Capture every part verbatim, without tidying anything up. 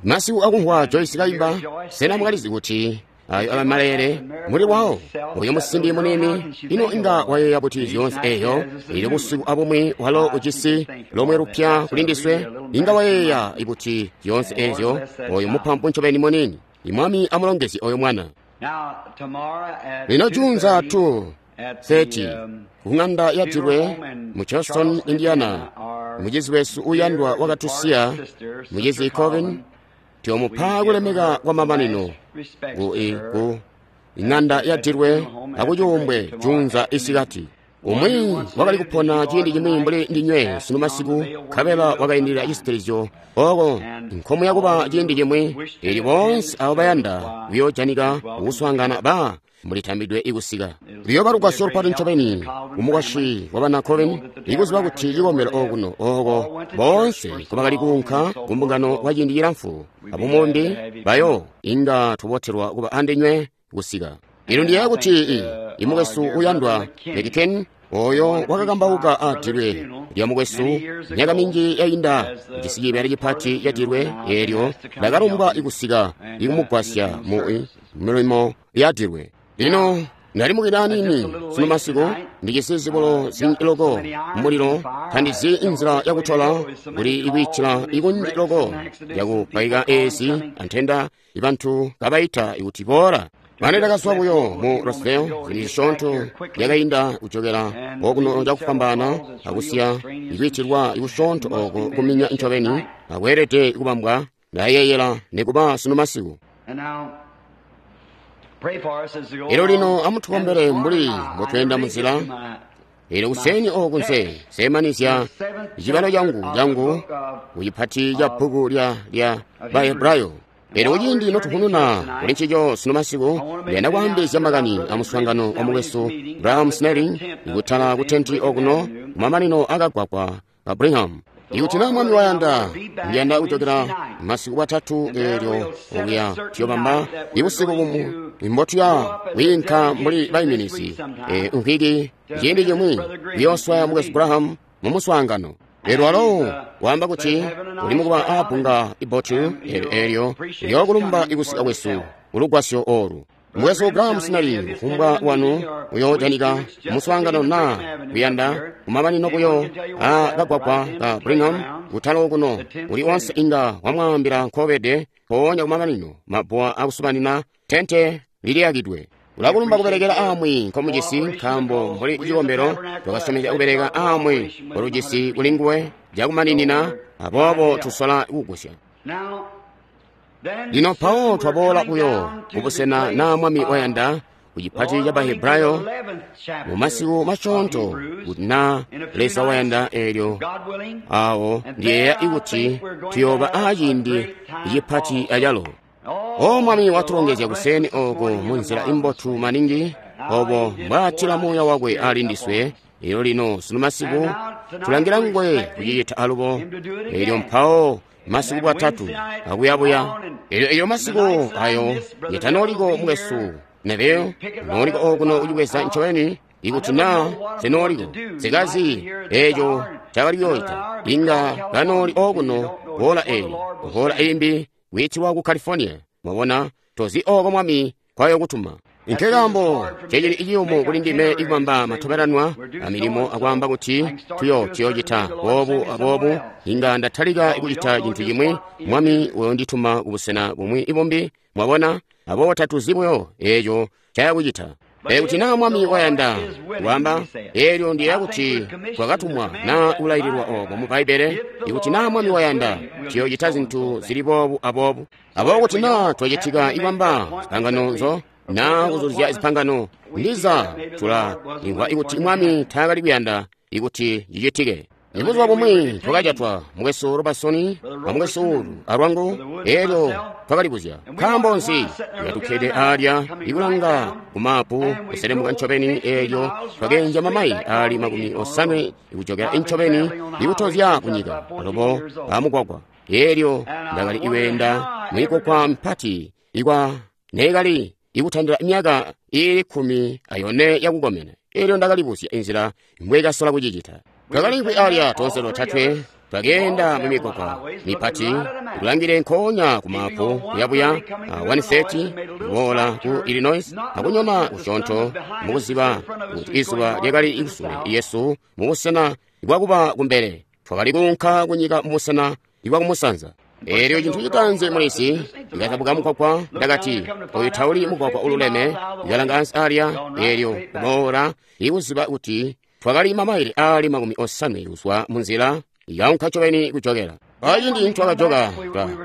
Masiku akumvwa Joyce kaimba, sena mwakalizi kuti ayo aba malele muli wawo oyo musimbi munini ino inga wayeeya kuti zyoonse eyo ili busiku abumwi walo ujisi lomwe lupya kuli ndiswe inga wayeeya kuti zyoonse ezyo oyo mupampu ncobeni munini. Imwami amulongezye oyo mwana. Lino juunza two thirty ku ng'anda ya Dilwe mu Charleston, Indiana, mucizi wesu uyandwa wakatusiya, mucizi Colvin, tyomupa kulemeka kwa mamanino ku ku ing'anda ya Dilwe akucuumbwe juunza isikati. Umwi wakali kupona ciindi cimwi mbuli ndinywe sunu masiku, nkabela wakaindilila cisitilizyo oko nkomu yakuba ciindi cimwi ili boonse abo bayanda kuyoojanika kukuswaangana ba mulitambidwe ikusika. Luyooba lugwasyo lupati ncobeni kumukwasyi wa bana Colvin ikuziba kuti cikombelo okuno oko boonse nkobakali kuunka kumbungano kwa ciindi cilamfu abumumbi bayo inga tubotelwa kuba andinywe kusika. Ino ndiyeeya kuti imukwesu uyandwa Mekiken oyo wakakambauka a dilwe lya mukwesu myaka minji yainda jisi cibeela cipati ca dilwe eelyo ndakalumbwa ikusika ikumugwasya mu milimo ya dilwe. Lino ndalimukila anini sunu masiku ndijisi zibulo zinji loko mulilo tandizi inzila yakutola kuli ikwiitila ikunji loko yakupaika ezi antenda ibantu kabaita ikuti boola. Mane ndakazwa buyo mu Roseville zili zisyoonto yakainda kujokela okuno cakufwambaana akusiya ikwiitilwa ikusyoonto oko kuminya ncobeni akweelede kubambwa ndayeeyela nikuba sunu masiku. Elo lino amutukombele mbuli mbotweenda munzila. Elo kuseni oku nse semanizya cibalo changu changu kucipati ca bbuku lya lya Bahebrayo. Elo kuciindi notuhununa kuli ncico sunu masiku ndiyanda kwaambizya makani amuswaangano wa mukwesu Graham Snelling ikutala ku tenti okuno kumamanino akagwagwa ka Brigham. Ikuti na mwami wayanda ndiyanda kujokela masiku watatu eelyo okuya tuyobamba ibusiku bumwi mbotuya kwiinka mbuli baiminizi nkwiki ciindi cimwi kuyooswaya mukwesu Graham mu muswaangano. Elyo alo waamba kuti uli mukuba aabbunga ibotu eelyo liyookulumba ikusika kwesu kulugwasyo oolu. Mukwesu Graham Snelling kufumbwa wanu uyoojanika muswaangano na kuyanda kumamanino buyo a kagwagwa ka Brigham kutala okuno uli onse inga wamwaambila nkobede mpoonya kumamanino mabuwa akusubanina tente liliyakidwe. Ulakulumba kubelekela amwi nkomujisi nkaambo mbuli cikombelo twakasyomezya kubeleka amwi kolujisi kuli nguwe cakumaninina aboobo tusola kugusya. Lino mpawo twaboola buyo kubusena na mwami wayanda kucipati ca Bahebrayo mu masiku masyoonto kuti na Leza wayanda eelyo awo ndiyeeya ikuti tuyooba aaciindi cipati acalo. O mwami watulongezya kuseni oko munzila imbotu maningi obo mbwaatila muuya wakwe ali ndiswe. Elyo lino sunu masiku tulangila ngwe kucicita alubo. Elyo mpawo masiku bwatatu akuyabuya. Elyo elyo masiku ayo yetanoliko mukwesu Neville nooliko okuno kucibweza ncobeni ikuti na senooliko sikazi eco cakali kuyoocita inga kanooli okuno hola eyi hola imbi kwiitilwa ku California. Mwabona tozi oko mwami kwayokutuma. Nkekambo cecili iciyumu kuli ndime ikubamba matobelanwa amilimo akwaamba kuti tuyo tuyocita boobu aboobu inga ndatalika ikucita cintu cimwi mwami uyondituma kubusena bumwi ibumbi. Mwabona aboobo tatuzi buyo eco cayakucita. Ekuti na mwami wayanda wamba eelyo ndiyeeya kuti twakatumwa na kulaililwa oko mu Bbaibbele ikuti na mwami wayanda tuyocita zintu zili boobu aboobu. Aboobo kuti na twacitika ibamba zipangano nzo na kuzuzya zipangano ndiza tula imvwa ikuti mwami taakali kuyanda ikuti cicitike. Ibuzuba bumwi twakajatwa mukwesu Robertson amukwesu Ulu alwangu eelyo twakalibuzya nkaambo nzi tukatukkede alya ikulanga kumapu kuselemuka ncobeni eelyo twakenja mamayi ali makumi osanwe ikujokera ncobeni ikutozya kunyika alobo amugwagwa. Eelyo ndakali iwenda mwikokwa mpati ikwa neekali ikutandila myaka iili kkumi ayone yakukomena. Eelyo ndakalibuzya inzila mbwekasola kucicita. Twakalinkwi alya tonse totatwe Twakeenda mu migwagwa mipati kulangile nkoonya ku mapu kuyabuya one thirty kuboola ku Illinois akunyona kusyoonto mukuziba kuti izuba lyakali kusule yesu mubusena bwakuba kumbele. Twakali kuunka kunyika mubusena bwakumusanza. Eelyo cintu citanzi mulisi ndikazabuka mugwagwa, ndakati oyu tauli mugwagwa ululeme. Ndikalanga ansi alya, eelyo kuboola ikuziba kuti twakali mamaile aali makumi osanwe kuzwa munzila yaunka ncobeni kujokela. Aciindi twakajoka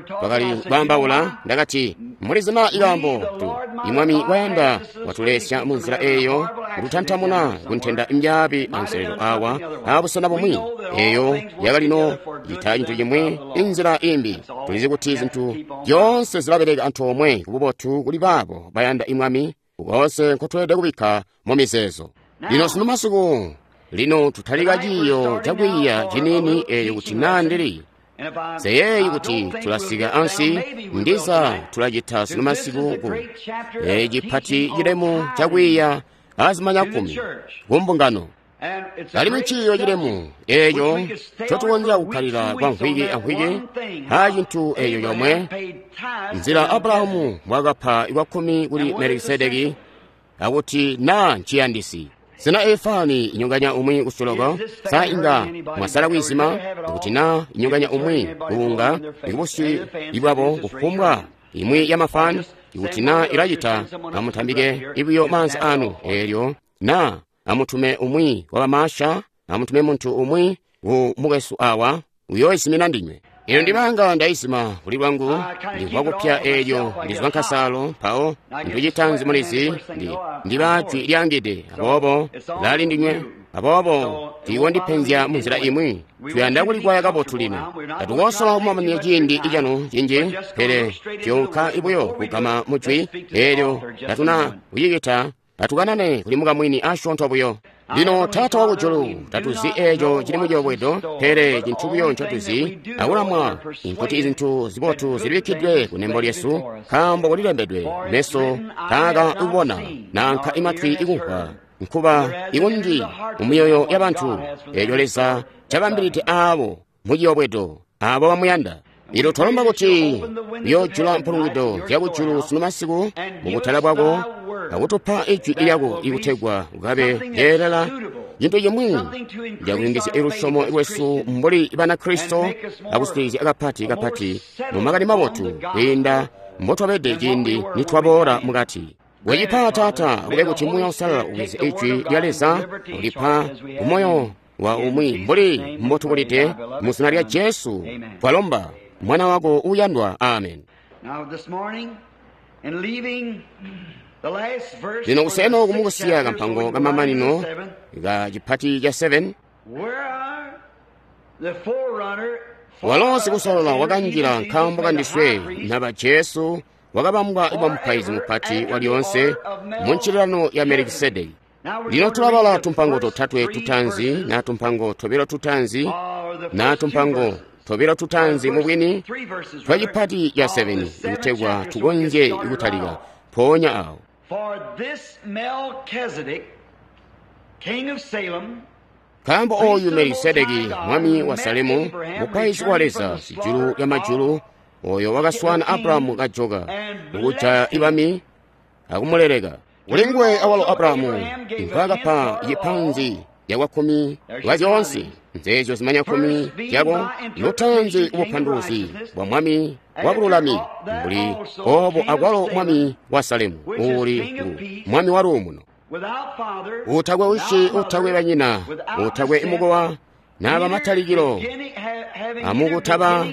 twakali kwaambaula, ndakati mulizina ikaambo tu imwami wayanda watulesya munzila eeyo kututantamuna kuntenda mbyaabi anselelo awa abusena bumwi. Eeyo yakalino cita cintu cimwi inzila imbi. Tulizi kuti zinthu zyoonse zilabeleka antoomwe kububotu kuli baabo bayanda imwami, koonse nkotweelede kubikka mu mizeezo. Lino sunu masiku lino tutalika ciiyo cakwiiya ciniini eeyo kuti naa ndili seyeeyi kuti tulasika ansi ndiza tulacita sunu masiku ku ecipati cilemu cakwiiya azimanya kkumi ku mbungano. Alimwi ciiyo cilemu eeco ncotukonzya kukkalira kwa mvwiki amvwiki a cintu eeco comwe, nzila Abrahamu mbwaakapa ikwakkumi kuli Melikisedeki akuti naa nciyandisi. Sena efani inyonganya umwi kusoloko? Sa inga mwasala kwiizima? Kuti naa inyonganya umwi kuunga ikubusyu ibwabo kufumbwa imwi ya mafani, ikuti naa ilacita, amutambike ibuyo maanza anu eelyo naa amutume umwi wa bamasha, amutume muntu umwi ku mukwesu awa uyoizimina ndinywe. Ino ndibanga ndaizima kuli lwangu, ndimvwa kupya eelyo ndizwa nkasalo, mpawo nducitanzi mulizi ndi ndiba jwi lyangide, aboobo lali ndinywe, aboobo tiiwondipenzya munzila imwi. Tuyanda kulikwaya kabotu lino. Tatukosola kumamanya ciindi canu cinji, pele tuyonka ibuyo kugama mujwi eelyo tatuna kucicita. Atukanane kuli mukamwini asyoonto buyo. Lino Taata wakujulu, tatuzi eeco cili muciyobwedo, pele cintu buyo ncotuzi akulamwa nkuti izintu zibotu zilibikkidwe kunembo lyesu, nkaambo kulilembedwe, meso taaka ikubona nanka imatwi ikumvwa, nkuba ikunji mumyoyo yabantu, eeco Leza cabambilide aabo muciyobwedo, aabo bamuyanda. Lino twalomba kuti uyoojula mpulungwido zyakujulu sunu masiku mubutala bwako akutupa ijwi lyako ikutegwa kukabe lyeelela cintu cimwi cakuyungizya lusyomo lwesu mbuli Banakristo akusikilizya kapati kapati mu makani mabotu kwiinda mbotwabede ciindi nitwaboola mukati. Wecipa Taata, kube kuti Muuya Uusalala ubweze ijwi lya Leza ulipa kumoyo wa umwi mbuli mbotubulide mu zina lya Jesu twalomba, Mwana wako uyandwa. Amen. Lino kuseno kumukusiya kampango kamamanino ka chipati cha seven, walo sikusolola wakanjila nkaambo kandiswe naba Jesu wakabambwa kuba mupaizi mupati walyoonse mu nchililano ya Melikisedeki. Lino tulabala tumpango totatwe tutanzi na tumpango tobilo tutanzi na tumpango tobilo tutanzi mubwini twa chipati cha seven kutegwa tukonzye kutalika mpoonya awo. Nkaambo oyu Melikisedeki mwami wa Salemu, mupaizi wa Leza sijulu lya majulu, oyo wakaswana Abrahamu kajoka kukujaya ibami akumuleleka. Kulinguwe awalo Abrahamu nkwaakapa cipanzi yakwakkumi lwa zyoonse nzeezyo zimanya kkumi zyako, lutanzi ubupanduluzi bwa mwami wa bululami, mbuli oobo akwalo mwami wa Salemu uuli mwami wa luumuno, utakwe usyi, utakwe banyina, utakwe mukowa naba matalikilo amukutaba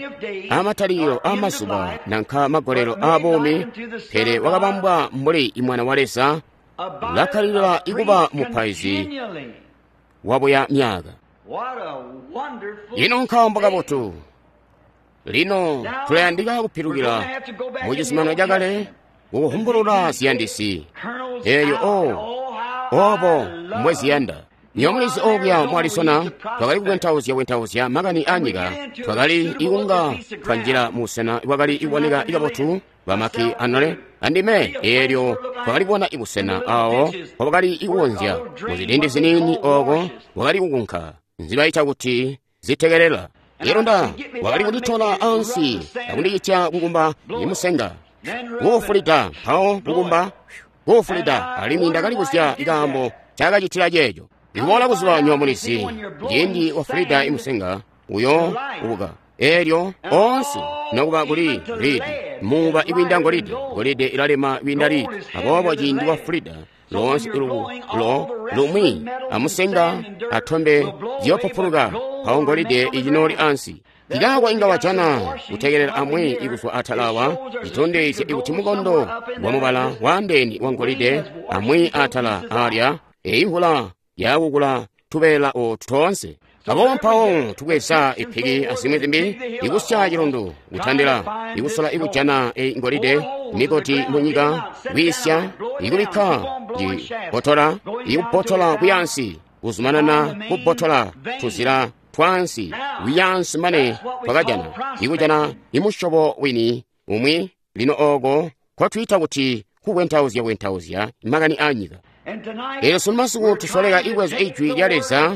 amatalikilo amazuba nanka magolelo abuumi, pele wakabambwa mbuli imwana wa Leza, ulakkalilila ikuba mupaizi wabuya myaka. Lino nkaambo kabotu. Lino tulayandika kupilukila mu cizuminano cakale kukuhumbulula ziyandisi eeyo o obo mbweziyanda. Niyo mulizi okuya mu Arizona twakali kukwentauzya kwentauzya makani anyika, twakali ikunga twanjila musena bwakali iboneka ikabotu bamaki anole andime, eelyo twakali kubona ibusena awo bwakali ikukonzya muzilindi ziniini oko bwakali kukunka nzibaita kuti zitekelela. Elyo Nda wakali kunditola ansi akundicitya kukumba imusenga kuufulida, mpawo kukumba kuufulida, alimwi ndakali kuzya ikaambo cakacitila ceeco. Ikuboola kuzuba nywa mulizi, ciindi wafulida imusenga uyo ubuka. Elyo onse nokuba kuli lidi muba ikwiinda ngolide, ngolide ilalema kwiinda lidi. Aboobo ciindi wafulida lonse lo lumwi amusenga atombe ziyopupuluka, mpawo ngolide icinoli ansi. Kikaako inga wajana kutekelela amwi ikuzwa atala awa citondezya ikuti mukondo wa mubala waandeene wa ngolide amwi atala alya eyi mvula yakukula tubeela otu toonse. Aboobo mpawo tubweza ipiki azimwi zimbi ikusya cilundu kutandila ikusola ikujana eyi ngolide mikoti munyika kwiisya ikubikka cibotola ikubotola kuyansi kuzumanana kubotola tuzila twansi kuyansi mane twakajana ikujana imusyobo wini umwi. Lino oko nkotwiita kuti kukwentauzya kwentauzya makani aanyika. Elyo sunu masiku tusoleka ibweza ijwi lya Leza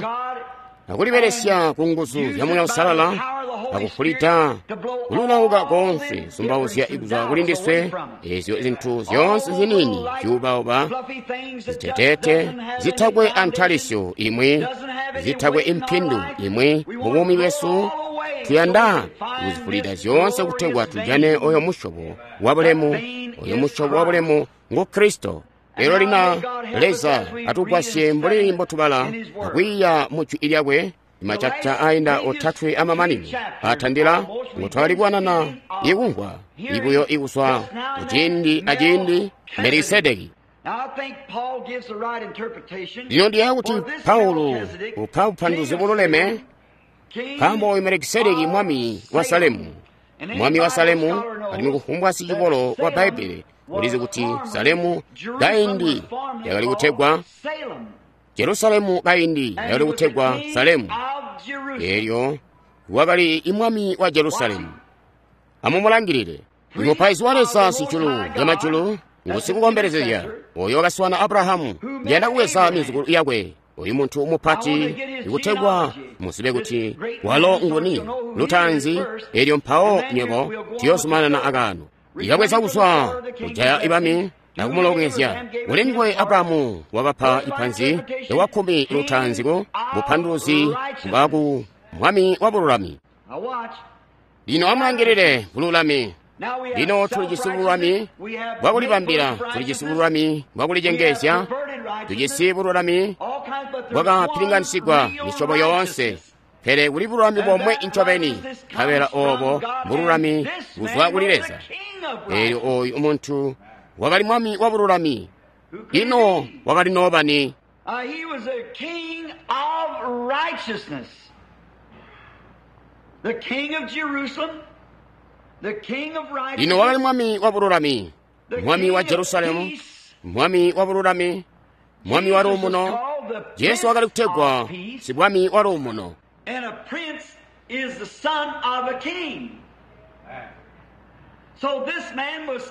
akulibelesya ku nguzu zya Muuya Uusalala akufulida kululauka konse zumbauzya ikuzwa kuli ndiswe ezyo zintu zyoonse ziniini zyuubauba ziteteete zitakwe antalisyo imwi zitakwe impindu imwi mu buumi bwesu. Tuyanda kuzifulida zyoonse kutegwa tujane oyo musyobo wa bulemu. Oyo musyobo wa bulemu ngu Kristo. Lero lina Leza atugwasye mbuli mbotubala akwiiya mu jwi lyakwe machapita ainda otatwe amamanino atandila ngotwakali kuwanana ikumvwa ibuyo ikuswa kuciindi aciindi Melikisedeki. Lino ndiyeeya kuti Paulo upa bupanduluzi bululeme, nkaambo oyu Melikisedeki mwami wa Salemu, mwami wa Salemu, alimwi kufumbwa sicikolo wa Bbaibele ulizi kuti Salemu kaindi yakali kutegwa Jerusalemu, kaindi yakali kutegwa Salemu. Elyo wakali imwami wa Jerusalemu. Amumulangilile imupaizi wa Leza sijulu lyamajulu ngusikukombelezezya oyo wakaswana Abrahamu. Ndiyanda kubweza mizukulu yakwe oyu muntu mupati ikutegwa muzibe kuti walo nguni lutaanzi. Elyo mpawo nywebo tuyozumanana akaano. Ikabweza kuzwa kujaya ibami nakumulongezya. Kulinguwe Abrahamu wakapa ipanzi lyawakkumi lutaanzi ku bupanduluzi bwaku mwami wa bululami. Lino amulangilile bululami. Lino tulijisi bululami bwakulibambila, tulijisi bululami bwakulicengezya, tujisi bululami bwakapilinganisigwa misyobo yoonse. Pele kuli bululami bomwe incobeni, nkabela obo bululami buzwa kuli Leza. Elyo oyu muntu wakali mwami wa bululami. Ino wakali nobani? Lino wakali mwami wa bululami, mwami wa Jerusalemu, mwami wa bululami, mwami wa luumuno. Jesu wakali kutegwa sibwami wa luumuno.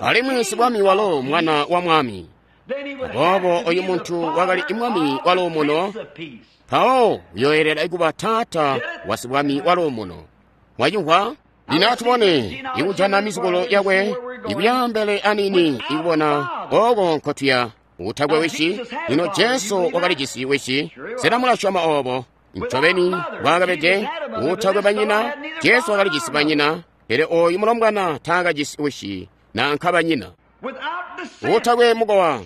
Alimwi sibwami walo mwana wa mwami. Aboobo oyu muntu wakali imwami wa luumuno, mpawo uyoyelera ikuba taata wa sibwami wa luumuno. Mwachimvwa? Lino atubone ikujana mizukulu yakwe ikuyambele anini ikubona oko nkotuya utakwe wishi. Lino Jesu wakalijisi wishi. Sena mulasyoma obo? Ncobeni bwakabede utakwe banyina. Jesu wakalijisi banyina, pele oyu mulombwana taakajisi wishi nanka banyina. Utakwe mukowa,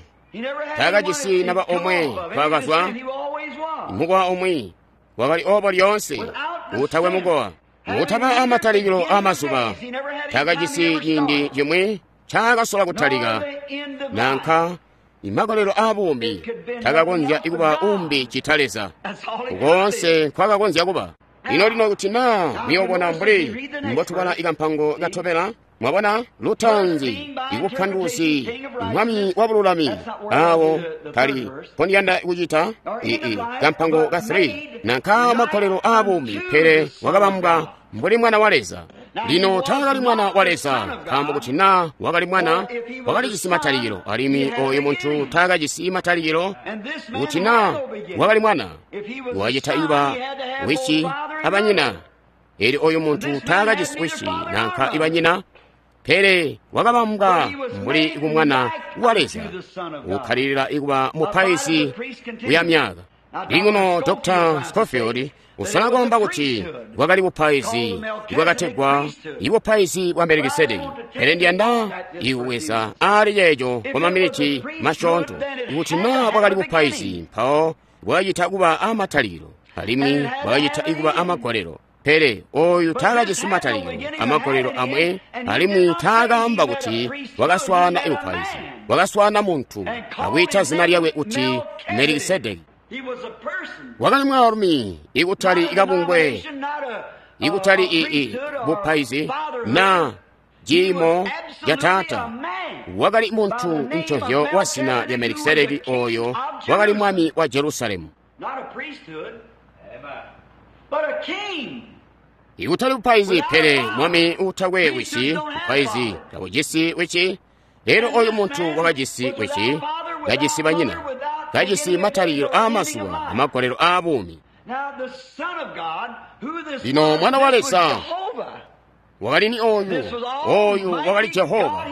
taakajisi naba omwe twakazwa mukowa omwe, wakali obo lyoonse. Utakwe mukowa, utaba amatalikilo amazuba, taakajisi ciindi cimwi ncaakasola kutalika nanka imakolelo abuumbi. Takakonzya kuba umbi cita Leza konse nkwakakonzya kuba. Lino lino kuti naa muyobona mbuli mbotubala ikampango katobela, mwabona lutaanzi ikupanduluzi mwami wa bululami awo kali mpondiyanda kucita ii kampango ka three nanka makolelo abuumbi, pele wakabambwa mbuli mwana wa Leza. Lino taakali mwana wa Leza, nkaambo kuti naa wakali mwana wakalijisi matalikilo, alimwi oyu muntu taakajisi matalikilo. Kuti naa wakali mwana wacita kuba wishi abanyina, Elyo oyu muntu taakajisi wisi nanka ibanyina, pele wakabambwa mbuli kumwana wa Leza, ukkalilila ikuba mupaizi kuya myaka. Lino Doctor Scofield usala kwaamba kuti bwakali bupaizi ibwakategwa ibupaizi bwa Melikisedeki, pele ndiyanda ikuweza ali ceeco kwa maminiti masyoonto. Ikuti naa bwakali bupaizi, mpawo bwakacita kuba amatalikilo alimwi bwakacita ikuba amagolelo. Pele oyu taakajisi matalikilo amagolelo amwe, alimwi taakaamba kuti wakaswaana ibupaizi. Wakaswaana muntu akwiita zina lyakwe kuti Melikisedeki. Wakali mwaalumi, ikutali kabungwe, ikutali ii bupaizi na ciimo ca taata. Wakali muntu ncovyo wa zina lya Melikisedeki, oyo wakali mwami wa Jerusalemu. Ikutali bupaizi, pele mwami utakwe wisi, bupaizi tabujisi wici. Lero oyu muntu wakajisi wici, kajisi banyina, kajisi matalikilo aamazuba amagolelo aabuumi. Lino Mwana wa Leza wakali ni oyu, oyu wakali Jehova,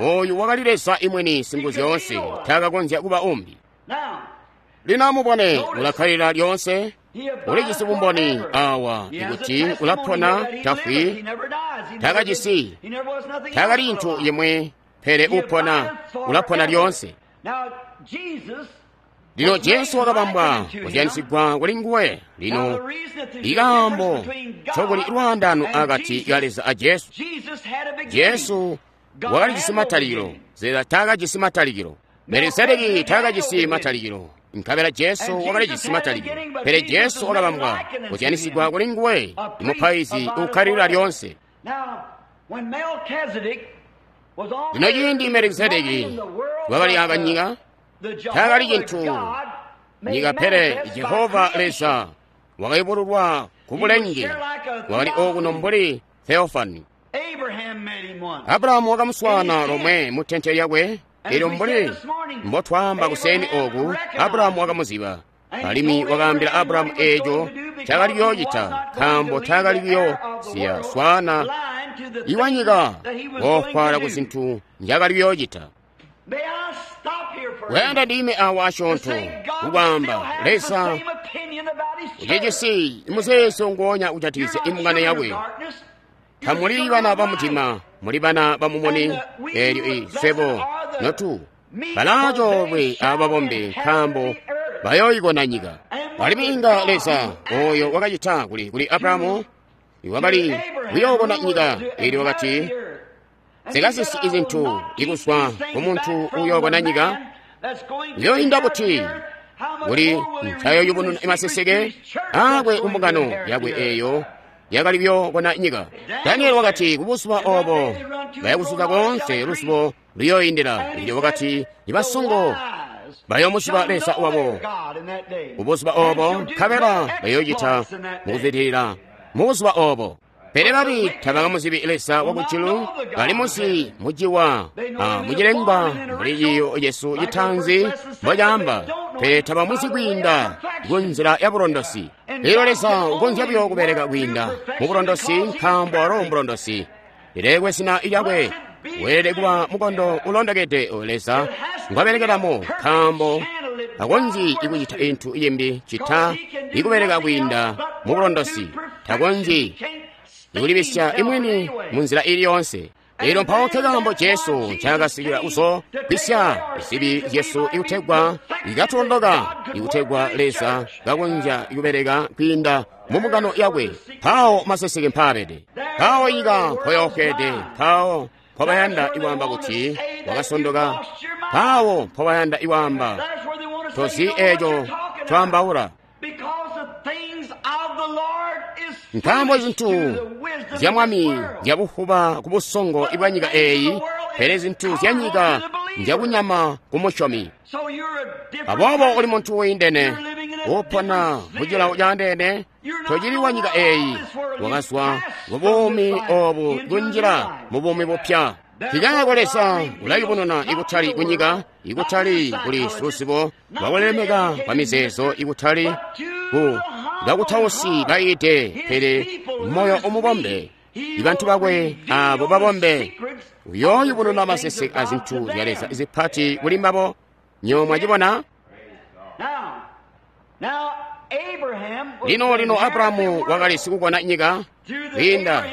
oyu wakali Leza imweni Singuzyoonse, taakakonzya kuba umbi. Lino amubone, ulakkalila lyoonse, ulijisi bumboni awa ikuti ulapona, tafwi, taakajisi, taakali cintu yemwe, pele upona, ulapona lyoonse. Lino Jesu wakabambwa kuzyanisigwa kuli nguwe. Lino ikaambo ncokuli lwaandano akati ka Leza a Jesu. Jesu wakalijisi matalikilo, Leza taakajisi matalikilo. Melikisedeki taakajisi matalikilo, nkabela Jesu wakalijisi matalikilo. Pele Jesu wakabambwa kuzyanisigwa kuli nguwe, imupaizi ukkalilila lyoonse. Lino ciindi Melikisedeki wakali akanyika, taakali cintu nyika, pele Jehova Leza wakayubululwa ku bulenge, wakali okuno mbuli Theofani. Abrahamu wakamuswaana lomwe mu tente lyakwe. Elyo mbuli mbotwaamba kuseeni oku, Abrahamu wakamuziba, alimwi wakaambila Abrahamu eeco cakali kuyoocita, nkaambo taakali kuyoosiya swaana iwanyika woofwaala ku zintu njakali kuyoocita. Kuyanda ndime awa asyoonto kukwaamba Leza ucijisi muzeezo nguonya kujatikizya imbungano yakwe. Tamuli bana ba mutima, muli bana ba mumuni. Elyo iswebo notu balaacoolwe ababombe, nkaambo bayooyikona nyika. Alimwi inga Leza oyo wakacita kuli kuli Abrahamu iwakali kuyookona nyika, elyo wakati zikasisi izintu ikuzwa kumuntu uyookona nyika, uyoinda buti kuli ncayoyubununa imaseseke akwe kumbungano yakwe eyo yakali kuyookona nyika. Danieli wakati kubuzuba obo bayakuzuka koonse luzubo luyooyindila. Elyo wakati ibasongo bayoomuziba Leza wabo kubuzuba obo, nkabela bayoocita mukuzwidilila mubuzuba obo. Pele babi tabakamuzibi Leza wakujulu, bali muzi muciwa a mucilengwa mbuli ciyo Yesu citanzi mbocaamba, pele tabamuzi kwiinda kunzila ya bulondosi. Lino Leza ukonzya buyo kubeleka kwiinda mu bulondosi, nkaambo walo mbulondosi. Lilekwe zina lyakwe, weelede kuba mukondo ulondokede oyo Leza ngwabelekelamo, nkaambo takonzyi ikucita intu imbi cita ikubeleka kwiinda mu bulondosi. Takonzyi ikulibisya imwini munzila ili yonse. Elyo mpawo nkekaambo Jesu ncaakasikila kuzogwisya zibi zyesu ikutegwa ikatulondoka, ikutegwa Leza kakonzya kubeleka kwiinda mu mbungano yakwe. Mpawo maseseke mpaabede, mpawo nyika mpoyoofweede, mpawo mpobayanda ikwaamba kuti wakasondoka, mpawo mpobayanda ikwaamba tozi eeco twaambaula. Nkaambo zintu zya Mwami nzyabufuba ku busongo bwa nyika eeyi, pele zintu zya nyika nzyakunyama ku musyomi. Aboobo uli muntu wiindene, upona mucilawo caandeene, tocili wa nyika eeyi, wakazwa ku buumi oobu kunjila mu buumi bupya. Nkikaako Leza ulayubununa ikutali kunyika, ikutali kuli siluzibo lwakulemeka kwa mizeezo, ikutali ku bakutausi bayiide, pele moyo umubombe, ibantu bakwe abo babombe, uyooyubununa maseseke a zintu zya Leza zipati kuli mbabo. Nyo mwacibona? Lino lino Abrahamu wakali sikukona nyika, kwiinda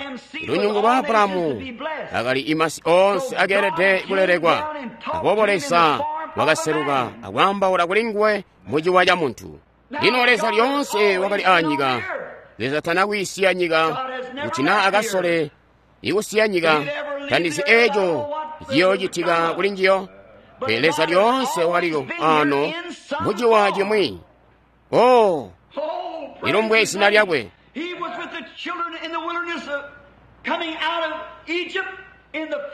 lunyungu lwa Abrahamu akali imasi onse akeelede kulelekwa. Aboobo Leza wakaseluka akwaambaula kuli nguwe muciwa ca muntu. Lino Leza lyoonse wakali aanyika. Leza tana kwiisiya nyika, kuti naa akasole ikusiya nyika, tandizi eeco ciyoocitika kuli njiyo. Pele Leza lyoonse wakaliko ano muciwa cimwi. Oh, lilumbwe zina lyakwe.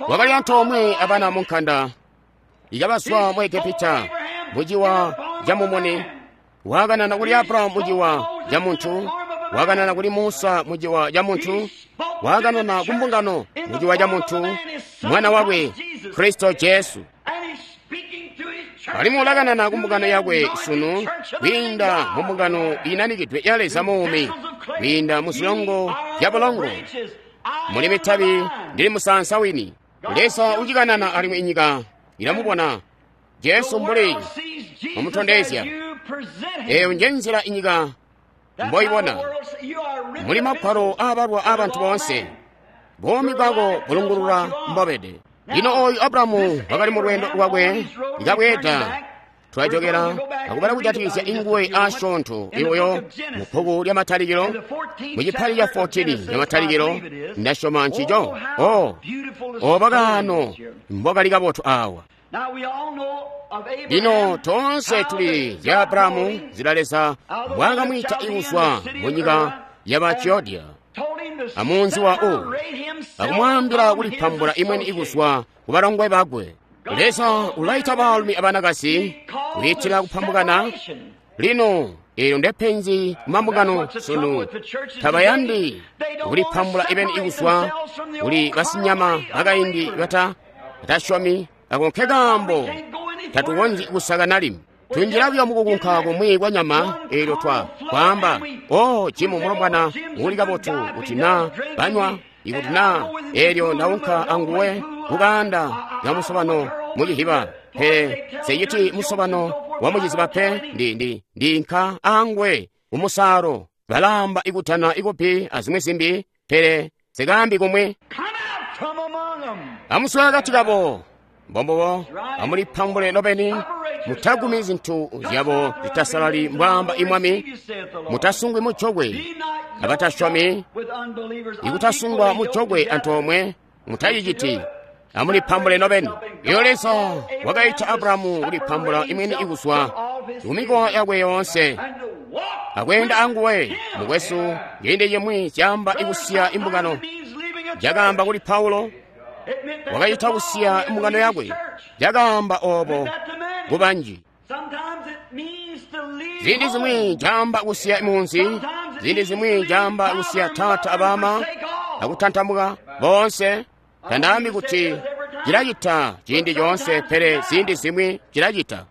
Wakali antoomwe abana munkanda ikabazwa mu Egepita muciwa ca mumuni. Wakanana kuli Abrahamu muciwa ca muntu, wakanana kuli Musa muciwa ca muntu, wakanana ku mbungano muciwa ca muntu, mwana wakwe Kristo Jesu. Alimwi ulakanana ku mbungano yakwe sunu kwiinda mu mbungano inanikidwe ya Leza muumi, kwiinda mu zilongo zya bulongo, muli mitabi ndili musaansa wini. Leza ucikanana alimwi inyika ilamubona Jesu mbuli mumutondezya. Eyo nje nzila inyika mboibona. Muli magwalo aabalwa aabantu boonse, buumi bwako bulungulula mbobede. Lino oyu Abrahamu wakali mu lweendo lwakwe ikabweeda. Twajokera akubala kujatikizya inguwe asyoonto iwoyo mu bbuku lya Matalikilo, mu chipali cha fourteen ya Matalikilo, ndasyoma ncico. Oh, oba kaano mbokali kabotu awa. Lino tonse tuli zya Abrahamu zila Leza mbwaakamwiita ikuzwa mu nyika ya Bachiodya amunzi wa Ur, akumwaambila kulipambula imweni ikuzwa ku balongwe bakwe. Leza ulaita baalumi abanakazi kwiitila kupambukana. Lino eelyo ndepenzi kumambungano sunu, tabayandi kulipambula ibeni ikuzwa kuli basinyama bakaindi bata batasyomi. Ako nke kaambo tatukonzyi kusakana limwi. Tunjila buyo mukukunka kumwi kwa nyama eelyo twa kwaamba, oh, Jimu mulombwana uli kabotu kuti naa banywa, ikuti naa eelyo ndaunka anguwe kukaanda ka musobano mucihiba, pele seyiti musobano wa muciziba pe, ndi ndi ndinka anguwe kumusaalo. Balaamba ikutana ikupi azimwi zimbi, pele sikaambi kumwi. Amuswe akati kabo. Mbombobo amulipambule nobeni, mutagumi zintu zyabo zitasalali, mbwaamba imwami. Mutasungwi mucokwe abatasyomi, ikutasungwa mucokwe antoomwe mutaciciti. Amulipambule nobeni. Iyo Leza wakaita Abrahamu kulipambula imweni ikuzwa kumikowa yakwe yoonse akweenda anguwe. Mukwesu, ciindi cimwi caamba ikusiya imbungano. Cakaamba kuli Paulo, wakacita kusiya imbungano yakwe. Cakaamba obo kubanji. Ziindi zimwi caamba kusiya munzi, ziindi zimwi caamba kusiya tata abama akutantamuka boonse. Tandaambi kuti cilacita ciindi coonse, pele ziindi zimwi cilacita.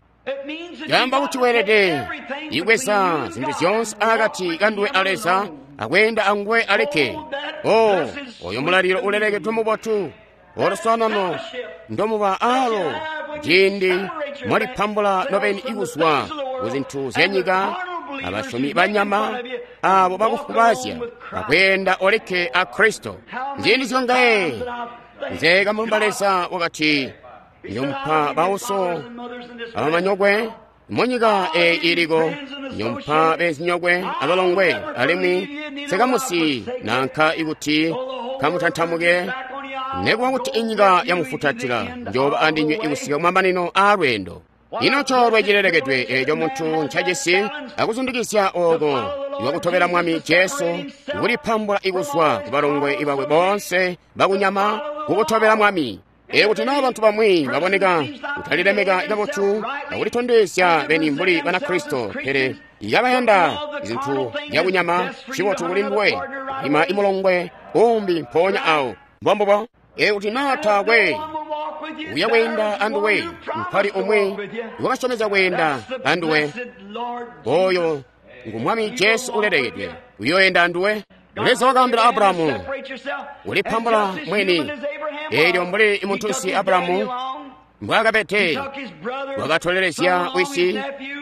Caamba kuti weelede ikweza zintu zyoonse akati kanduwe a Leza akweenda anguwe aleke. Oh, oyo mulalilo ulelekedwe mubotu oluswanano ndomuba alo ciindi mwalipambula nobeni ikuzwa ku zintu zya nyika abasyomi banyama abo bakufubazya akweenda oleke a Kristo. Nziindi zyongaye nze kamulumba Leza wakati nyomupa bauso abamanyokwe munyika eyi iliko, nyomupa bezinyokwe abalongwe, alimwi sekamusi nanka ikuti kamutantamuke, nekuba kuti inyika yamufutatila, njoba andinywe ikusika kumamanino a lweendo. Ino coolwe cilelekedwe eeco muntu ncajisi akuzundikizya ooko iwakutobela Mwami Jesu, kulipambula ikuzwa ku balongwe bakwe boonse bakunyama kukutobela Mwami. Ee kuti naa bantu bamwi baboneka kutalilemeka kabotu akulitondezya beni mbuli Banakristo, pele ikabayanda zintu zyakunyama, cibotu kuli nduwe ima imulongwe umbi mpoonya awo. Mbombubo. Ikuti naa taakwe uya kweenda anduwe, mpali umwi wakasyomezya kweenda anduwe. Oyo ngu Mwami Jesu ulelekedwe, uyoenda anduwe. Leza wakaambila Abrahamu, ulipambula mweni. Eelyo mbuli muntunsi Abrahamu mbwaakabede, wakatolelezya wisi,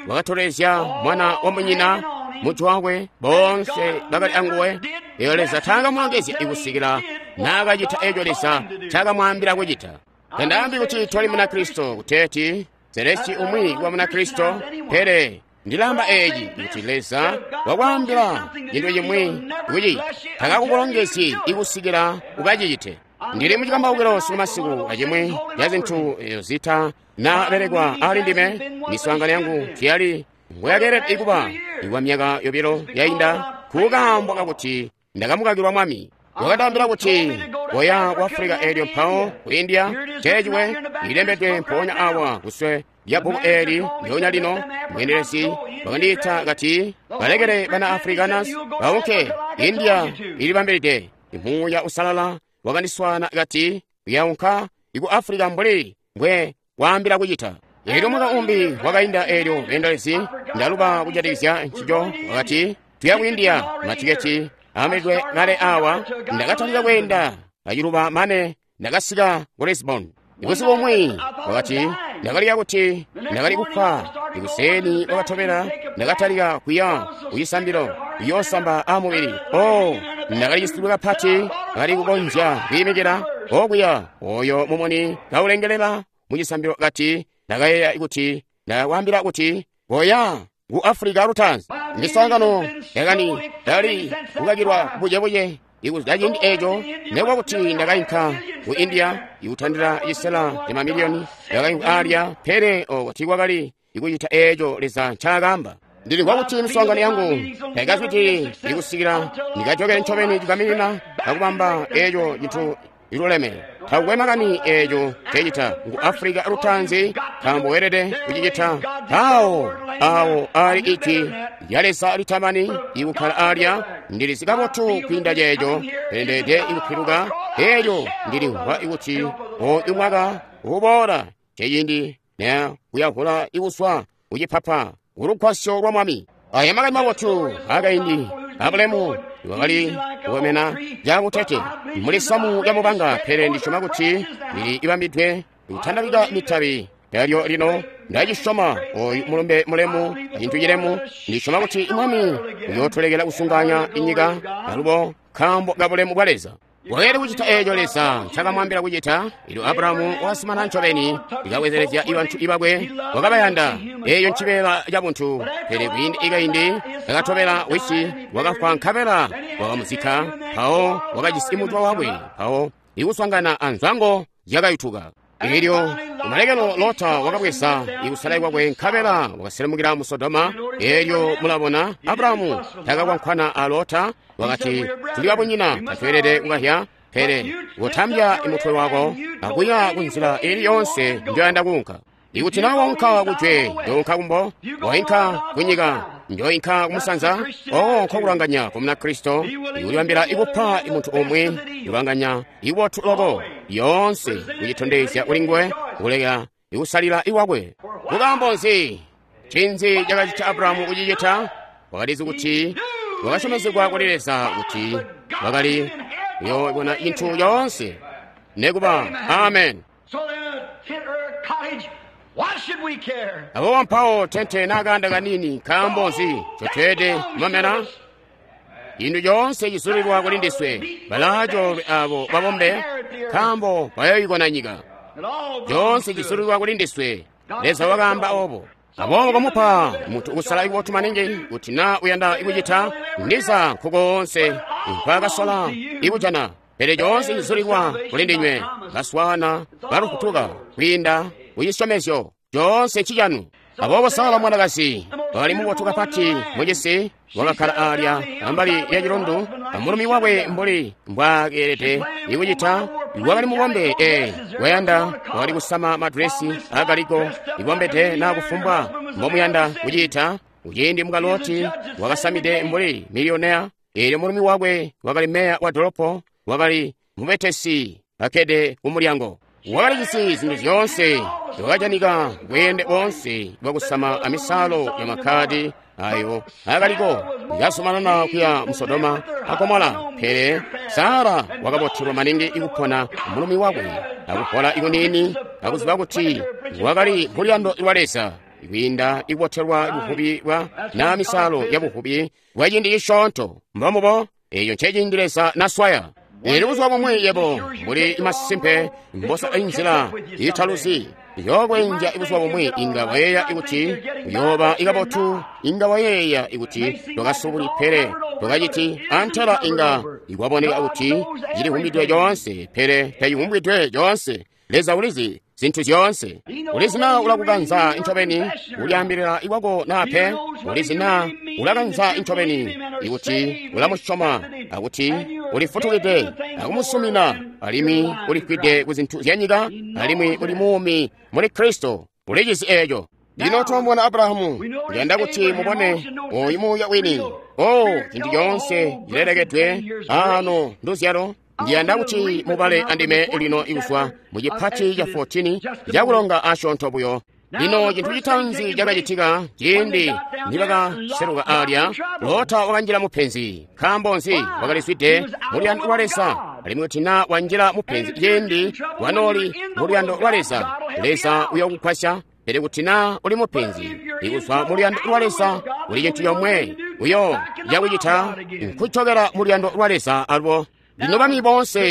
wakatolelezya mwana wa munyina, mutu wakwe, boonse bakali anguwe. Eyo Leza taakamulongezya ikusikila naakacita eco Leza caakamwaambila kucita. Tandaambi kuti twali Munakristo kuteeti zelesi umwi wa Munakristo, pele ndilaamba eeci kuti Leza wakwaambila cintu cimwi kuti takakukulongezyi ikusikila ukacicite. Ndili mucikambaukilo sikumasiku acimwi ca zintu zita nabelekwa ali ndime. Miswaangano yangu tiyali ngoyakeelede kuba ikwa myaka yobilo yainda kukaambwa kakuti ndakamukakilwa Mwami. Wakatambila kuti koya ku Africa eelyo mpawo ku India ceeciwe ilembedwe mpoonya awa kuswe lya bbuku eeli ndyonya lino. Mweendelezi wakandiita kati balekele bana Afrikaners baunke, India ilibambilide. Muuya Usalala wakandiswaana kati uyaunka iku Africa mbuli mbwe waambila kucita. Eelyo mwaka umbi wakainda eelyo beendelezi ndaluba kujatikizya ncico wakati tuya ku India, matiketi aambilidwe kale awa. Ndakatalika kweenda aciluba mane ndakasika ku Lisbon. Ibusiku bumwi wakati ndakalika kuti ndakali kufa. Ikuseni wakatobela ndakatalika kuya kucisambilo kuyoosamba amubili. Oh, ndakalicisidwe kapati, ndakali kukonzya kwiimikila okuya oyo mumuni kaulengelela mucisambilo kati ndakayeeya kuti ndakwaambila kuti koya ku Africa lutaanzi. Miswaangano yakani ndali kukakilwa bucebuce ikuzwa ciindi eeco, nekuba kuti ndakainka ku India ikutandila cisela ca mamiliyoni ndakainka alya, pele oko tiikwakali ikucita eeco Leza ncaakaamba. Ndilimvwa kuti miswaangano yangu taikazwidilili ikusikila ndikajokele ncobeni cigaminina akubamba eeco cintu iluleme. Takukwe makani eeco ncecita ngu Africa lutaanzi, nkaambo weelede kucicita. Awo awo ali ijwi lya Leza litamani ikukkala alya. Ndilizi kabotu kwiinda ceeco, pele ndeelede ikupiluka. Eelyo ndilimvwa kuti oyu mwaka uboola ceciindi ne kuyavula ikuswa kucipapa kulugwasyo lwa Mwami. Aya makani mabotu akaindi abulemu wakali kukomena cakutete muli samu lya mubanga, pele ndisyoma kuti lili ibambidwe kutandabika mitabi yalyo lino. Ndacisyoma oyu mulumbe mulemu cintu cilemu. Ndisyoma kuti Mwami uyootulekela kusunganya inyika alubo nkaambo ka bulemu bwa Leza. Wakeelede kucita eeco Leza ncakamwaambila kucita. Elyo Abrahamu wakasimana ncobeni ikabwezelezya ibantu ibakwe, wakabayanda. Eeyo ncibeela ca buntu, pele kwiindi ikaindi kakatobela wisi wakafwa nkabela wakamuzikka, mpawo wakajisi mutwa wakwe, mpawo ikuswangana anzwango zyakayutuka. Eelyo kumalekelo Lota wakabweza ikusala kwakwe nkabela wakaselemukila mu Sodoma. Eelyo mulabona Abrahamu takakwankwana a Lota, wakati tuli babunyina, tatweelede kukahya, pele kotambya mutwe wako akuya kunzila ili yonse njoyanda kuunka. Ikuti naa waunka kujwe, njounka kumbo, wainka kunyika, njoinka kumusanza. Oo, nkokulanganya kwa Munakristo ikulibambila ikupa muntu umwi ikulanganya ibotu loko yoonse kucitondezya kuli nguwe kuleka ikusalila iwakwe. Kukaambo nzi? Ncinzi cakacita Abrahamu kucicita? Wakalizi kuti wakasyomezegwa kuli Leza kuti wakali kuyoobona cintu yoonse nekuba. Amen. Aboobo mpawo tente naakaanda kanini, nkaambo nzi ncotweelede kumamena? Cintu coonse cizulilwa kuli ndiswe. Balaacoolwe abo babombe, nkaambo bayoyikona nyika. Coonse cizulilwa kuli ndiswe. Leza wakaamba obo. Aboobo komupa muntu kusala ibotu maningi kuti naa uyanda ikucita ndiza nkukoonse nkwaakasola ikujana. Pele coonse cizulilwa kuli ndinywe baswaana balufutuka kwiinda kucisyomezyo coonse ncicanu. Aboobo Sara mwanakazi wakali mubotu kapati mucisi, wakakkala alya ambali ya cilundu amulumi wakwe mbuli mbwaakeelede ikucita. Wakali mubombe, ee, wayanda wakali kusama madresi akaliko ibombede naa kufumbwa mbomuyanda kuciita. Kuciindi muka Loti wakasamide mbuli miliyonea, eelyo mulumi wakwe wakali meya wa dolopo, wakali mubetesi Kakkede ku mulyango. Wakali jisi zintu zyoonse, wakajanika bweende boonse bwakusama amisalo ya makkadi ayo akaliko kazumanana kuya mu Sodoma a Gomora. Pele Sara wakabotelwa maningi ikupona mulumi wakwe akupola ikunini akuziba kuti wakali kuluyando lwa Leza kwiinda ikubotelwa buvubi bwa na misalo ya buvubi bwa ciindi cisyoonto. Mbomubo eeyo nceciindi Leza naswaya. Eelyo buzuba bumwi yebo mbuli masimpe mbosa inzila italuzi yookwenja buzuba bumwi inga wayeeya ikuti uyooba ikabotu, inga wayeeya ikuti twakasubuli pele twakaciti antela inga ikwaboneka kuti cilivumbidwe coonse pele tacivumbidwe coonse. Leza ulizi zintu zyoonse. Ulizi naa ulakukanza ncobeni ulyaambilila ikwako naa pe. Ulizi naa ulakanza ncobeni ikuti ulamusyoma akuti ulifutukide akumusumina alimwi ulifwide ku zintu zya nyika alimwi uli muumi muli Kristo. Ulicizi eeco. Lino twamubona Abrahamu. Ndiyanda kuti mubone oyu muuya wini. O cintu coonse cilelekedwe ano nduzyalo. Ndiyanda kuti mubale andime lino ikuzwa mu cipati ca fourteen cakulonga asyoonto buyo. Lino cintu citaanzi cakacitika ciindi nibakaseluka alya, Lota wakanjila mupenzi. Nkaambo nzi? Wakalizwide muluyando lwa Leza. Alimwi kuti naa wanjila mupenzi ciindi wanooli muluyando lwa Leza, Leza uyokugwasya. Pele kuti naa uli mupenzi ikuzwa muluyando lwa Leza, uli cintu yomwe uyo yakucita nkucokera muluyando lwa Leza alubo. Lino bami boonse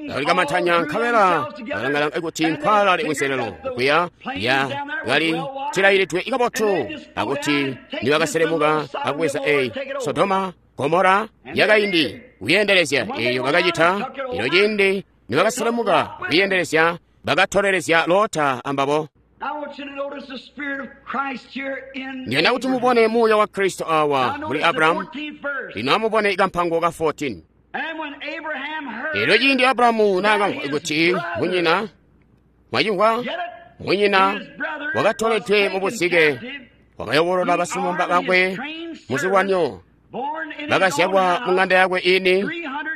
balikamantanya nkabela balangalanga kuti nkwalali kunselelo kuya ya kali cilayilidwe ikabotu akuti nibakaselemuka akubweza eyi Sodoma Gomora yakaindi kuyendelezya eyo bakacita. Ino ciindi nibakaselemuka kuyendelezya bakatolelezya Lota ambabo. Ndiyanda kuti mubone muuya wa Kristo awa muli Abrahamu. Lino amubone ikampango ka fourteen. Elyo ciindi Abrahamu naakamvwa kuti munyina mwacimvwa munyina wakatoledwe mu buzike, wakayobolola basilumamba bakwe muzilwanyo bakazyalwa mu ng'anda yakwe ini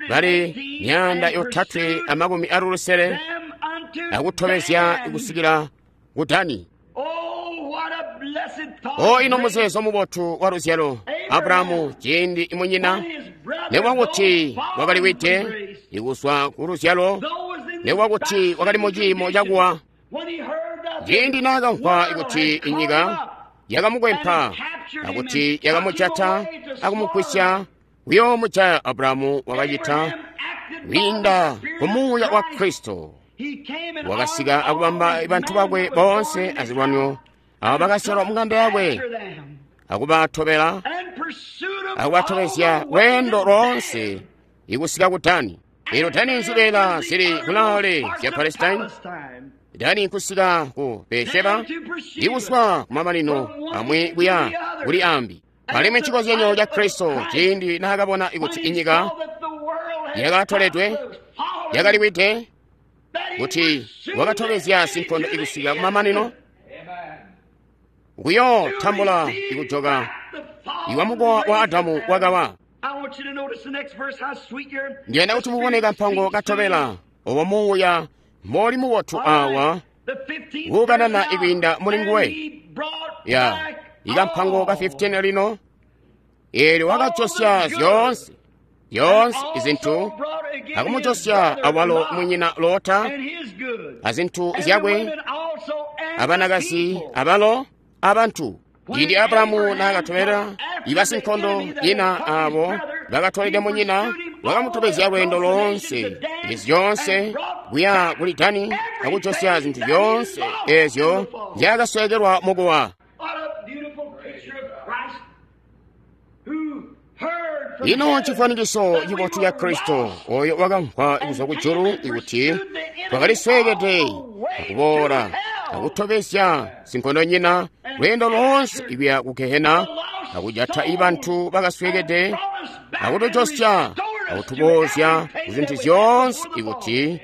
bali myaanda yotatwe amakumi alulusele akutobezya kusikila ku Dani. O ino muzeezo mubotu wa luzyalo Abrahamu ciindi munyina nekuba kuti wakaliwide ikuzwa ku luzyalo, nekuba kuti wakali mu ciimo cakuwa. Ciindi naakamvwa kuti inyika yakamukwempa akuti yakamujata akumugwisya kuyoomujaya, Abrahamu wakacita kwiinda ku muuya wa Kristo. Wakasika akubamba bantu bakwe boonse azilwanyo abo bakasyalwa mu ng'anda yakwe akubatobela akubatobezya lweendo loonse ikusika ku Dani. Elo Dani nzibeela zili kulaale zya Palestine. Dani nkusika ku Beersheba ikuzwa kumamanino amwi kuya kuli ambi. Alimwi cikozyanyo ca Kristo ciindi naakabona kuti inyika yakatoledwe yakaliwide kuti wakatobezya sinkondo ikusika kumamanino kuyotambula ikujoka iwa mukowa wa Adamu wakawa. Ndiyanda kuti mubone kampango katobela obo muuya moli mubotu awa kukanana ikwiinda muli nguwe. Ya ikampango ka fifteen lino. Eelyo wakajosya zyoonse zyoonse izintu akumujosya awalo munyina Lota azintu zyakwe abanakazi abalo abantu. Ciindi Abrahamu naakatobela ibasinkondo nyina abo bakatolede munyina, wakamutobezya lweendo loonse ezi zyoonse kuya kuli Dani akujosya zintu zyoonse eezyo nzyaakasweekelwa mukuwa. Ino cifwanikiso cibotu ca Kristo oyo wakamvwa kuzwa kujulu ikuti twakalisweekede akuboola akutobezya sinkondonyina lweendo loonse ikuya ku Gehena akujata ibantu bakasweekede akutujosya akutubozya kuzintu zyoonse ikuti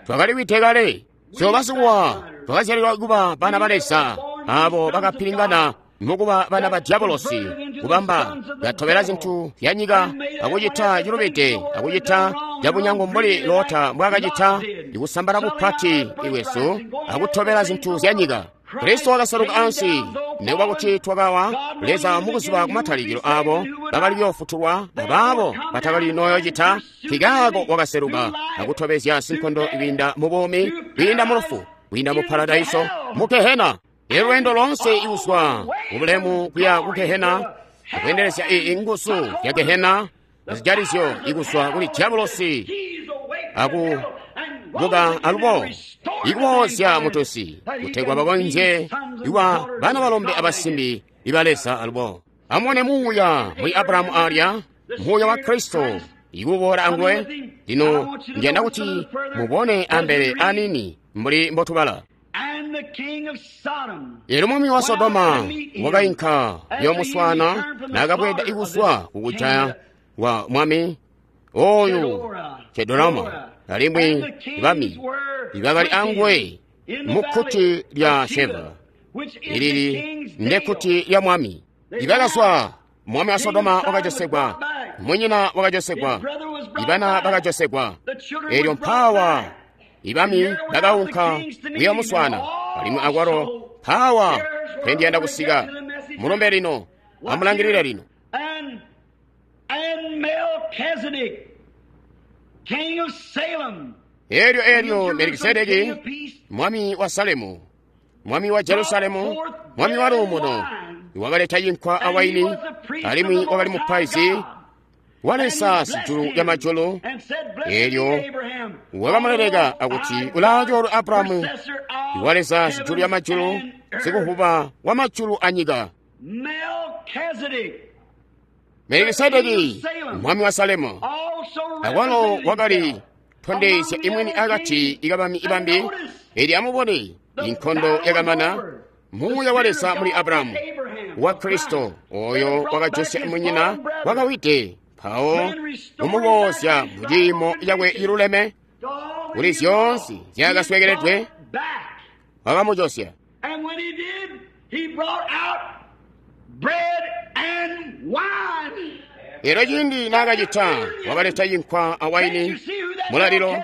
twakaliwide kale. So basikuwa twakazyalilwa kuba bana ba Leza abo bakapilingana mukuba bana ba diabolosi kubamba katobela zintu zya nyika akucita cilubide akucita cabunyango mbuli Lota mbwaakacita ikusambala kupati iwesu akutobela zintu zya nyika. Kristo wakaseluka ansi nekuba kuti twakawa. Leza mukuziba kumatalikilo abo bakali kuyoofutulwa abaabo batakali noyocita, nkikaako wakaseluka akutobezya sinkondo kwiinda mu buumi, kwiinda mu lufu, kwiinda mu paradaiso, mu gehena. Ilweendo loonse ikuzwa kubulemu kuya ku gehena, akwendelezya inguzu ya gehena azijalizyo ikuzwa kuli diabulosi aku buka alubo ikuboozya mutusi kutegwa bakonzye iwa bana balombe abasimbi iba Leza alubo. Amubone muuya muli Abrahamu alya, muuya wa Kristo ikuboola anguwe. Lino ndiyanda kuti mubone ambele anini mbuli mbotubala. Elyo mwami wa Sodoma wakainka kuyomuswaana naakabweeda ikuzwa kukujaya wa mwami oyu Chedoroma alimwi bami ibakali anguwe mu kkuti lya Sheva, ilili ndekkuti lya mwami. Ibakazwa mwami wa Sodoma wakajosegwa, munyina wakajosegwa, ibana bakajosegwa. Elyo mpawa ibami bakaunka kuyomuswaana alimwi akwalo mpawa pendiyanda kusika. Mulombe lino, amulangilile lino. Elyo elyo Melikisedeki mwami wa Salemu, mwami wa Jerusalemu, mwami wa luumuno, wakaleta yinkwa awaini, alimwi wakali mupaizi wa Leza sijulu lya majulu. Elyo wakamuleleka akuti ulaacoolwe Abrahamu wa Leza sijulu lya majulu, sikuvuba wa majulu anyika. Melikisedeki mwami wa Salemu akwalo wakali tondezya imweni akati ikabami ibambi. Eli amubone inkondo yakamana, muuya wa Leza muli Abrahamu wa Kristo oyo wakajosya munyina wakawide, mpawo kumuboozya mu ciimo cakwe ciluleme kuli zyoonse zyakaswekeledwe, wakamujosya. Elyo ciindi naakacita wakaleta yinkwa awaini mulalilo.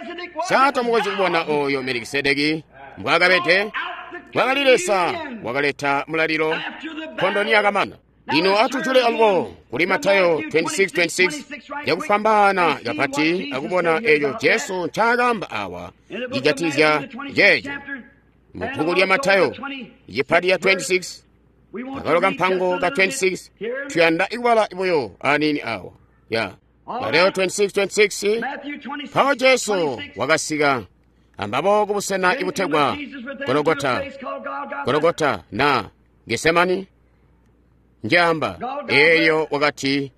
Sato mukonzyi kubona oyo Melikisedeki mbwaakabede, wakali Leza wakaleta mulalilo nkondo niyakamana. Lino atujule alubo kuli Matayo twenty-six twenty-six yakufwambaana kapati akubona eeco Jesu ncaakaamba awa cijatizya ceeco. Mu bbuku lya Matayo icipati ya twenty-six akalo kampango ka twenty-six tuyanda ikubala buyo aniini awa ya Mateo twenty-six twenty-six. Mpawo Jesu wakasika ambabo kubusena ibutegwa Gologota, Gologota na Gesemani njaamba. Eyo wakati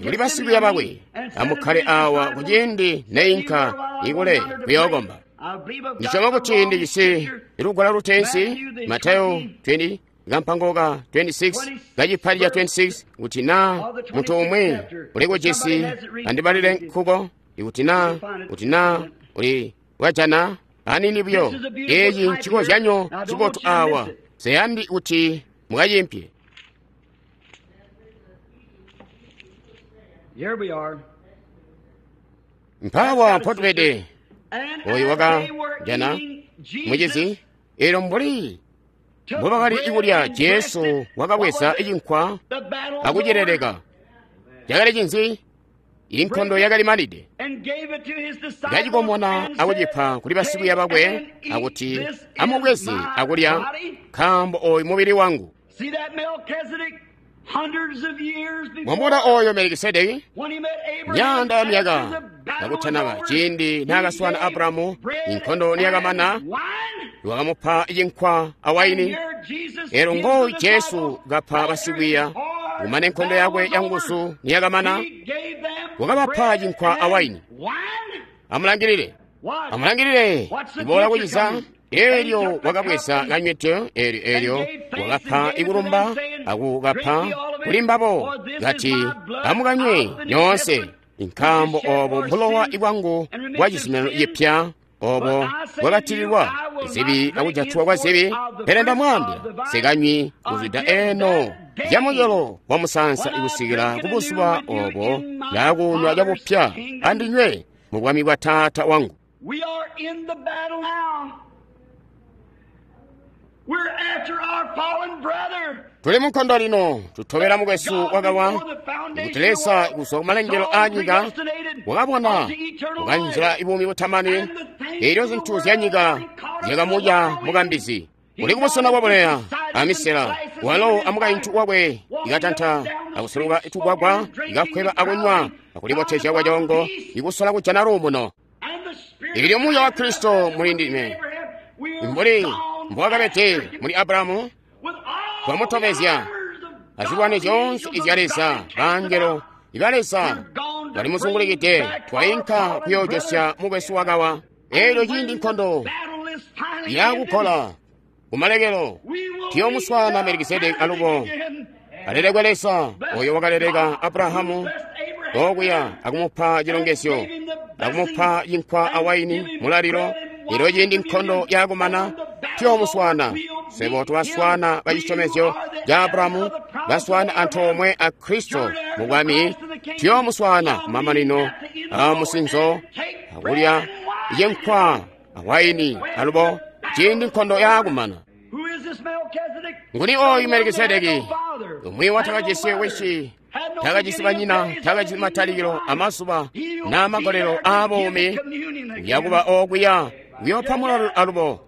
kuli basikwiiya bakwe, amukkale awa kuciindi neinka ikule kuyookomba. Ndisyoma kuti ndijisi lugwalo lutensi Mateo twenty kampango ka twenty-six kacipati ca twenty-six kuti na munthu umwe uli kucisi andibalire nkhuko ikuti na kuti na uli wajana anini buyo. Eeci ncikozyanyo cibotu awa, seyandi kuti mukacimpye. Mpawa mpotubede oyu wakajana mucizi. Elyo mbuli mbubakali ikulya, Jesu wakabweza cinkwa akucileleka. Cakali cinzi? Inkondo yakali manide. Kacikomona akucipa kuli basikwiiya bakwe akuti, amubweze akulya, nkaambo oyu mubili wangu. Mwamubona oyo Melikisedeki myaanda ya myaka kakutanaba ciindi naakaswaana Abrahamu, inkondo niyakamana, wakamupa cinkwa awaini. Elyo ngooyu Jesu kapa basikwiiya kumane nkondo yakwe yanguzu niyakamana, wakabapa cinkwa awaini. Amulangilile, amulangilile iboola kuciza. Elyo wakabweza kanywidyo, elyo elyo wakapa ikulumba akukapa kuli mbabo kati, amukanywe nyoonse, nkaambo obo mbulowa ibwangu bwa cizuminano cipya, obo bwakatililwa zibi akujatwa kwa zibi. Pele ndamwaambila, nsikanywi kuzwida eno Camucelo wamusaansa ikusikila kubuzuba obo ndaakunywa cabupya andinywe mu bwami bwa Taata wangu. We are in the battle now. We're after our fallen brother. Tuli munkondo lino, tutobela mukwesu wakawa kuti Leza kuzwa kumalengelo a nyika wakabona kukanjila ibuumi butamani, elyo zintu zya nyika zyakamudya mukambizi. Uli kubusena bwabuleya amisela, walo amukaintu wakwe ikatanta akusuluka tugwagwa, ikakweba akunywa akulibotezya kwacongo, ikusola kujana luumuno. And the Spirit Ilyo muuya wa Kristo muli ndime, we're mbuli gone mbwakabede muli Abrahamu, with all twamutobezya the armors of azilwane God, zyoonse angels izya of Leza, God bangelo iba Leza balimuzungulikide, twayinka kuyoojosya mukwesu wakawa. Elyo ciindi nkondo Battle is finally yakukola kumalekelo, We will tuyomuswaana meet Melikisedeki alubo. again. Alelekwe Leza oyo wakaleleka Abrahamu Blessed Abraham. okuya akumupa chilongezyo, akumupa yinkwa awaini mulaliro. Elyo ciindi nkondo yakumana tuyomuswaana. Swebo tubaswaana ba cisyomezyo ca Abrahamu, baswaana antoomwe a Kristo mu bwami. Tuyomuswaana kumamanino a musinzo akulya yinkwa awaini alubo ciindi nkondo yakumana. Who is this Melchizedek? Nguni oyu Melikisedeki? Father. Umwi watakajisi wisi, takajisi banyina, takajisi matalikilo amazuba n'amagolelo aabuumi, yakuba okuya kuyoopa mulalo alubo.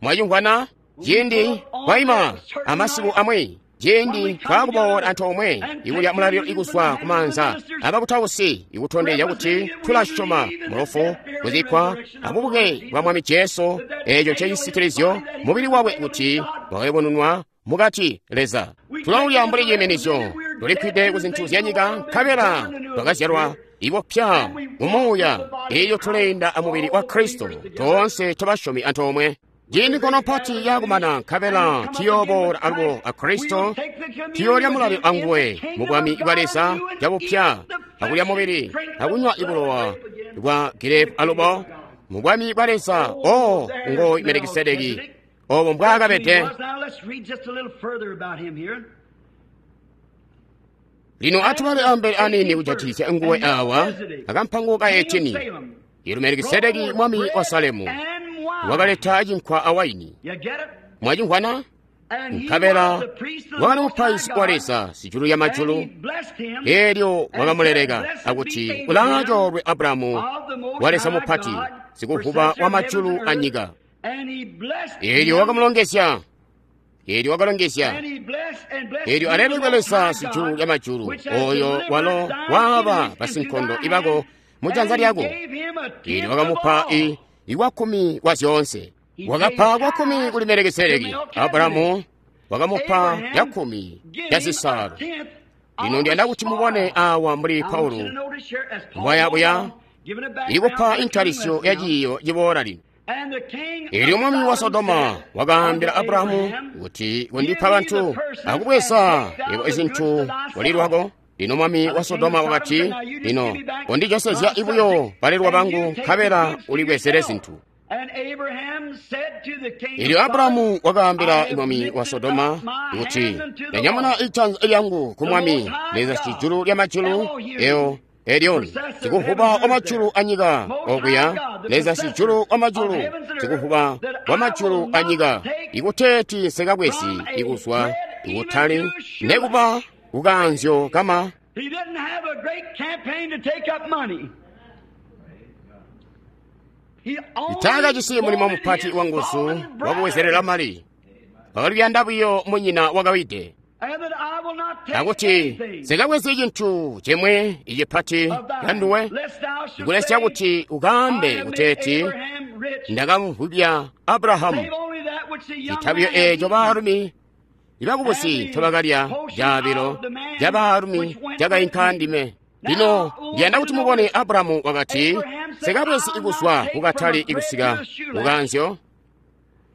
Mwacimvwana? Ciindi kwayima amasiku amwi, ciindi twakuboola antoomwe ikulya mulalilo ikuzwa kumaanza abakutausi ikutondezya kuti tulasyoma mulufu, kuzikkwa abubuke bwa Mwami Jesu, eeco ncecisitilizyo mubili wakwe kuti wakayubununwa mukati Leza. Tulawulya mbuli ciiminizyo, tulikwide ku zintu zya nyika, nkabela twakazyalwa ibupya mu muuya, elyo tuleenda amubili wa Kristo, toonse tobasyomi antoomwe. Ciindi nkondo mpati yakumana, nkabela tuyooboola alubo a Kristo, tuyoolya mulalilo anguwe mu bwami bwa Leza cabupya, akulya mubili, akunywa ibulowa bwa girepu alubo mu bwami bwa Leza. O ngo Melikisedeki, obo mbwaakabede. Now let's read just a little further about him here. Lino atubale ambele anini kujatikizya nguwe awa akampango ka eighteen. Ilu Melikisedeki mwami wa Salemu And wine. wakaleta cinkwa awaini. You get it? Mwacimvwana? And he Nkabela was the priest of the wakali Most mupaizi High wa God, Leza sijulu ya and majulu, he blessed him elyo wakamuleleka akuti ulaacoolwe Abrahamu of the Most wa Leza High mupati, God, sikuvuba possessor wa of majulu heaven and a earth. nyika. And he blessed Elyo him, wakamulongezya, elyo wakalongezya, and he blessed and blessed elyo him alelekwe the Most Leza High sijulu God, lya majulu, which hath oyo delivered walo thine waaba enemies into basinkondo thy ibako hand, mu janza and he lyako. gave him a tenth Elyo of wakamupa all. i iwakkumi wa zyoonse. Wakapa kwakkumi kuli Melikisedeki. Abrahamu wakamupa Abraham yakkumi give ya him a zisaalo. tenth Lino of ndiyanda the kuti mubone spoil. awa mbuli I want you to Paulo notice here as Paul mbwayabuya goes on, giving a background ikupa for the coming intalisyo lesson ya now. ciiyo ciboola lino. And the king Elyo of mwami wa Sodom Sodoma said wakaambila unto Abrahamu Abraham, kuti kundipa bantu akubweza yebo izintu walilwako. Lino mwami wa Sodoma wakati, lino kondijosezya ibuyo balelwa bangu, nkabela ulibwezele zintu. And Abraham said to the king Elyo of Abrahamu Sodom, wakaambila I have mwami wa lifted Sodoma up my kuti, hand unto the ndanyamuna Lord, ijanza lyangu ku mwami Leza sijulu lya majulu, eo Elioni, sikuvuba wa majulu a nyika okuya, Leza sijulu wa majulu, sikuvuba wa majulu a nyika, ikuteeti nsekabwezi ikuzwa ikutali nekuba kukanzyo kama. He didn't have a great campaign to take up money. He only Taakajisi mulimo wanted mupati his wa nguzu fallen wakubwezerera brother, mali, wakaluyanda buyo munyina wakawide. and that I will not take Akuti anything nsekabwezi cinthu chimwe ichipati of thine, kanduwe, lest thou shouldst ikulesya say, kuti I ukambe have made kuteeti Abraham rich, ndakamuvubya Abrahamu. save only that which the young Chithabyo man hath echo eaten. baalumi ibakubusi ntobakalya caabilo ca baalumi cakainka ndime. Lino ndiyanda kuti mubone Abrahamu wakati, nsekabwezi ikuzwa kukatali ikusika kukanzyo,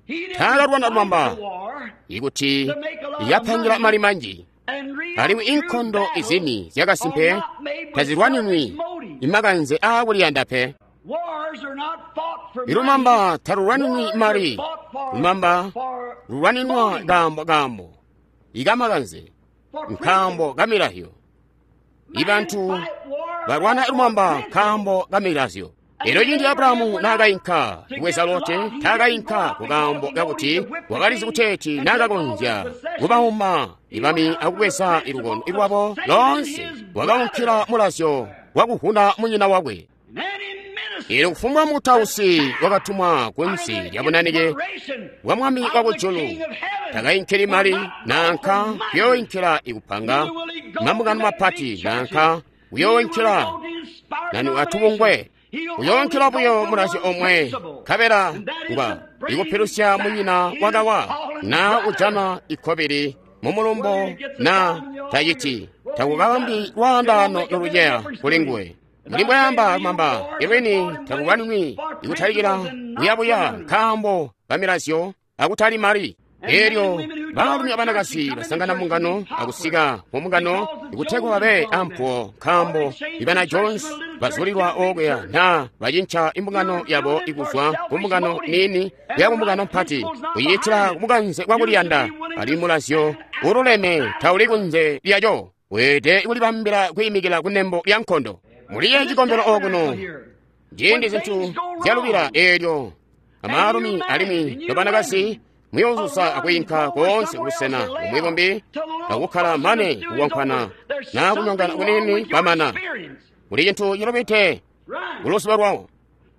He didn't taakalwana fight lumamba the war ikuti to make a lot of yapangira money mali manji, and real alimwi true inkondo battles izini zyakasimpe are not made with tazilwaninwi selfish motives. imakanze aakuliyanda pe. Wars are not fought for money. Ilumamba talulwaninwi Wars are mali, fought for, lumamba for lulwaninwa motives. kaambo kaambo ikamakanze. nkaambo ka milazyo. Ibantu balwana lumamba nkaambo ka milazyo. Elyo ciindi Abrahamu naakayinka kubweza Lote, taakayinka kukaambo kakuti wakalizi kuteeti naakakonzya kubauma ibami akubweza ilukono lwabo loonse, wakaunkila mulazyo wakuhuna munyina wakwe. Elyo kufumbwa mukutausi wakatumwa kunsi lya bunanike bwa mwami wakujulu takayinkili mali nanka kuyooyinkila ikupanga mambungano mapati nanka kuyooyinkila nanu atubungwe, uyoonkila buyo mulazyo omwe nkabela ngwa ikupilusya munyina wakawa na ujana ikkobili mu mulumbo na taciti takukabambi lwaandaano noluceya kuli nguwe. Muli mbwayamba lumamba ilwini takukanwi ikutalikila buyabuya nkaambo ka milazyo akutali mali. Elyo baalumi abanakazi basangana mbungano akusika mu mbungano ikutegwa babe ampuwo nkaambo ibana Jones bazulilwa okuya na bacinca imbungano yabo ikuzwa ku mbungano niini kuya ku mbungano mpati kuyiitila kumukanze kwakuliyanda. Ali mulazyo ululeme tauli kunze lyaco, weelede kulibambila kwiimikila kunembo lya nkondo. Muliye cikombelo okuno ciindi zintu zyalubila eelyo amaalumi alimwi nobanakazi muyoozuza akwiinka koonse kubusena bumwi bumbi akukkala mane kuwankwana na kunyongana kunini kwamana. Kuli cintu cilubite kuluzuba lwawo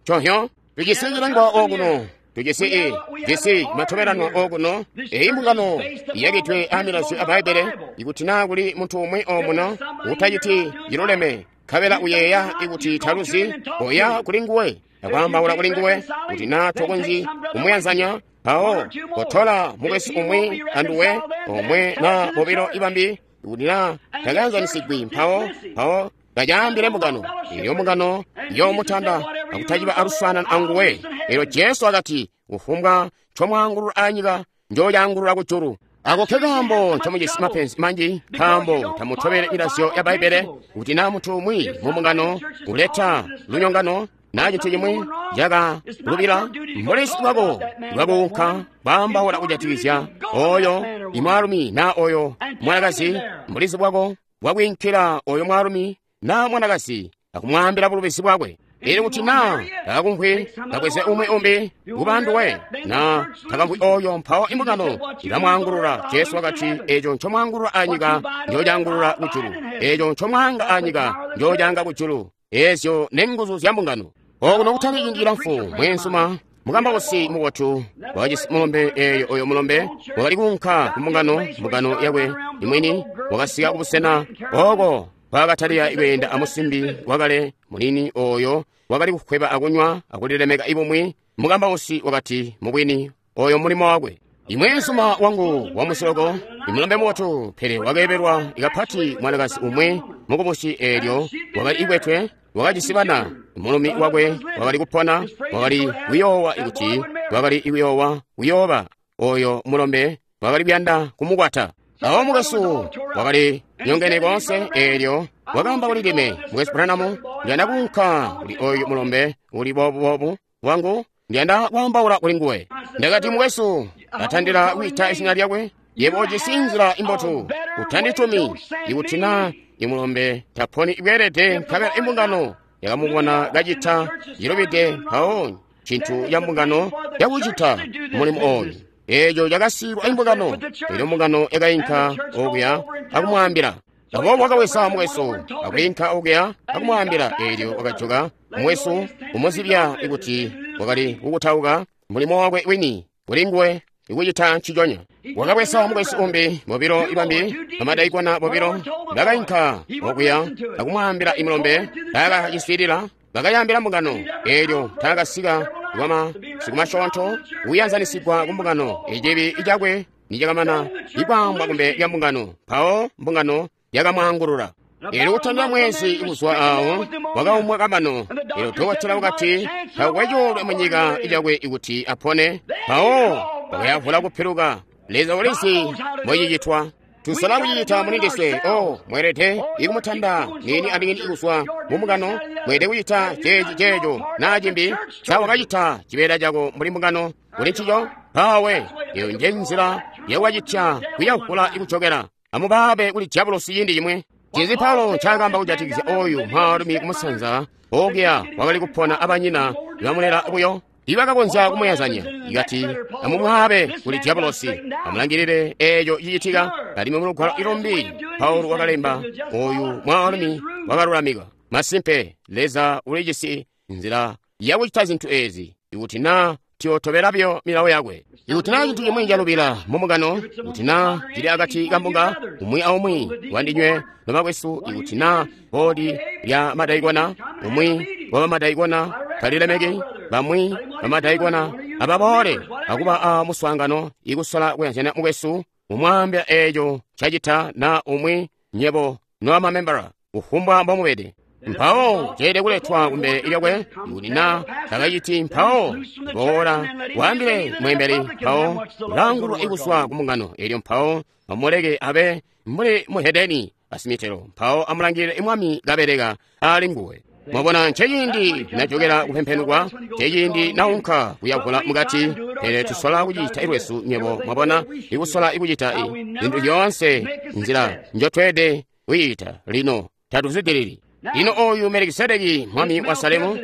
conhyo. Tujisi cilengwa okuno, tujisi i jisi matobelanwa okuno. Eyi mbungano iyakidwe amilazyo a Bbaibbele. Ikuti naa kuli muntu umwi omuno utaciti ciluleme nkabela uyeeya ikuti taluzi, oya kuli nguwe akwaambaula kuli nguwe. Kuti naa tokonzyi kumuyanzanya, mpawo kotola mukwesu umwi anduwe omwe na bobilo ibambi. Ikuti naa takayanzanisigwi, mpawo mpawo kacaambile mbungano. Elyo mbungano yoomutanda akutaciba aluswaanano anguwe. Elyo Jesu akati, kufumbwa ncomwaangulula anyika njoocaangulula kujulu. Ako ke kaambo ncomujisi mapenzi manji, nkaambo tamutobele milazyo ya Bbaibbele. Kuti naa muntu umwi mu mbungano uleta lunyongano naa cintu cimwi cakalubila, mbulisi bwako bwakuunka kwaambaula kujatikizya oyo imwaalumi naa oyo mwanakazi, mbulizi bwako bwakwiinkila oyo mwaalumi naa mwanakazi akumwaambila bulubizi bwakwe. Elyo kuti naa takakumvwi, kabweze umwi umbi kubanduwe, naa takamvwi oyo, mpawo imbungano ilamwaangulula. Jesu wakati, eeco ncomwaangulula anyika njocaangulula kujulu, eeco ncomwaanga anyika njocaanga kujulu. Eezyo nenguzu zya mbungano. Okuno kutali ciindi cilamfu, mweenzuma mukambausi mubotu wakajisi mulombe. Eeyo oyo mulombe wakali kuunka ku mbungano, mbungano yakwe imwini. Wakasika kubusena oko kwaakatalika kweenda amusimbi wakale munini oyo wakali kukweba akunywa akulilemeka ibumwi. Mukambausi wakati, mubwini oyo mulimo wakwe. Imweenzuma wangu wamusoloko imulombe mubotu, pele wakeebelwa ikapati mwanakazi umwi mukubusi. Eelyo wakali ikwetwe, wakajisi bana. Mulumi wakwe wakali kupona, wakali kuyoowa ikuti wakali kuyoowa kuyooba oyo mulombe wakali kuyanda kumukwata. Awo mukwesu wakali nyongene koonse. Eelyo wakaamba kuli ndime, mukwesu Branham, ndiyanda kuunka kuli oyu mulombe uli boobu wangu, ndiyanda kwaambaula kuli nguwe. Ndakati, mukwesu, atandila kwiita izina lyakwe, yebo ujisi nzila imbotu, utanditumi. Ikuti naa imulombe taponi bweelede nkabela imbungano yakamubona kacita cilubide, mpawo cintu ya mbungano yakucita mulimo oyu. Eeco cakasiilwa imbungano. Elyo mbungano yakayinka okuya akumwaambila. Aboobo wakawesa mukwesu akwiinka okuya akumwaambila. Eelyo wakajoka mukwesu kumuzibya ikuti wakali kukutauka mulimo wakwe wini kuli nguwe ikucita nciconya. Wakabwesa mukwesu umbi, bobilo ibambi bamadaikona bobilo bakayinka okuya akumwaambila imulombe. Taakaciswiilila, bakayaambila mbungano. Eelyo taakasika kwama sikumasyoonto kuyanzanisigwa ku mbungano. Icibi cakwe nicakamana ikwaambwa kumbe lya mbungano, mpawo mbungano yakamwaangulula. Eelyo kutandila mwezi kuzwa awo wakaumwa kamano. Eelyo dokotela wakati takukwe coolwe munyika icakwe ikuti apone. Mpawo wakayavula kupiluka. Leza ulizi mbocicitwa. Tusola kucicita mulindiswe. Oh, mweelede ikumutanda niini aniini ikuzwa mu mbungano. Mweelede kucita ceeci ceeco naa cimbi. Sa wakacita cibeela cako mbuli mbungano kuli ncico? Mpawe eyo nje nzila yakucitya kuyavula ikujokela. Amubaabe kuli dyabulosi ciindi cimwe. Ncinzi Paulo ncaakaamba kujatikizya oyu mwaalumi kumusanza okuya wakali kupona abanyina ibamulela buyo? Ibakakonzya kumuyazanya. Ikati amumwaabe kuli dyabulosi. Amulangilile eeco cicitika. Alimwi mulugwalo ilumbi Paulo wakalemba oyu mwaalumi wakalulamika. Masimpe Leza ulijisi nzila yakucita zintu ezi ikuti naa tiyotobela byo milawo yakwe. Ikuti naa cintu cimwi calubila mumbungano, ikuti naa cili akati kambunga umwi aumwi wandinywe nobakwesu, ikuti naa bodi lya madaikona umwi wabamadaikona talilemeki bamwi bamadaikona ababoole akuba a muswaangano ikusola kuyanzana mukwesu, mumwaambila eeco cacita naa umwi nyebo nobamamembala kufumbwa mbomubede. Mpawo ceelede kuletwa kumbele lyakwe. Ikuti naa takaciti, mpawo boola waambile mweembeli, mpawo ulaangulwa ikuswa kumbungano eelyo, mpawo amuleke abe mbuli muhedeni asimitelo, mpawo amulangilile mwami kabeleka ali nguwe. Mwabona, nceciindi najokela kupempenukwa, nceciindi naunka kuyavula mukati. Pele tusola kucita ilwesu nyebo, mwabona, ikusola ikucita zintu zyoonse nzila njotweede kuyita. Lino tatuzwidilili. Lino oyu Melikisedeki mwami wa Salemu,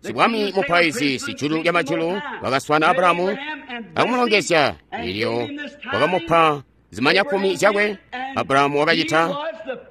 sibwami mupaizi sijulu lya majulu, wakaswana Abrahamu akumulongezya, elyo wakamupa zimanya kumi zyakwe. Abrahamu wakacita,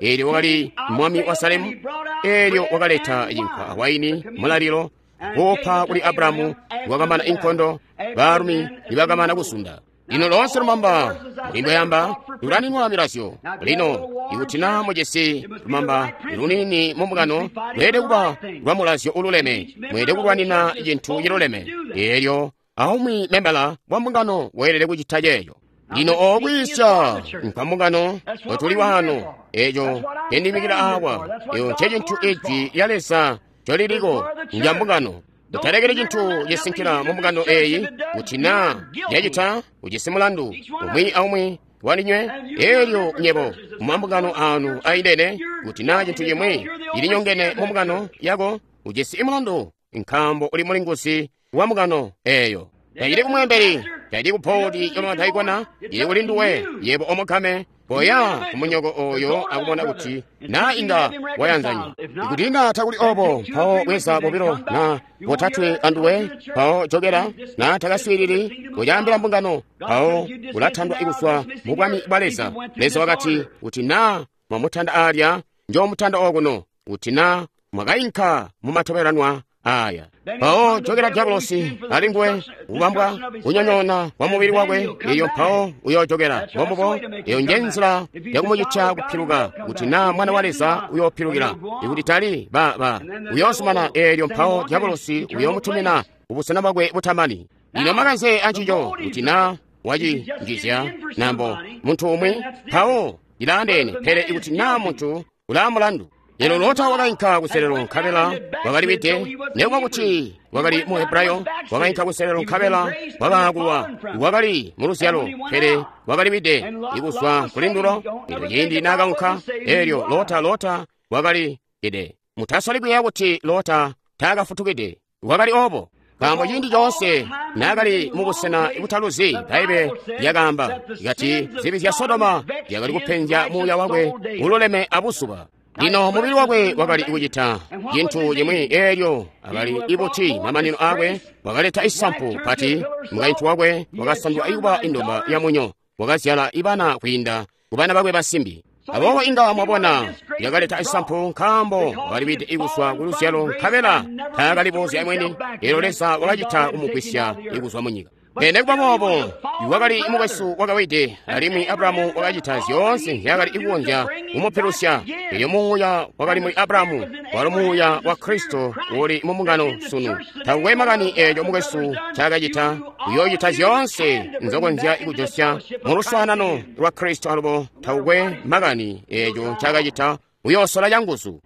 elyo wakali mwami wa Salemu, elyo wakaleta cinkwa awaini mulalilo kuupa kuli Abrahamu. Wakamana inkondo, baalumi nibakamana kusunda. Lino loonse lumamba mulimbweyamba lulaninwa milazyo. Lino ikuti naa mujisi lumamba lunini mumbungano, lweelede kuba lwa mulazyo ululeme, mweelede kulwanina cintu ciluleme. Eelyo aumwi membala wa mbungano weelede kucita ceeco. Lino okwiisya nkwambungano otuli waano, eeco ncendimikila awa, eyo ncecintu ijwi lya Leza ncoliliko ndya mbungano. Utalekeli cintu cisinkila mu mbungano eeyi, kuti naa yacita ujisi mulandu umwi aumwi wandinywe. Eelyo nyebo mumambungano anu aindene, kuti naa cintu cimwi cilinyongene mu mbungano yako, ujisi mulandu, nkaambo uli mulinguzi wa mbungano eeyo. Tacili kumweembeli, tacili kupodi yamadaikona, cili kuli nduwe yebo omukame. Koya kumunyoko oyo akubona kuti naa inga wayanzanya. Ikuti inga takuli obo, mpawo bweza bobilo na botatwe anduwe, mpawo jokela. Na takaswiilili, kucaambila mbungano, mpawo ulatandwa ikuswa mu bwami bwa Leza. Leza wakati, kuti naa mwamutanda alya, njoomutanda okuno, kuti naa mwakainka mumatobelanwa aya. Mpawo jokela dyabulosi ali nguwe, kubambwa kunyonyoona kwa mubili wakwe, iyo mpawo uyoojokela. Mbombubo, eyo nje nzila yakumucitya kupiluka, kuti naa mwana wa Leza uyoopilukila. Ikuti tali ba ba uyoosumana, eelyo mpawo dyabulosi uyoomutumina kubusena bwakwe butamani. Lino makanze ancico, kuti naa wacinjizya nambo muntu umwi, mpawo cilaandeene. Pele ikuti naa muntu ulaamulandu. Lino Lota wakainka kuselelo nkabela wakaliwide, nekuba kuti wakali mu Hebrayo, wakainka kuselelo nkabela wakaakulwa, wakali mu luzyalo, pele wakaliwide ikuzwa kulindulo. Elyo ciindi naakaunka, elyo Lota Lota wakali kide. Mutasoli kuyeeya kuti Lota taakafutukide, wakali obo. Nkaambo ciindi coonse naakali mubusena butaluzi, Bbaibbele lyakaamba kati zibi zya Sodoma zyakali kupenzya muuya wakwe ululeme abuzuba. Lino mubili wakwe wakali kucita cintu cimwi, eelyo akali ibuti mamanino aakwe, wakaleta isampu pati. Mukaintu wakwe wakasandwa ikuba indomba ya munyo, wakazyala ibana kwiinda kubana bakwe basimbi. Aboobo inga mwabona yakaleta isampu, nkaambo wakaliwide ikuswa ku luzyalo nkabela taakaliboozya mwini. Eelyo Leza wakacita kumugwisya ikuzwa munyika. Pele nekuba boobo wakali mukwesu wakawide, alimwi Abrahamu wakacita zyoonse nzyaakali kukonzya kumupilusya. Elyo muuya wakali muli Abrahamu walo muuya wa Kristo uli mu mbungano sunu. Takukwe makani eeco mukwesu ncaakacita, uyoocita zyoonse nzokonzya kujosya mu luswaanano lwa Kristo. Alubo takukwe makani eeco ncaakacita, uyoosola canguzu.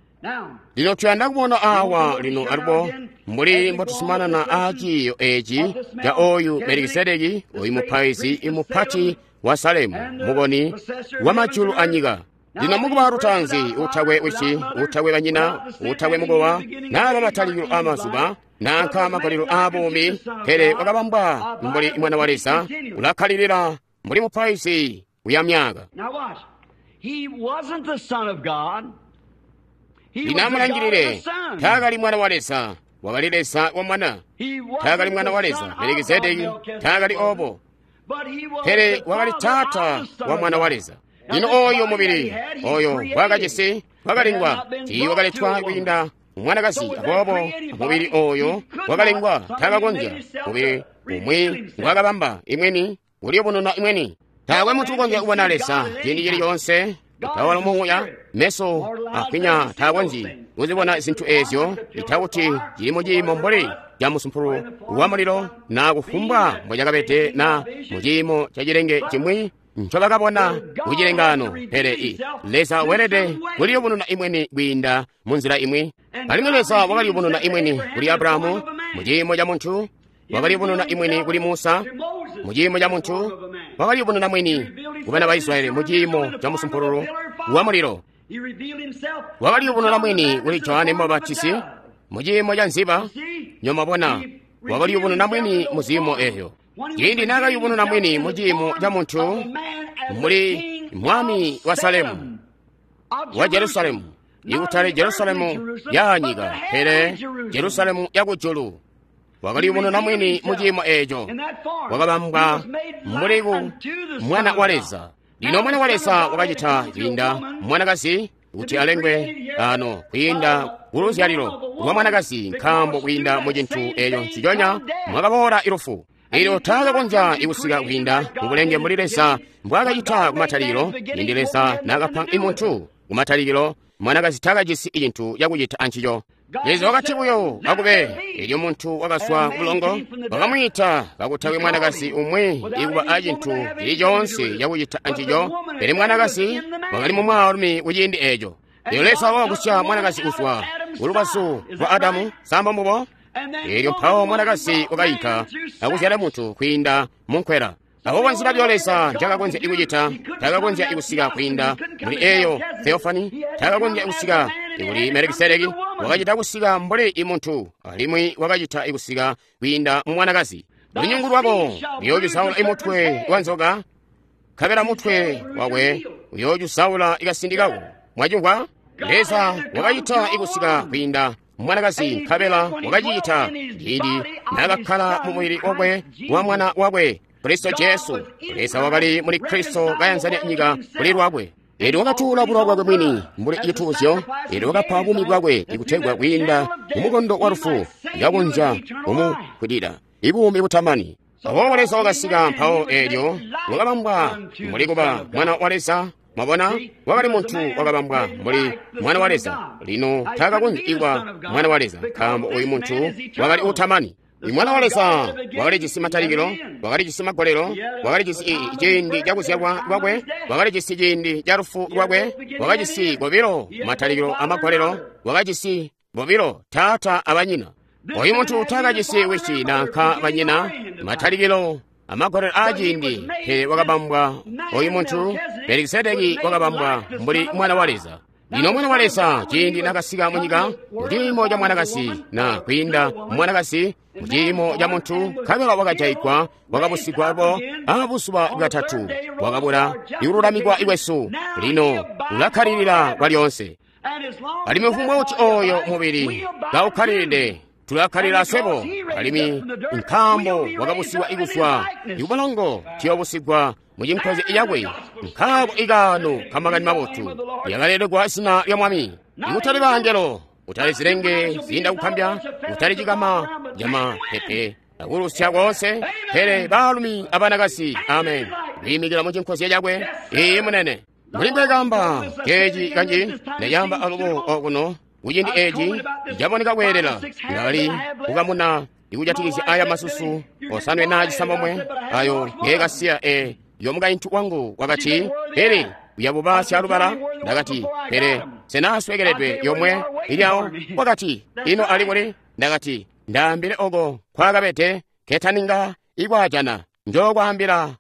Lino tuyanda kubona awa lino alubo mbuli mbotusumanana aaciiyo eeci ca oyu Melikisedeki, oyu mupaizi mupati wa Salemu, mukoni wa majulu anyika. Lino mukuba lutaanzi, utakwe wisi, utakwe banyina, utakwe mukowa, naaba matalikilo aamazuba, nanka magalilo aabuumi, pele wakabambwa mbuli mwana wa Leza, ulakkalilila mbuli mupaizi uya myaka. Lino amulangilile, taakali Mwana wa Leza, wakali Leza wa Mwana. Taakali Mwana wa Leza, Melikisedeki taakali obo, pele wakali Taata wa Mwana wa Leza. Lino oyo mubili oyo wakajisi wakalengwa, tiiwakaletwa kwiinda mwanakazi, aboobo mubili oyo wakalengwa takakonzya mubili umwi ngwakabamba imweni uliyubununa imweni. Taakwe muntu ukonzya kubona Leza ciindi cili coonse, tawala muuya meso akwinya taakonzyi kuzibona zinthu ezyo, itakuti cili muciimo mbuli ca musumpulu wa mulilo na kufumbwa mbocakabede na muciimo ca cilenge cimwi ncobakabona kucilengano. Pele i Leza weelede kuliyubununa imweni kwiinda munzila imwi. Alimwi Leza wakaliyubununa imweni kuli Abrahamu muciimo ca muntu, wakaliyubununa imweni kuli Musa muciimo ca muntu, wakaliyubununa mwini kubana ba Israyeli muciimo ca musumpululu wa mulilo, wakaliyubununa mwini kuli Johane Mubapatizi muciimo ca nziba. Nyomabona, wakaliyubununa mwini mu ziimo eyo. Ciindi naakayubununa mwini muciimo ca muntu muli mwami wa Salemu wa Jerusalemu, ikutali Jerusalemu yaanyika, pele Jerusalemu yakujulu. Wakaliyubununa mwini muciimo eco, wakabambwa mbuli ku Mwana wa Leza. Lino Mwana wa Leza wakacita kwiinda mwanakazi kuti alengwe ano kwiinda kuluzyalilo lwa mwanakazi, nkaambo kwiinda mu cintu eco nciconya mwakaboola ilufu. Elyo taakakonzya ikusika kwiinda mubulenge mbuli Leza mbwaakacita kumatalikilo. Ciindi Leza naakapa imuntu kumatalikilo, mwanakazi taakajisi icintu cakucita ancico. Leza wakati buyo akube, elyo muntu wakazwa kubulongo, wakamwiita kakutakwe mwanakazi umwi ikuba acintu cili coonse cakucita ancico, pele mwanakazi wakali mu mwaalumi kuciindi eco. Elyo Leza wakagusya mwanakazi kuzwa kulubazu lwa Adamu, samba mbubo. Elyo mpawo mwanakazi wakayinka akuzyala muntu kwiinda munkwela. Aboobo nzila byo Leza njakakonzya ikucita, takakonzya ikusika kwiinda muli eyo theofani, takakonzya ikusika kuli Melikisedeki, wakacita kusika mbuli imuntu, alimwi wakacita ikusika kwiinda mu mwanakazi. Lunyungu lwako luyoocusaula imutwe wa nzoka, nkabela mutwe wakwe uyoocusaula ikasindi kako. Mwacimvwa? Leza wakacita ikusika kwiinda mwanakazi, nkabela wakacicita ciindi naakakkala mu mubili wakwe wa mwana wakwe Kristo Jesu. Leza wakali muli Kristo kayanzanya nyika kuli lwakwe. Elyo wakatuula bulowa bwakwe mwini mbuli cituuzyo, elyo wakapa buumi bwakwe ikutegwa kwiinda mumukondo wa lufu yakonzya kumukwidila ibuumi butamani. Aboobo Leza wakasika mpawo elyo wakabambwa mbuli kuba Mwana wa Leza. Mwabona, wakali muntu wakabambwa mbuli Mwana wa Leza. Lino taakakonzya ikuba Mwana wa Leza, nkaambo uyu muntu wakali utamani. Mwana wa Leza wakalijisi matalikilo, wakalijisi magolelo, wakalijisi ciindi cakuzyalwa kwakwe, wakalijisi ciindi ca lufu lwakwe, wakajisi bobilo matalikilo amagolelo, wakajisi bobilo taata abanyina. Oyu muntu taakajisi wisi nanka banyina, matalikilo amagolelo aaciindi, pele wakabambwa. Oyu muntu Melikisedeki wakabambwa mbuli Mwana wa Leza. Lino Mwana wa Leza ciindi nakasika munyika muciimo ca mwanakazi na kwiinda mwanakazi muciimo ca muntu, nkabela wakajayigwa, wakabusigwa abo abuzuba bwatatu, wakabula ikululamikwa ikwesu. Lino ulakkalilila kwalyoonse. Alimwi mfumbwa kuti oyo mubili kaukkalilide, tulakkalila aswebo. Alimwi nkaambo wakabusigwa ikuzwa ikubulongo, tuyoobusigwa mucinkozi yakwe. Nkaako ikaano kamakani mabotu lyakalelegwa zina lya Mwami. Ikutali bangelo, kutali zilenge ziinda kukambya, kutali cikama camapepe akulusya koonse, pele baalumi abanakazi, amen, kwiimikila mucinkozya cakwe. Iiyi munene. Mbuli mbwekamba ceeci kanji ndacamba alubo okuno kuciindi eeci caboneka kweelela, ndakali kukamuna ikujatikizya aya masusu osanwe na cisambomwe ayo ngeekasiya e yomukaintu wangu. Wakati, pele uyabuba syalubala. Ndakati, pele senaswekeledwe yomwe ilyawo. Wakati, ino ali kuli? Ndakati, ndaambile oko nkwakabede ketaninga ikwajana, njokwaambila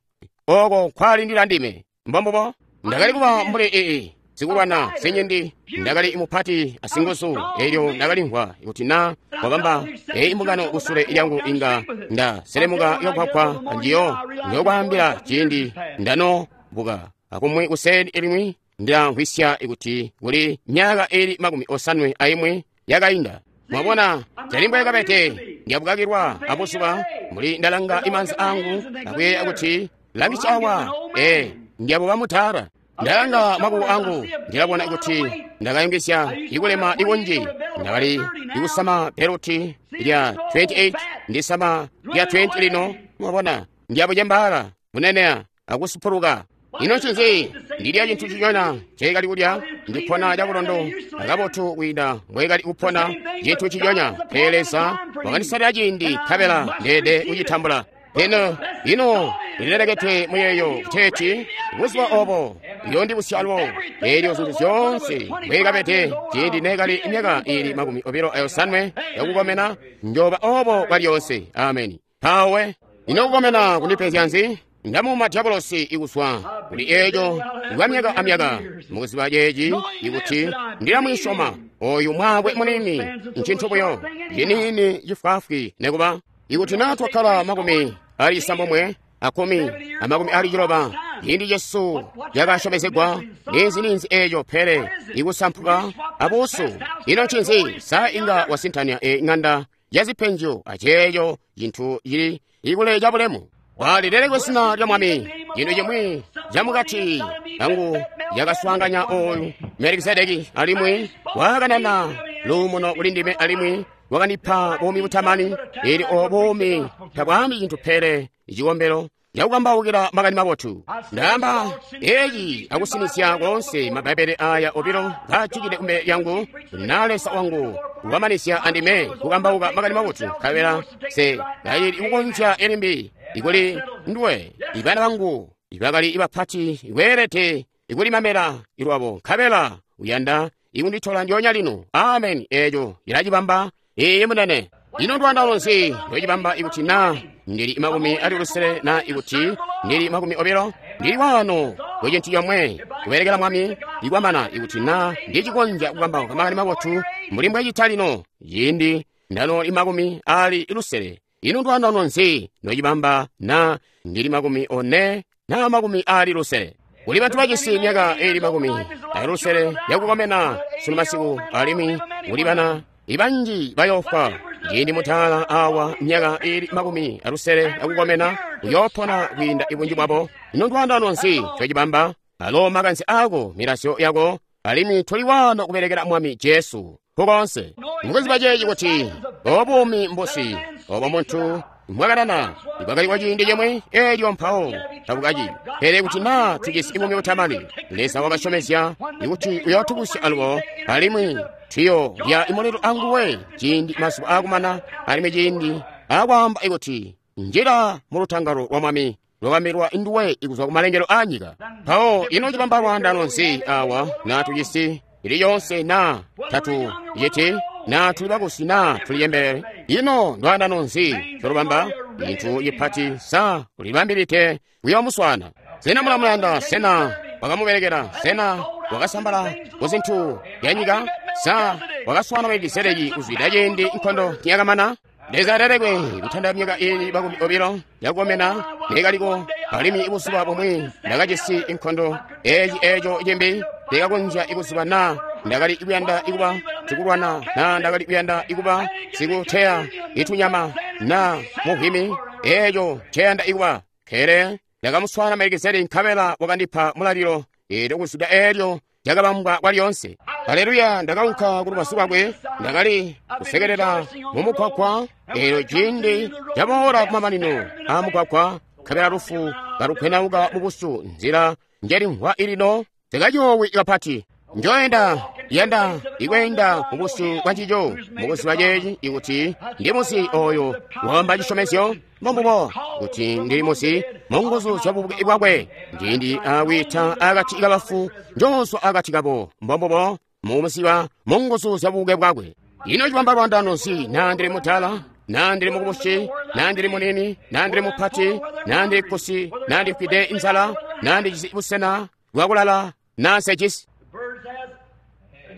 oko nkwalindila ndime. Mbombubo. Ndakali kuba mbuli ii sikulwana sinyindi, ndakali mupati asinguzu. Elyo ndakalimvwa kuti na wabamba eyi imbungano kusule lyangu inga ndaselemuka yokwakwa anjiyo. Njokwaambila ciindi ndanobuka akumwi kuseni limwi Ndilamvwisya kuti kuli myaka ili makumi osanwe aimwi yakainda. Mwabona, tali mbwekabete ndiyabukakilwa abuzuba mbuli ndalanga imanza angu akuyeeya kuti langisya awa, ee, ndiyabuba mutala. Ndalanga makuko angu ndilabona kuti ndakayungizya ikulema ikunji. Ndakali ikusama beluti lya twenty-eight ndisama lya twenty lino. Mwabona, ndiyabucembaala bunenea akusupuluka. Ino ncinzi? Ndilya cintu cinyona nceekali kulya, ndipona cabulondo akabotu kwiinda mbweekali kupona cintu cinyona. Pele Leza wakandisalila ciindi nkabela ndeede kucitambula. Ino ino ndilelekete muyeeyo kuteeti buzuba obo uyoondibusya alubo. Eelyo zintu zyoonse mbweekabede ciindi neekali myaka ili makumi obilo ayosanwe yakukomena, njoba obo kwalyoonse. Ameni. Mpawe ino kukomena kundipezya nzi? Ndamuuma dyabolosi ikuzwa kuli eeco kwa myaka amyaka. Mukuziba ceeci ikuti ndilamwisyoma oyu mwaakwe munini ncintu buyo ciniini cifwaafwi nekuba. Ikuti naa twakkala makumi ali isambomwe akumi amakumi ali ciloba ciindi cesu cakasyomezegwa, ninzi-ninzi eeco pele ikusampuka abuusu. Ino ncinzi? Sa inga wasintanya e ng'anda ya zipenjo aceeco cintu cili ikule cabulemu? Walilelekwe zina lya Mwami. Cintu cimwi camukati kangu yakaswaanganya oyu Melikisedeki alimwi wakanana luumuno kuli ndime alimwi wakandipa buumi butamani. Ili o buumi tabwaambi cintu pele icikombelo cakukambaukila makani mabotu. Ndaamba eeci akusinizya koonse mabbaibele aya obilo ngaajikide kumbele lyangu, na Leza wangu wamanizya andime kukambauka makani mabotu, nkabela se kayili kukonzya elimbi ikuli nduwe. Ibana bangu ibakali ibapati kweelede ikulimamela ilwabo, nkabela uyanda ikunditola ndyoonya lino. Ameni. Eeco ilacibamba. Iiyi munene. Ino ndwandalo nzi lwecibamba ikuti na ndili makumi ali lusele na ikuti ndili makumi obilo? Ndili wano kwecintu comwe kubelekela Mwami ikwamana ikuti na ndicikonzya kukambauka makani mabotu mbuli mbwecita lino ciindi ndano makumi ali lusele. Ino ndwandalo nzi lwecibamba na ndili makumi one na makumi ali lusele? Kuli bantu bajisi myaka ili makumi ali lusele yakukomena sunu masiku, alimwi kuli bana ibanji bayofwa. Ciindi mutala awa myaka ili makumi alusele yakukomena uyoopona kwiinda ibunji bwabo. Ino ndwandano nzi cocibamba? Alo makanze ako, milasyo yako, alimwi tuli wano kubelekela Mwami Jesu kukonse. Mukuziba ceeci kuti obuumi mbusi obo muntu mwakanana ibwakali kwa ciindi cimwi eelyo mpawo tabukaci. Pele kuti naa tujisi buumi butamani, Leza wakasyomezya kuti uyootubusya alubo, alimwi tuyo lya imulilo anguwe ciindi mazuba aakumana, alimwi ciindi aakwaamba ikuti njila mu lutangalo lwa Mwami lwakambirwa nduwe ikuzwa kumalengelo aanyika. Mpawo ino cibamba lwaandano nzi awa naa tujisi ili yonse na tatu yiti na tuli bakusi na tuli yembele? Ino ndwaandano nzi colubamba? Intu cipati sa ulibambilite kuyomuswana. Sena mulamuyanda? Sena wakamubelekela? Sena wakasambala kuzintu yanyika? Sa wakaswana Melikisedeki kuzwida ciindi nkondo niyakamana? Leza alelekwe kutanda myaka ili makumi obilo yakukomena neekaliko, alimwi buzuba bumwi ndakajisi inkondo eeci eeco cimbi ndikakonzya ikuziba na ndakali kuyanda ikuba sikulwana na ndakali kuyanda ikuba sikuteya itunyama na muvwimi eeco nceyanda ikuba. Kele ndakamuswana Melikisedeki nkabela wakandipa mulalilo eelyo kuzwida eelyo lyakabambwa kwalyonse. Haleluya! Ndakaunka kulubazu lwakwe, ndakali kusekelela mumugwagwa eelyo ciindi caboola kumamanino aamugwagwa, nkabela lufu kalukwenauka mubusu nzila njelimvwa ilino sikacoowi kapati. Njoenda yanda ikweenda mubusu bwa ncico mukuziba ceeci ikuti ndi muzi oyo wamba cisyomezyo mbombubo kuti ndili muzi munguzu zya bubuke bwakwe. Ciindi aakwiita akati kabafu njoozwa akati kabo, mbombubo mumuziba munguzu zya bubuke bwakwe. Ino cibamba lwaandano nzi naa ndili mutala naa ndili mukubusi naa ndili munini naa ndili mupati naa ndili kusi naa ndifwide inzala naa ndijisi busena bwakulala naa nsejisi?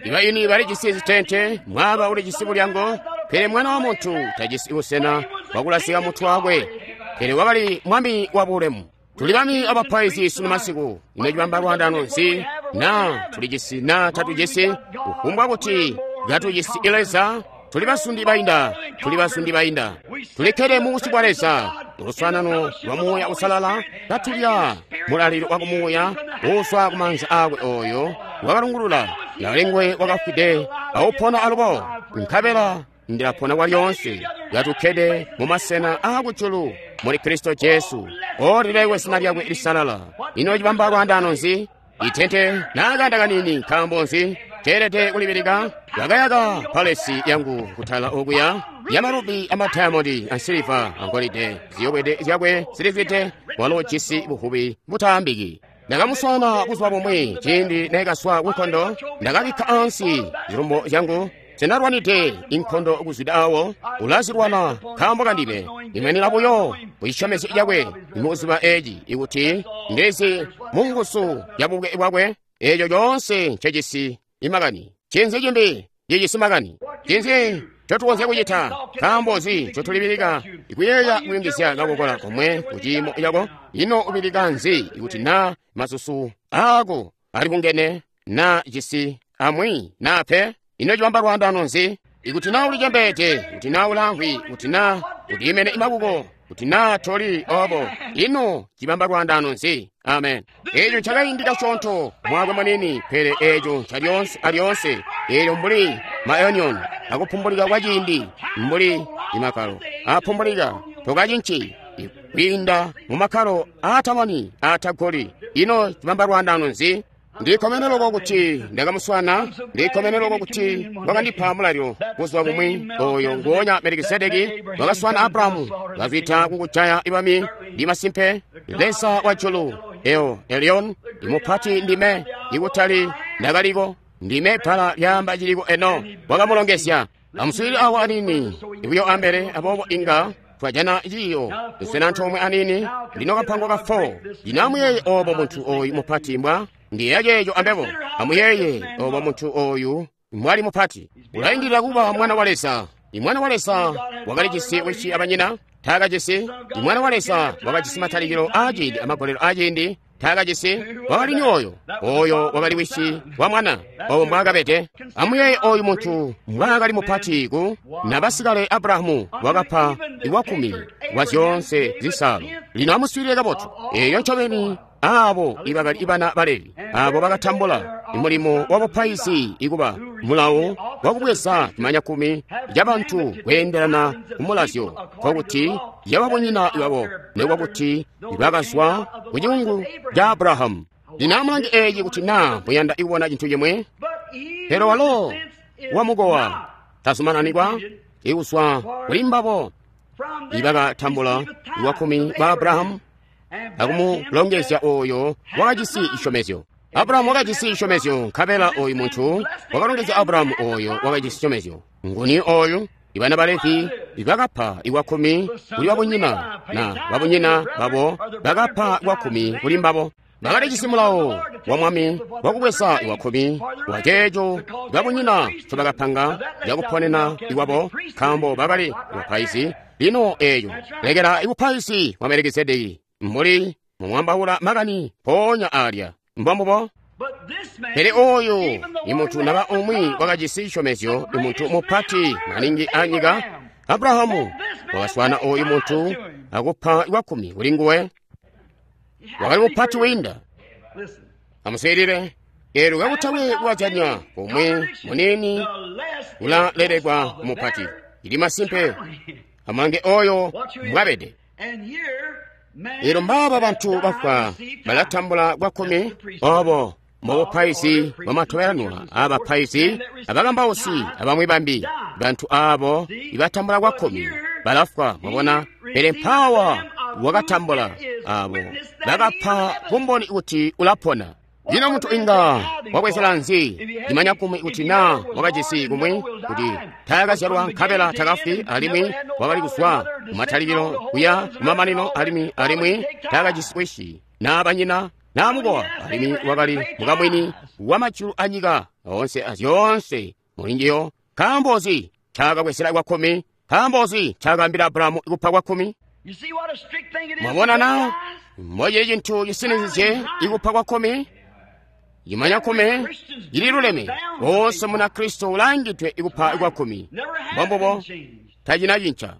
Ibayuni balijisi zitente, mwaba ulijisi bulyango, pele mwana wa muntu tajisi busena bwakulasika mutwe wakwe. Pele wakali mwami wa bulemu. Tuli bami abapaizi sunu masiku. Ino cibamba lwaandano nzi Naa tulijisi naa tatujisi, kufumbwa kuti katujisi Leza, tuli basundi bainda, tuli basundi bainda. Tulikkede mu busyu bwa Leza, muluswaanano lwa Muuya Uusalala, katulya mulalilo wa kumuuya uuzwa kumaanza aakwe oyo wakalungulula nakalengwe wakafwide awupona alubo, nkabela ndilapona kwalyoonse, katukkede mu masena aakujulu muli Kristo Jesu. Olilekwe zina lyakwe lisalala. Ino cibamba lwaandaano nzi? Itente naakanda kanini, nkaambo nzi ceelede kulibilika? Bakayaka palesi yangu kutala okuya yamarubi amadiamondi ansiliva angolide, ziyobwede zyakwe zilizwide, walo jisi buvubi butaambiki. Ndakamuswaana buzuba bumwi ciindi neekazwa kunkondo, ndakabikka ansi zilumbo zyangu. Sinalwanide inkondo kuzwida awo, ulazilwana nkaambo kandime. Imwenera buyo kucisyomezyo cakwe muzuba eeci, ikuti ndizi munguzu ya bubuke bwakwe, eeco coonse ncecisi imakani. Cinzi cimbi cicisi makani? Cinzi ncotukonzya kucita? Nkaambo nzi ncotulibilika ikuyeeya kuyungizya kakokola komwe kuciimo cako? Ino ubilika nzi ikuti naa masusu aako alibungene naa cisi amwi naa pe? Ino cibamba lwaandaano nzi? Ikuti naa ulicembeede, kuti naa ulaamvwi, kuti naa uliimene imakuko, kuti naa toli obo, ino cibamba lwaandaano nzi? Amen. Eeco ncakaindi kasyoonto mwakwe manini, pele eeco ncalyoonse alyoonse. Eelyo mbuli maonion akupumbulika kwa ciindi, mbuli imakalo apumbulika, tokacinci kwiinda mu makalo aatamani aatagoli. Ino cibamba lwaandaano nzi? Ndikkomene loko kuti ndakamuswaana, ndikkomene loko kuti wakandipa mulalilo buzuba bumwi. Oyo nguonya Melikisedeki wakaswaana Abrahamu, kazwida kukujaya ibami. Ndi masimpe Leza wa julu, El Elyon, imupati ndime, ikutali ndakaliko, ndime bbala lyaamba ciliko eno. Wakamulongezya. Amuswiilile awo anini ibuyo ambele, aboobo inga twajana ciiyo tusena antoomwe anini. Lino kapango ka four. Lino amuyeeye obo muntu oyu mupati mbwa ndiyeeya ceeco ambebo. Amuyeeye obo muntu oyu mbwali mupati. Ulaindilila kuba mwana wa Leza. Imwana wa Leza wakalijisi wisi abanyina, taakajisi. Imwana wa Leza wakajisi matalikilo aaciindi amagolelo aaciindi, taakajisi. Wakali ni oyo, oyo wakali wisi wa mwana, obo mbwaakabede. Amuyeeye oyu muntu mbwaakali mupati ku nabasikale Abrahamu wakapa iwakumi wa zyoonse zisaalo. Lino amuswiilile kabotu. Eeyo ncobeni aabo ibakali ibana ba Levi, aabo bakatambula mulimo wa bupaizi ikuba mulawo wakubweza cimanyakumi cabantu kweendelana kumulazyo, nkokuti yababunyina babo, nikuba kuti bakazwa ku cikungu ca Abrahamu. Lino amulange eeci kuti naa muyanda kubona cintu cimwe. Pele walo wamukowa tazumananibwa ikuzwa kuli mbabo ibakatambula iwakumi ba Abrahamu akumulongezya oyo wakajisi cisyomezyo. Abrahamu wakajisi cisyomezyo, nkabela oyu muntu wakalongezya Abrahamu oyo wakajisi cisyomezyo. Nguni oyu? Ibana ba Levi bakapa iwakumi kuli babunyina, na babunyina babo bakapa iwakumi kuli mbabo. Bakalijisi mulawo wa mwami wakubweza iwakumi wa ceeco babunyina ncobakapanga cakuponena iwabo, nkaambo bakali bapaizi. Lino eeco lekela ibupaizi bwa Melikisedeki mbuli mumwambaula makani mpoonya alya. Mbombubo. Pele oyu imuntu naba umwi wakajisi cisyomezyo, imuntu mupati maningi anyika. Abrahamu wakaswaana oyu muntu akupa iwakumi kuli nguwe. Wakali mupati wiinda. Amuswiilile. Eelyo kakutakwe kuwajanya kumwi munini ulalelekwa mupati. Ili masimpe. Amulange oyo mbwabede. Eelyo mbaaba bantu bafwa balatambula kwakkumi obo mubupaizi bwamatobelanwa aabapaizi, abakambausi, abamwi bambi. Bantu aabo ibatambula kwakkumi balafwa, mwabona. Pele mpawa wakatambula abo bakapa bumboni kuti ulapona. Lino muntu inga wabwezela nzi cimanyakumi kuti naa wakajisi kumwi kuti taakazyalwa nkabela takafwi, alimwi wakali kuzwa kumatalikilo kuya kumamanino, alimwi alimwi taakajisi wisi naa banyina naa mukowa, alimwi wakali mukamwini wa majulu anyika oonse azyoonse mulinjiyo. Nkaambo nzi ncaakabwezela kwakkumi? Nkaambo nzi ncaakaambila Abrahamu kupa kwakkumi? Mwabona na mbocili cintu cisinizizye ikupa kwakkumi? Imanya kkumi lililuleme. Woonse Munakristo ulangidwe ikupa kwakkumi. Mbombubo tacina cinca.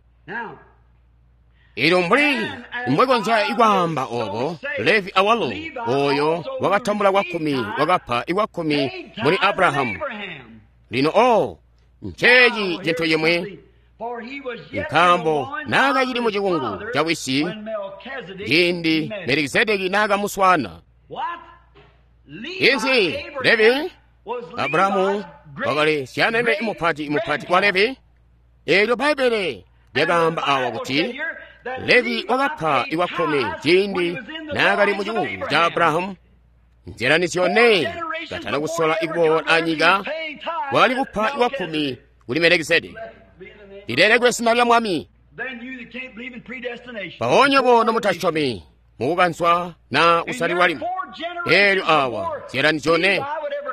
Elyo mbuli mbwekonzya ikwaamba obo, Levi awalo oyo wakatambula kwakkumi wakapa ikwakkumi muli Abrahamu. Lino o nceeci cintu cimwi, nkaambo naakacili mu cikungu ca wisi ciindi Melikisedeki naakamuswaana. Inzi Levi, Abrahamu wakali syanene mupati mupati wa Levi. Eelyo Bbaibbele lyakaamba awa kuti Levi wakapa ikwakkumi ciindi naakali mu cikungu ca Abrahamu. Nzila zyone katana kusola ikuboola anyika wakali kupa ikwakkumi kuli Melikisedeki. Lilelekwe zina lya Mwami. Mpaonya bono mutasyomi mukukanzwa na kusalilwa limwi. Eelyo awa nzila zyone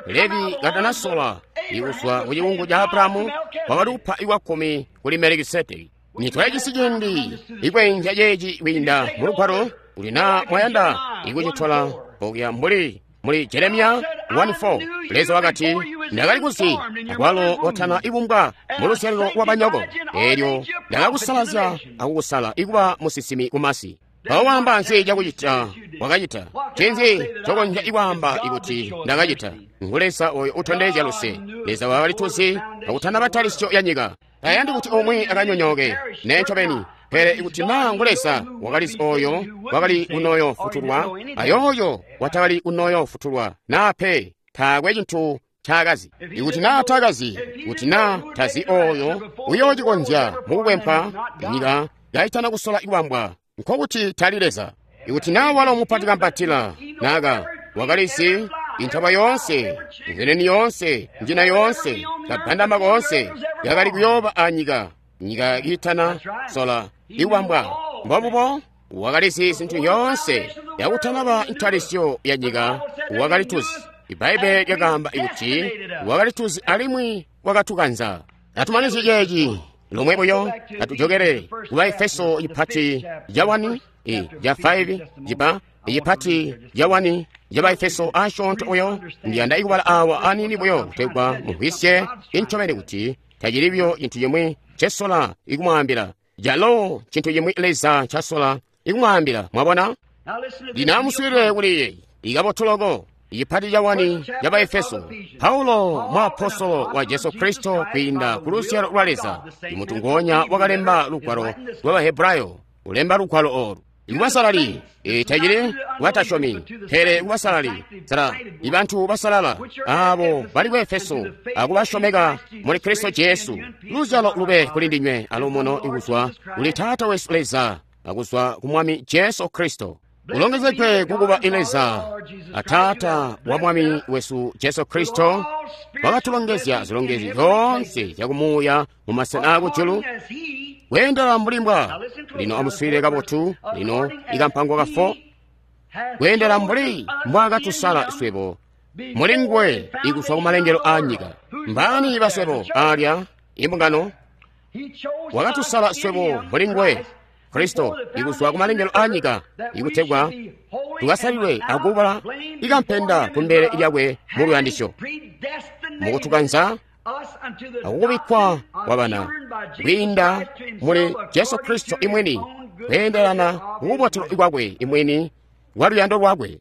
Levi katanasola ikuzwa ku cikungu ca Abrahamu wakali kupa ikwakkumi kuli Melikisedeki. Nitwajisi ciindi ikweenzya ceeci kwiinda mu lugwalo uli na mwayanda ikucitola okuya mbuli muli Jeremiya one four. Leza wakati, ndakali kuzi akwalo watana ibumbwa mu luzyalilo lwa banyoko, eelyo ndakakusalazya akukusala ikuba musinsimi kumasi. Mpawo waamba nzi cakucita wakacita? Ncinzi cokonzya ikwaamba ikuti ndakacita? Ngu Leza oyo utondezya luse. Leza wakali tuzi akutanaba ntalisyo ya nyika. Tayandi kuti umwi akanyonyooke, nee ncobeni. Pele ikuti naa ngu Leza wakalizi oyo wakali kunoyo futulwa, ayoyo watakali kunoyo futulwa, naa pe taakwe cintu ncaakazi. Ikuti naa taakazi, kuti naa tazi oyo uyoocikonzya mukukwempa nyika kaitana kusola ikubambwa, nkokuti tali Leza. Ikuti naa walo mupati kampatila naka wakalizi intaba yoonse, nzeneni yoonse, njina yoonse, kabandama koonse yakali kuyooba anyika, nyika kiitana sola ikubambwa. Mbobubo wakalizi zintu yoonse yakutanaba ntalisyo ya nyika, wakali tuzi. Ibbaibbele lyakaamba kuti wakali tuzi alimwi wakatukanza. Atumanizye ceeci lomwe buyo, atujokere ku Baefeso ipati ya one, ya five, jipa ipati ya one ya Baefeso asyoonto buyo. Ndiyanda ikubala awa aniini buyo kutegwa mumvwisye incobeni kuti tacili buyo cintu cimwi ncesola ikumwaambila, calo cintu cimwi Leza ncasola ikumwaambila. Mwabona? Lino amuswiilile kuli yeeyi ikabotu loko. Ipati ca one ya Baefeso. Paulo muapostolo wa Jesu Kristo kwiinda ku luzyalo lwa Leza, imuntu ngonya wakalemba lugwalo lwa Bahebrayo, ulemba lugwalo olu ikubasalali, tacili kubatasyomi, pele kubasalali sala ibantu basalala abo bali ku Efeso akubasyomeka muli Kristo Jesu. Luzyalo lube kuli ndinywe alumuno ikuzwa kuli Taata wesu Leza akuzwa ku Mwami Jesu Kristo. Ulongezegwe kukuba Leza a Taata wa Mwami wesu Jesu Kristo, wakatulongezya zilongezyo zyoonse zyakumuuya mu masena akujulu kweendela mbuli mbwa. Lino amuswiilile kabotu. Lino ikampango ka four, kweendela mbuli mbwaakatusala swebo muli nguwe ikuzwa kumalengelo a nyika. Mbaani baswebo alya imbungano? Wakatusala swebo muli nguwe Kristo ikuzwa kumalengelo a nyika, ikutegwa tukasalilwe akubala ikampenda kumbele lyakwe mu luyandisyo, mukutukanza akukubikkwa kwabana kwiinda muli Jesu Kristo imwini, kweendelana kukubotelwa kwakwe imwini kwa luyando lwakwe.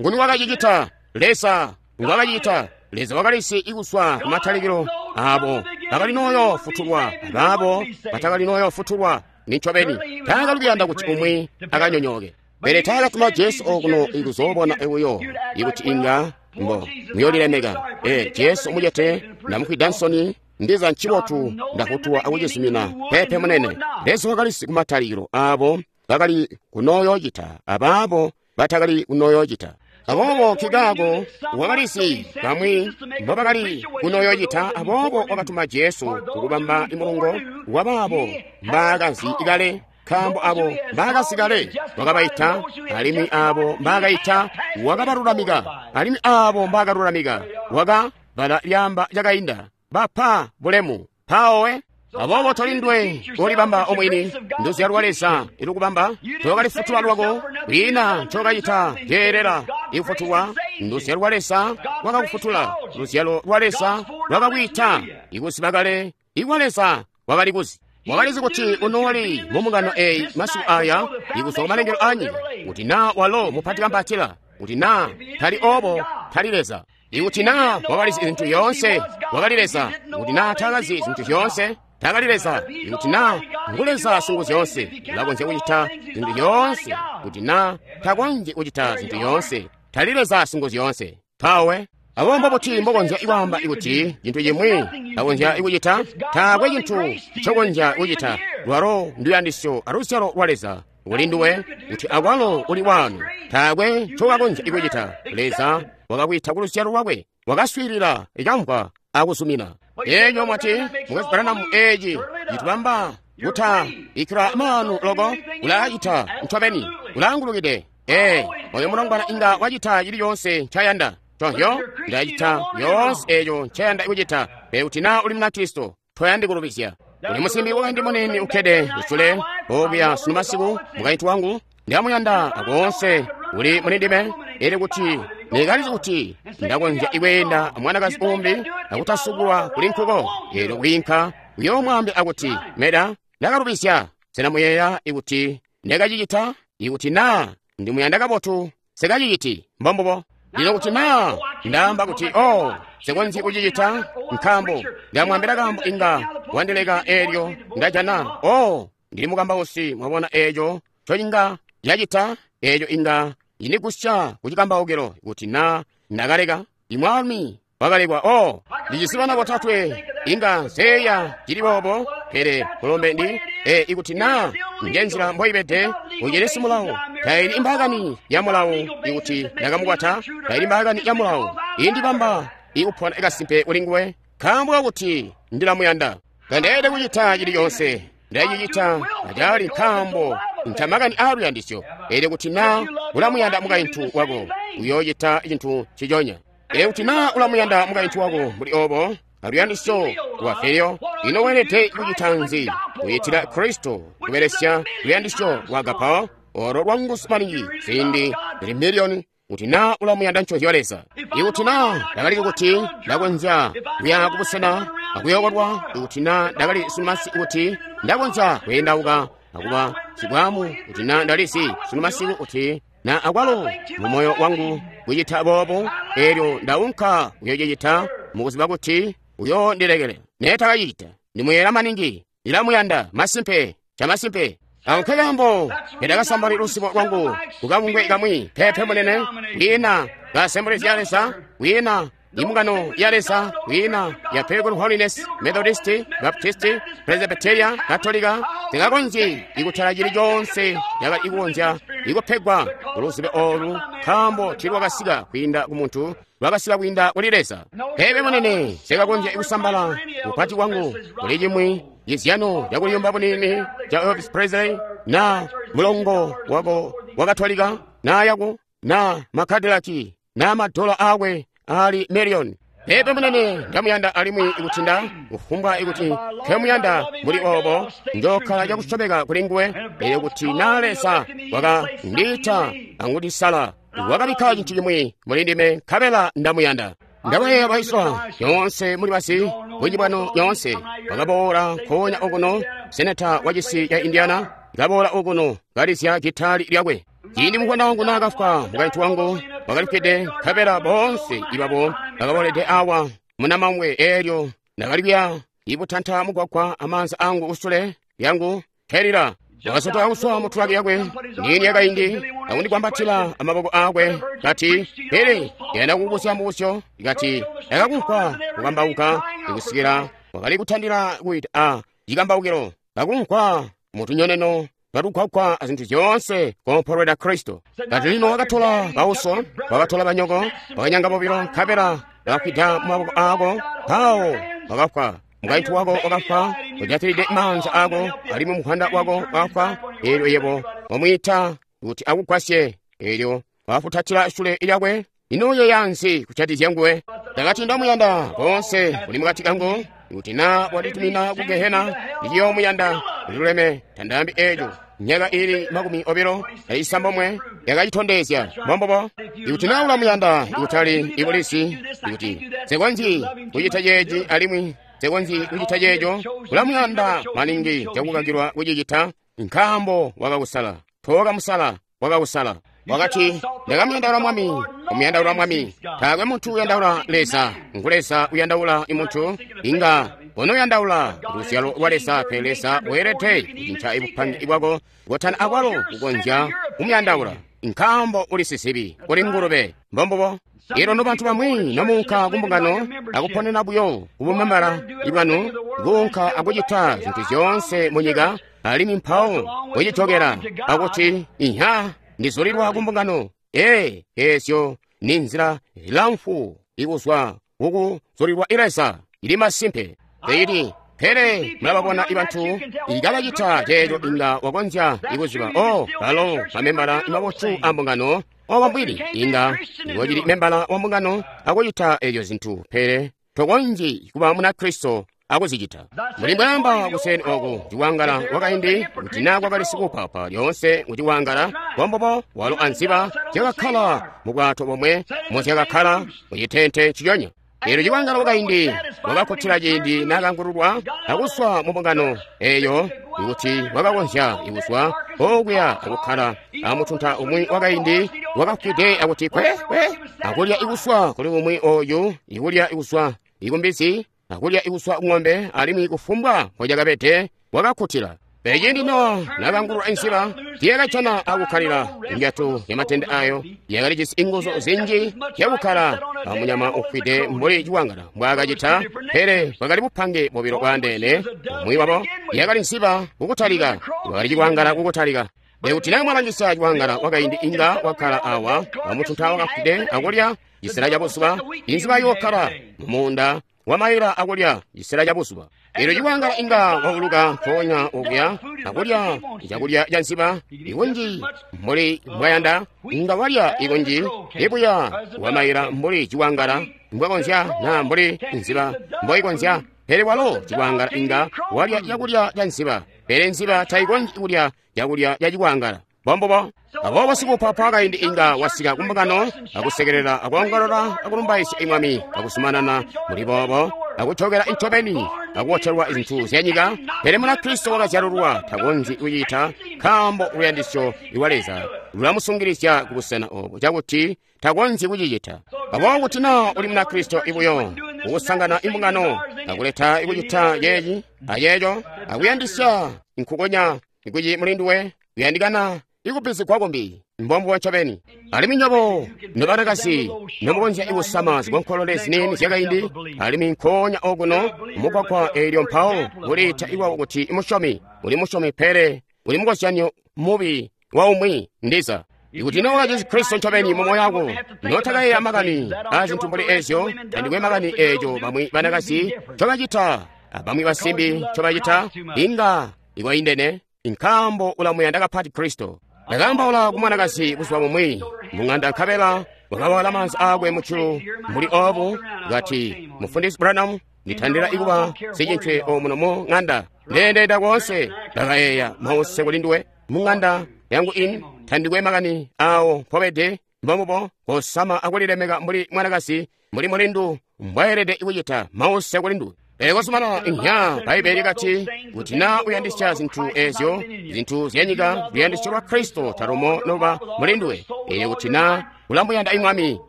Nguni wakacicita? Leza ngwakacicita. Leza wakalisi ikuzwa kumatalikilo abo bakali noyo futulwa abaabo batakali noyo futulwa. Nincobeni taakali kuyanda kuti umwi akanyonyooke, pele taakatuma Jesu okuno ikuzoobona buyo ikuti inga mbo muyolilemeka. E Jesu mucete ndamufwida nsoni, ndiza ncibotu ndakutuwa akucizumina. Pepe munene, Leza wakalisi kumatalikilo abo bakali kunoyoocita abaabo batakali kunoyoocita. Aboobo nkikaako wakalisi bamwi mbobakali kunoyoocita, aboobo wakatuma Jesu kukubamba imulongo wabaabo mbaakazi kale, nkaambo abo mbaakazi kale wakabaita, alimwi abo mbaakaita wakabalulamika, alimwi abo mbaakalulamika waka bala lyamba lyakainda bapa bulemu. Mpawowe Aboobo tolindwe kolibamba omwini, nduzyalo lwa Leza ilukubamba, tokalifutula lwako, kwiina ncokacita ceelela ikufutulwa. Nduzyalo lwa Leza lwakakufutula, luzyalo lwa Leza lwakakwiita, ikuziba kale ikwa Leza wakali kuzi. Wakalizi kuti unooli mu mbungano eyi masiku aya ikuzwa kumalengelo anyika, kuti naa walo mupati kampatila, kuti naa tali obo tali Leza. Ikuti naa wakalizi zintu zyoonse, wakali Leza. Kuti naa takazi zintu zyoonse, takali Leza. Ikuti naa ngu Leza Singuzyoonse, ulakonzya kucita zintu zyoonse. Kuti naa takonzyi kucita zintu zyoonse, tali Leza Singuzyoonse. Mpawe abo mbobuti mbokonzya kwaamba kuti cintu cimwi takonzya kucita? Taakwe cintu ncokonzya kucita. Lwalo nduyandisyo aluzyalo lwa Leza kuli nduwe, kuti akwalo uli wanu. Taakwe ncokakonzya kucita. Leza wakakwita ku luzyalo lwakwe, wakaswiilila, ikamvwa akuzumina. Eeco mwati Mukwesu Branham, eeci citubamba kuta ikila maanu loko, ulacita ncobeni, ulaangulukide. Ee, oyo mulongwana inga wacita cili coonse ncayanda. Chonhyo, ndacita yoonse eeco ncayanda kucita. Pele kuti naa uli Munakristo, toyandi kulubizya. Uli musimbi wakaindi muniini ukkede kusule okuya sunu masiku, mukaintu wangu, ndamuyanda akoonse uli muli ndime. Elyo kuti nikalizi kuti ndakonzya ikweenda amwanakazi umbi akutasubulwa kuli nkuko, elyo kwiinka kuyoomwaambila akuti, Meda, ndakalubizya. Sena muyeeya ikuti ndakacicita? Ikuti naa ndimuyanda kabotu, sikaciciti. Mbombubo. Lino kuti naa ndaamba kuti, oh, sikonzyi kucicita, nkaambo ndamwaambila kaambo inga wandileka eelyo ndajana, oh, ndili mukambausi, mwabona eeco ncocinga cacita, eeco inga indigusya kucikambaukilo kuti naa ndakaleka. Imwaalumi wakalekwa. Oh, ndijisi bana botatwe, inga nseeya cili boobo, pele kulombe ndi e ikuti naa njenzila mboibede, ucilisi mulawo. Taili imbaakani ya mulawo ikuti ndakamukwata, taili mbaakani ya mulawo indibamba ikupona kasimpe kuli nguwe, nkaambo kakuti ndilamuyanda. Tandeelede kucita cili coonse, ndacicita acali nkaambo ncamakani aaluyandisyo. Elyo kuti naa ulamuyanda mukaintu wako, uyoocita cintu nciconya. Elyo kuti naa ulamuyanda mukaintu wako mbuli obo aluyandisyo lwa filio, ino weelede kucita nzi? Kuyitila Kristo kubelesya luyandisyo lwa agapao, olo lwanguzu maningi ziindi zili miliyoni, kuti naa ulamuyanda nconzyo Leza. Ikuti naa ndakali kuti ndakonzya kuya kubusena akuyokolwa, ikuti naa ndakali sunumasi kuti ndakonzya kweendauka akuba sibwamu, kuti naa ndalisi sunumasiku kuti na akwalo mu moyo wangu kucita boobo, elyo ndaunka kuyocicita mukuziba kuti uyoondilekele. Neetakacicita, ndimuyela maningi, ndilamuyanda masimpe, camasimpe. Ako nkekaambo ndakasambali lusibo lwangu kukabungwe kamwi, pepe munene, kwiina ka Assemblies ya Leza, kwiina imbungano ya Leza, kwiina ya Pilgrim Holiness, Methodist, Baptist, Presbyteria, Katolika, zingakonzyi ikutala cili coonse cakali ikukonzya ikupegwa kuluzibe olu, nkaambo tiilwakasika kwiinda ku muntu, lwakasika kwiinda kuli Leza. Pepe munene, sikakonzya ikusambala upati wangu kuli cimwi cizyano cakuliyumba bunini ca Elvis Presley, na mulongo wako wa Katolika, na yako, na makadilaki, na madola akwe ali miliyoni. Pepe munene, ndamuyanda alimwi ikuti nda kufumbwa ikuti nkemuyanda mbuli obo, njokkala cakusyomeka kuli nguwe. Elyo kuti naa Leza wakandiita angundisala, wakabikka cintu cimwi muli ndime, nkabela ndamuyanda. Ndabayeeya baiswa nyoonse muli basi bunji bwanu nyoonse bakaboola nkoonya okuno. Seneta wa cisi ca Indiana kaboola okuno kalizya gitali lyakwe. Ciindi mukwana wangu naakafwa, mukaintu wangu wakalifwide, nkabela boonse ibabo bakaboolede awa munamangwe. Eelyo ndakali kuya ibutanta mugwagwa amaanza angu kusule lyangu kelila. Wakasotoka kuswa mu tulaki yakwe niini yakaindi akundikwambatila amaboko akwe, kati, pele ndiyanda kukubusya mubusyo. Kati, ndakakumvwa kukambauka ikusikila wakali kutandila kuita a cikambaukilo, kakumvwa mutunyoneno twatugwagwa azintu zyoonse kompolweda Kristo. Kati lino wakatola bauso, wakatola banyoko, wakanyanga bobilo, nkabela bakafwida mu maboko ako, mpawo wakafwa. Mukaintu wako wakafwa, ujatilide maanza ako, alimwi muhanda wako wakafwa. Eelyo yebo wamwiita kuti akugwasye, eelyo wafutatila sule lyakwe. Ino uyeeya nzi kucatizya nguwe? Ndakati ndamuyanda boonse kuli mukati kangu, Ikuti na wanditumina ku gehena, ndiciyoomuyanda. Luleme, tandaambi eeco. Myaka ili makumi obilo aisambomwe yakacitondezya. Mbombubo. Ikuti na ulamuyanda, ikutali ibulisi, ikuti nsekonzyi kucita ceeci alimwi nsekonzyi kucita ceeco, ulamuyanda maningi cakukakilwa kucicita, nkaambo wakakusala. Tookamusala, wakakusala. Wakati, ndakamuyandaula Mwami, kumuyandaula Mwami. Taakwe muntu uyandaula Leza, ngu Leza uyandaula muntu. Inga unoyandaula luzyalo lwa Leza, pele Leza weelede kucinca ibupangi bwako kotana akwalo kukonzya kumuyandaula, nkaambo uli sizibi, uli ngulube. Mbombubo. Elo nobantu bamwi nomuunka kumbungano akuponena buyo kubumambala bwanu, kuunka akucita zintu zyoonse munyika, alimwi mpawo kucitokela akuti, iha, ndizulilwa kumbungano. Ee, ezyo ni nzila ilamfu ikuzwa kukuzulilwa Leza. Ili masimpe. Ili pele mulababona ibantu ikabacita ceeco, inga wakonzya ikuziba. Oh, balo bamembala imabotu a mbungano. Oba mbwili inga ngocili membala wa mbungano akucita ezyo zintu, pele tokonzyi kuba Munakristo akuzicita. Muli mbwaamba kuseni oku ciwangala wakaindi kuti na kwakali sikupapa lyoonse kuti wangala wambobo walo anziba zyakakkala mu bwato bomwe muzyakakkala mucitente ciyonya. Eelyo ciwangala wakaindi wakakkutila ciindi naakangululwa akuswa mu mbungano eeyo, ikuti wakakonzya ikuswa okuya akukkala amutunta umwi wakaindi wakafwide akuti kwe kwe akulya ikuswa kuli umwi oyu, ikulya ikuswa ikumbizi, akulya ikuswa ng'ombe, alimwi kufumbwa mpolyakabede wakakkutila. Pele ciindi Nowa naakangululwa inziba, tiyakajana akukkalila injatu yamatende ayo yakalijisi inguzu zinji zyakukkala amunyama ufwide mbuli ciwangala mbwaakacita, pele bwakali bupange bobilo bwaandeene. Umwi wabo yakali nziba kukutalika, bwakali ciwangala kukutalika. Ikuti naa mwalangisa ciwangala wakaindi inga wakkala awa amutunta wakafwide akulya cisela cabuzuba, inziba yookkala mumuunda wamaila akulya cisela cabuzuba. Eelyo ciwangala inga wauluka mpoonya okuya akulya cakulya ca nziba ikunji mbuli mbwayanda, inga walya ikunji ibuya wamaila mbuli ciwangala mbwakonzya naa mbuli nziba mboikonzya. Pele walo ciwangala inga walya cakulya ca nziba, pele nziba taikonzyi kulya cakulya ca ciwangala. Mbombubo. Aboobo sikupapa kaindi inga wasika kumbungano akusekelela akuongolola akulumbaizya Mwami akuzumanana muli boobo akucokela incobeni akuwotelwa zintu zyanyika. Pele Munakristo wakazyalulwa takonzyi kucita, nkaambo luyandisyo lwa Leza lulamusungilizya kubusena obo cakuti takonzyi kucicita. Aboobo kuti naa uli Munakristo ibuyo ukusangana imbungano akuleta ikucita ceeci ayeeco akuyandisya nkukonya ikuci mulinduwe kuyandikana ikupizigwa kumbi. Mbombubo ncobeni. Alimwi nywebo nobanakazi nomukonzya ikusama zikonkolole ziniini zyakaindi, alimwi nkoonya okuno mugwagwa eelyo mpawo kuliita iwawo kuti musyomi, uli musyomi pele uli mukozyanyo mubi wa umwi ndiza. Ikuti nowa Jesu Kristo ncobeni mu moyo wako, notakayeeya makani a zintu mbuli ezyo, tandikwe makani eeco bamwi banakazi ncobacita abamwi basimbi ncobacita, inga ikwaindene, nkaambo ulamuyanda kapati Kristo. Ndakaambaula ku mwanakazi buzuba bumwi mung'anda, nkabela wakawala maanza aakwe mujulu mbuli obu, kati, Mufundisi Branham, nditandila ikuba sicintwe omuno mu ng'anda. Ndeendeenda koonse, ndakayeeya mause kuli nduwe mung'anda yangu ini, tandikwe makani awo mpobede. Mbombubo, kosama akulilemeka mbuli mwanakazi, mbuli mulindu mbwaelede kucita, mause kuli nduwe. Pele kosumana inya, Bbaibeli kati, kuti naa uyandisya zintu ezyo, zintu zyanyika, luyandisyo lwa Kristo talumo noba mulinduwe. Eelyo kuti naa ulamuyanda Mwami,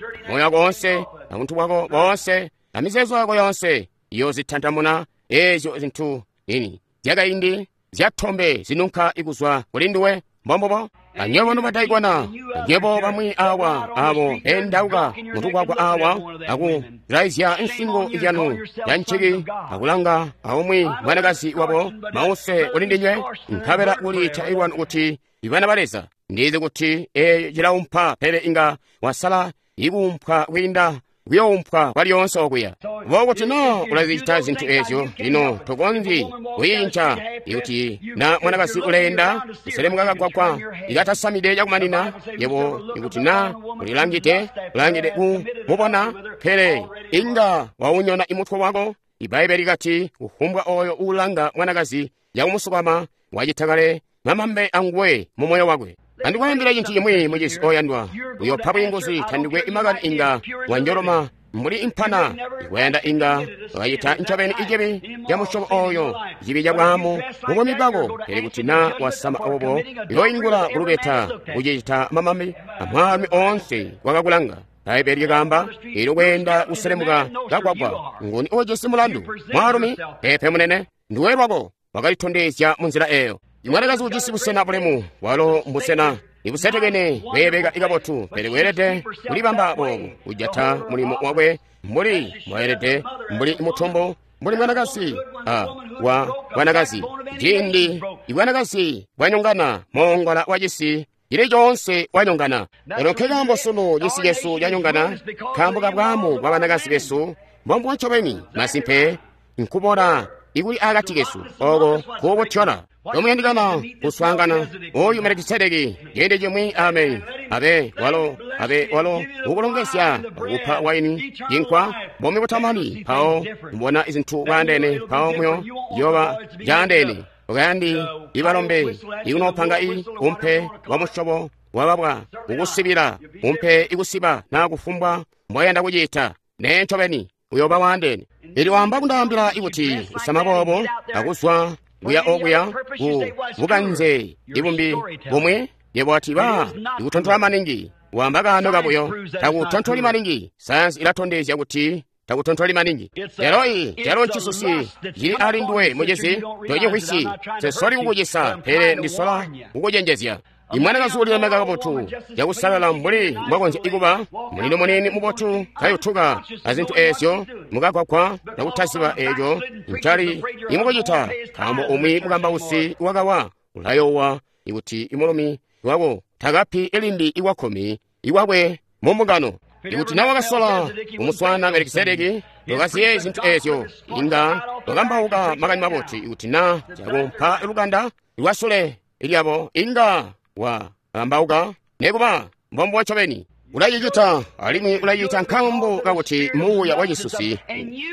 moyo wako woonse, abuntu bwako boonse, amizeezo yako yoonse, iyoozitantamuna ezyo zintu ini zyakaindi zyatombe zinunka ikuzwa kulinduwe. Mbombubo. Anywebo nobadaikona, anywebo bamwi awa abo bendauka mutukwakwa awa akulaizya nsingo izyanu ya nciki akulanga aumwi mwanakazi wabo mause kulindinywe, nkabela kuliita ilwanu kuti ibana ba Leza. Ndizi kuti eeyo cilaumpa, pele inga wasala ikuumpwa kwiinda kuyoumpwa kwalyoonse okuya. Bo kuti no ulazicita zintu ezyo, lino tokonzyi kuyinca. Ikuti na mwanakazi uleenda kuselemuka kagwagwa ikatasamide cakumanina, yebo ikuti na ulilangide ulangide kumubona, pele inga waunyona imutwe wako Ibbaibbele likati kufumbwa oyo uulanga mwanakazi yakumusukama wacita kale mamambe anguwe mu moyo wakwe. Andikwaambila cintu cimwi mucizi oyandwa, uyopa bwiinguzi tandikwe imakani inga wanjoloma mbuli impana ikwayanda inga wakacita ncobeni icibi ca musyobo oyo, cibi ca bwaamu mubuumi bwako. Pele kuti na wasama obo, uyoingula kulubeta kucicita mamambe amwaalumi oonse wakakulanga. Bbaibbele lyakaamba, eelyo kweenda kuselemuka kagwagwa, nguni ujisi mulandu? Mwaalumi? Peepe munene, nduwe lwako wakalitondezya munzila eyo. Imwanakazi ujisi busena bulemu, walo mbusena ibusetekene bweebeka ikabotu, pele weelede kulibamba boobu, kujata mulimo wakwe mbuli mbwaelede, mbuli mutombo, mbuli mwanakazi a wa bwanakazi. Ciindi ibwanakazi bwanyongana, moongola wa cisi cili coonse wanyongana. Elo nkekaambo sunu cisi cesu canyongana, nkaambo ka bwaamu bwa banakazi besu mbombubo ncobeni. Masimpe nkubona ikuli akati kesu oko kuubutyola. Tomuyandikana kuswaangana oyu Melikisedeki ciindi cimwi. Ameni. Abe walo, abe walo ukulongezya akupa waini cinkwa bomi butamani. Mpawo mbona izintu bwaandeene, mpawo muyo yoba jaandeene. Ukayandi ibalombe ikunopanga i umpe wa musyobo wababwa ukusibila umpe ikusiba na kufumbwa mbwayanda kucita. Nee ncobeni uyoba waandeene. Ili wamba kundaambila ikuti kusama boobo akuzwa kuya okuya ku bukanze ibumbi bumwe, yebo ati ba ikutontola maningi. Wamba kaano kabuyo, takutontoli maningi. Sayansi ilatondezya kuti takutontoli maningi. Lero i lero ncisusi cili ali nduwe mucizi, tocimvwisyi. Sesoli kukucisa, pele ndisola kukucenjezya. Imwanakazi ulilemeka kabotu cakusalala mbuli mbwakonzya ikuba mulino munini mubotu kayutuka azintu eezyo mukagwagwa nakutaziba eeco ncali imukucita, nkaambo umwi mukambausi wakawa ulayowa ikuti imulumi wako takapi ilimbi iwakkumi iwakwe mumbungano. Ikuti na wakasola kumuswana Melikisedeki, tokaziye zintu eezyo, inga wakambauka makani mabotu. Ikuti na cakumpa lukanda lwasule lyabo, inga wa ambauka nekuba mbombuwa ncobeni. Ulacicita alimwi ulacita nkaambo kakuti muuya wa cisusi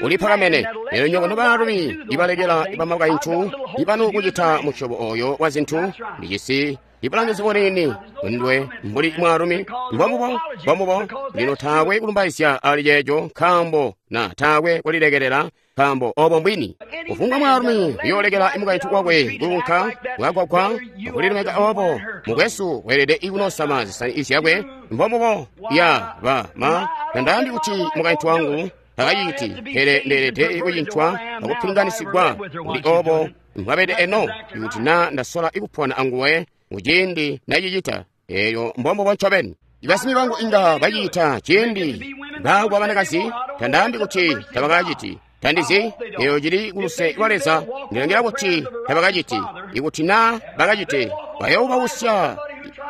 ulipakamene. Lero nywebo nobaalumi ibalekela bamakaintu ibanu kucita musyobo oyo wa zintu, ndijisi ibulangizi buniini ndwe mbuli mwaalumi. Mbombubo, mbombubo. Lino taakwe kulumbaizya ali ceeco, nkaambo na taakwe kulilekelela, nkaambo obo mbwini. Kufumbwa mwaalumi uyoolekela mukaintu wakwe kuunka kukagwagwa akulilemeka obo, mukwesu weelede ikunosama zisani zyakwe. Mbombubo. Ya ba ma tandaambi kuti mukaintu wangu takaciti, pele ndeelede kucintwa akupilinganisigwa kuli obo mbwabede eno. Ikuti na ndasola ikupona anguwe muciindi nacicita, eyo mbombubo ncobeni. Ibasimi bangu inga bacita ciindi baakwa banakazi, tandaambi kuti tabakaciti. Tandizi, eyo cili kuluse lwa Leza. Ndilangila kuti tabakaciti. Ikuti na bakacite, bayoobausya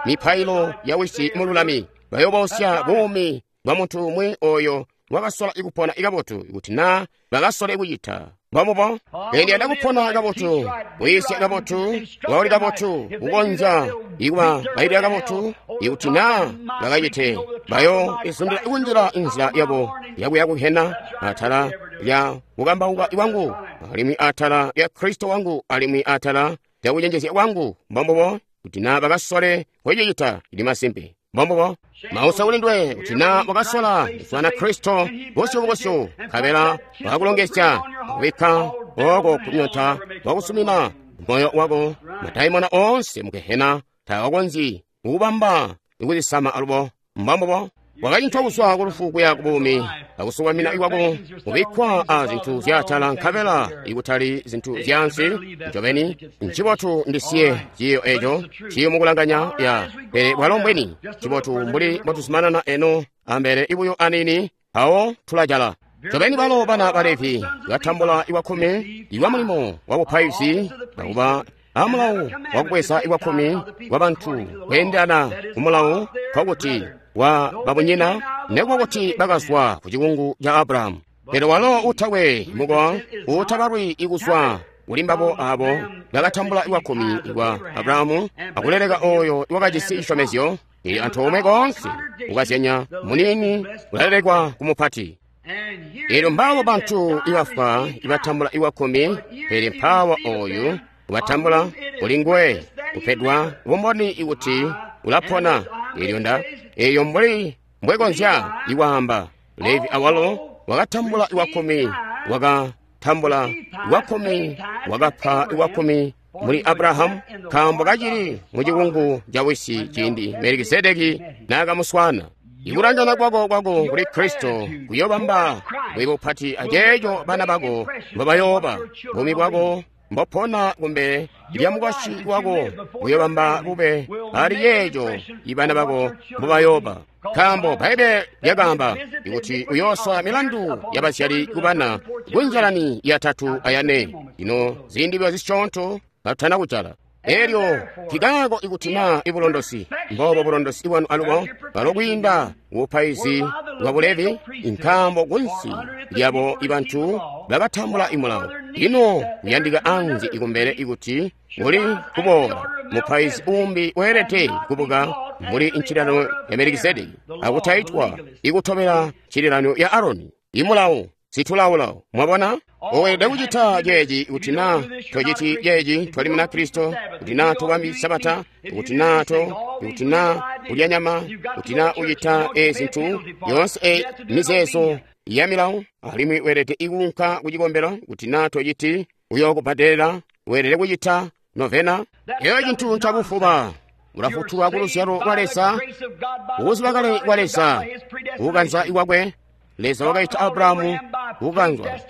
mipailo ya wisi mululami, bayoobausya buumi bwa muntu umwi oyo wakasola ikupona ikabotu. Ikuti na bakasole kucita mbombubo, ndiyanda kupona kabotu, kuyisya kabotu, kubauli kabotu, kukonzya ikuba bailila kabotu. Ikuti na bakacite, bayo izundila ikunjila inzila yabo yakuya kuhena atala lya kukambauka kwangu, alimwi atala lya Kristo wangu, alimwi atala lya kucenjezya kwangu. Mbombubo. Kuti na bakasole kucicita, ili masimpe. Mbombubo. Mausa kuli ndwe kuti na wakasola kuswana Kristo busyu kubusyu, nkabela wakakulongezya akubikka oko kunyota wakusumina moyo wako, madaimona oonse mugehena takakonzyi kukubamba ikuzisama alubo. Mbombubo. Wakacintwa kuzwa kulufu kuya kubuumi, akusukamina ikwako kubikkwa a zintu zyaatala, nkabela ikutali zintu zyaansi. Ncobeni ncibotu ndisiye ciiyo eco ciyo mukulanganya ya, pele bwalo mbweni ncibotu mbuli mbotuzumanana eno ambele ibuyo anini, awo tulajala. Ncobeni balo bana ba Levi batambula iwakkumi iwa mulimo wa bupaizi, nakuba amulawo wakubweza iwakkumi wa bantu kweendelana kumulawo, nkokuti wa babunyina, nekuba kuti bakazwa ku cikungu ca Abrahamu. Pele walo utakwe mukowa utabalwi ikuzwa kuli mbabo abo bakatambula iwakkumi kwa Abrahamu akuleleka oyo iwakajisi cisyomezyo, ili antoomwe koonse kukazyanya munini ulalelekwa ku mupati. Elyo mbaabo bantu ibafwa ibatambula iwakkumi, pele mpaawa oyu ubatambula kuli nguwe kupedwa bumboni ikuti ulapona. Elyo nda eyo mbuli mbwekonzya ikwaamba Levi awalo wakatambula iwakkumi, wakatambula iwakkumi, wakapa iwakkumi muli Abrahamu, nkaambo kacili mu cikungu ca wisi ciindi Melikisedeki naakamuswaana. Ikulangana kwako kwako kuli Kristo kuyobamba bwe bupati aceeco bana bako mbobayooba. Buumi bwako mbopona kumbele lya mukwasyi wako buyobamba bube ali yeeco ibana bako mbobayooba. Nkaambo Bbaibbele lyakaamba ikuti uyooswa milandu yabazyali kubana kunjalani yatatu ayane. Ino ziindi byo zisyoonto katutana kujala. Elyo kikaako ikuti naa ibulondosi mbobo bulondosi bwanu alubo balo kwiinda bupaizi bwa Bulevi, nkaambo kunsi lyabo ibantu bakatambula imulawo. Ino kuyandika anzi ikumbele ikuti uli kuboola mupaizi umbi weelede kubuka muli ncililano ya Melikisedeki akutaitwa ikutobela ncililano ya Aroni. Imulawo situlawulawo. Mwabona? Weelede kucita ceeci kuti naa tociti ceeci twali muna Kristo, kuti naa tobambi Sabata, kuti naa to, kuti naa kulya nyama, kuti naa ucita ezi zintu yoonse e mizeezo ya milawo, alimwi weelede ikuunka ku cikombelo, kuti naa tociti uyokubbadelela, weelede kucita novena. Eyo cintu ncakufuba. Ulafutulwa ku luzyalo lwa Leza, kukuziba kale kwa Leza, kukukanza ikwakwe. Leza wakaita Abrahamu kukanzwa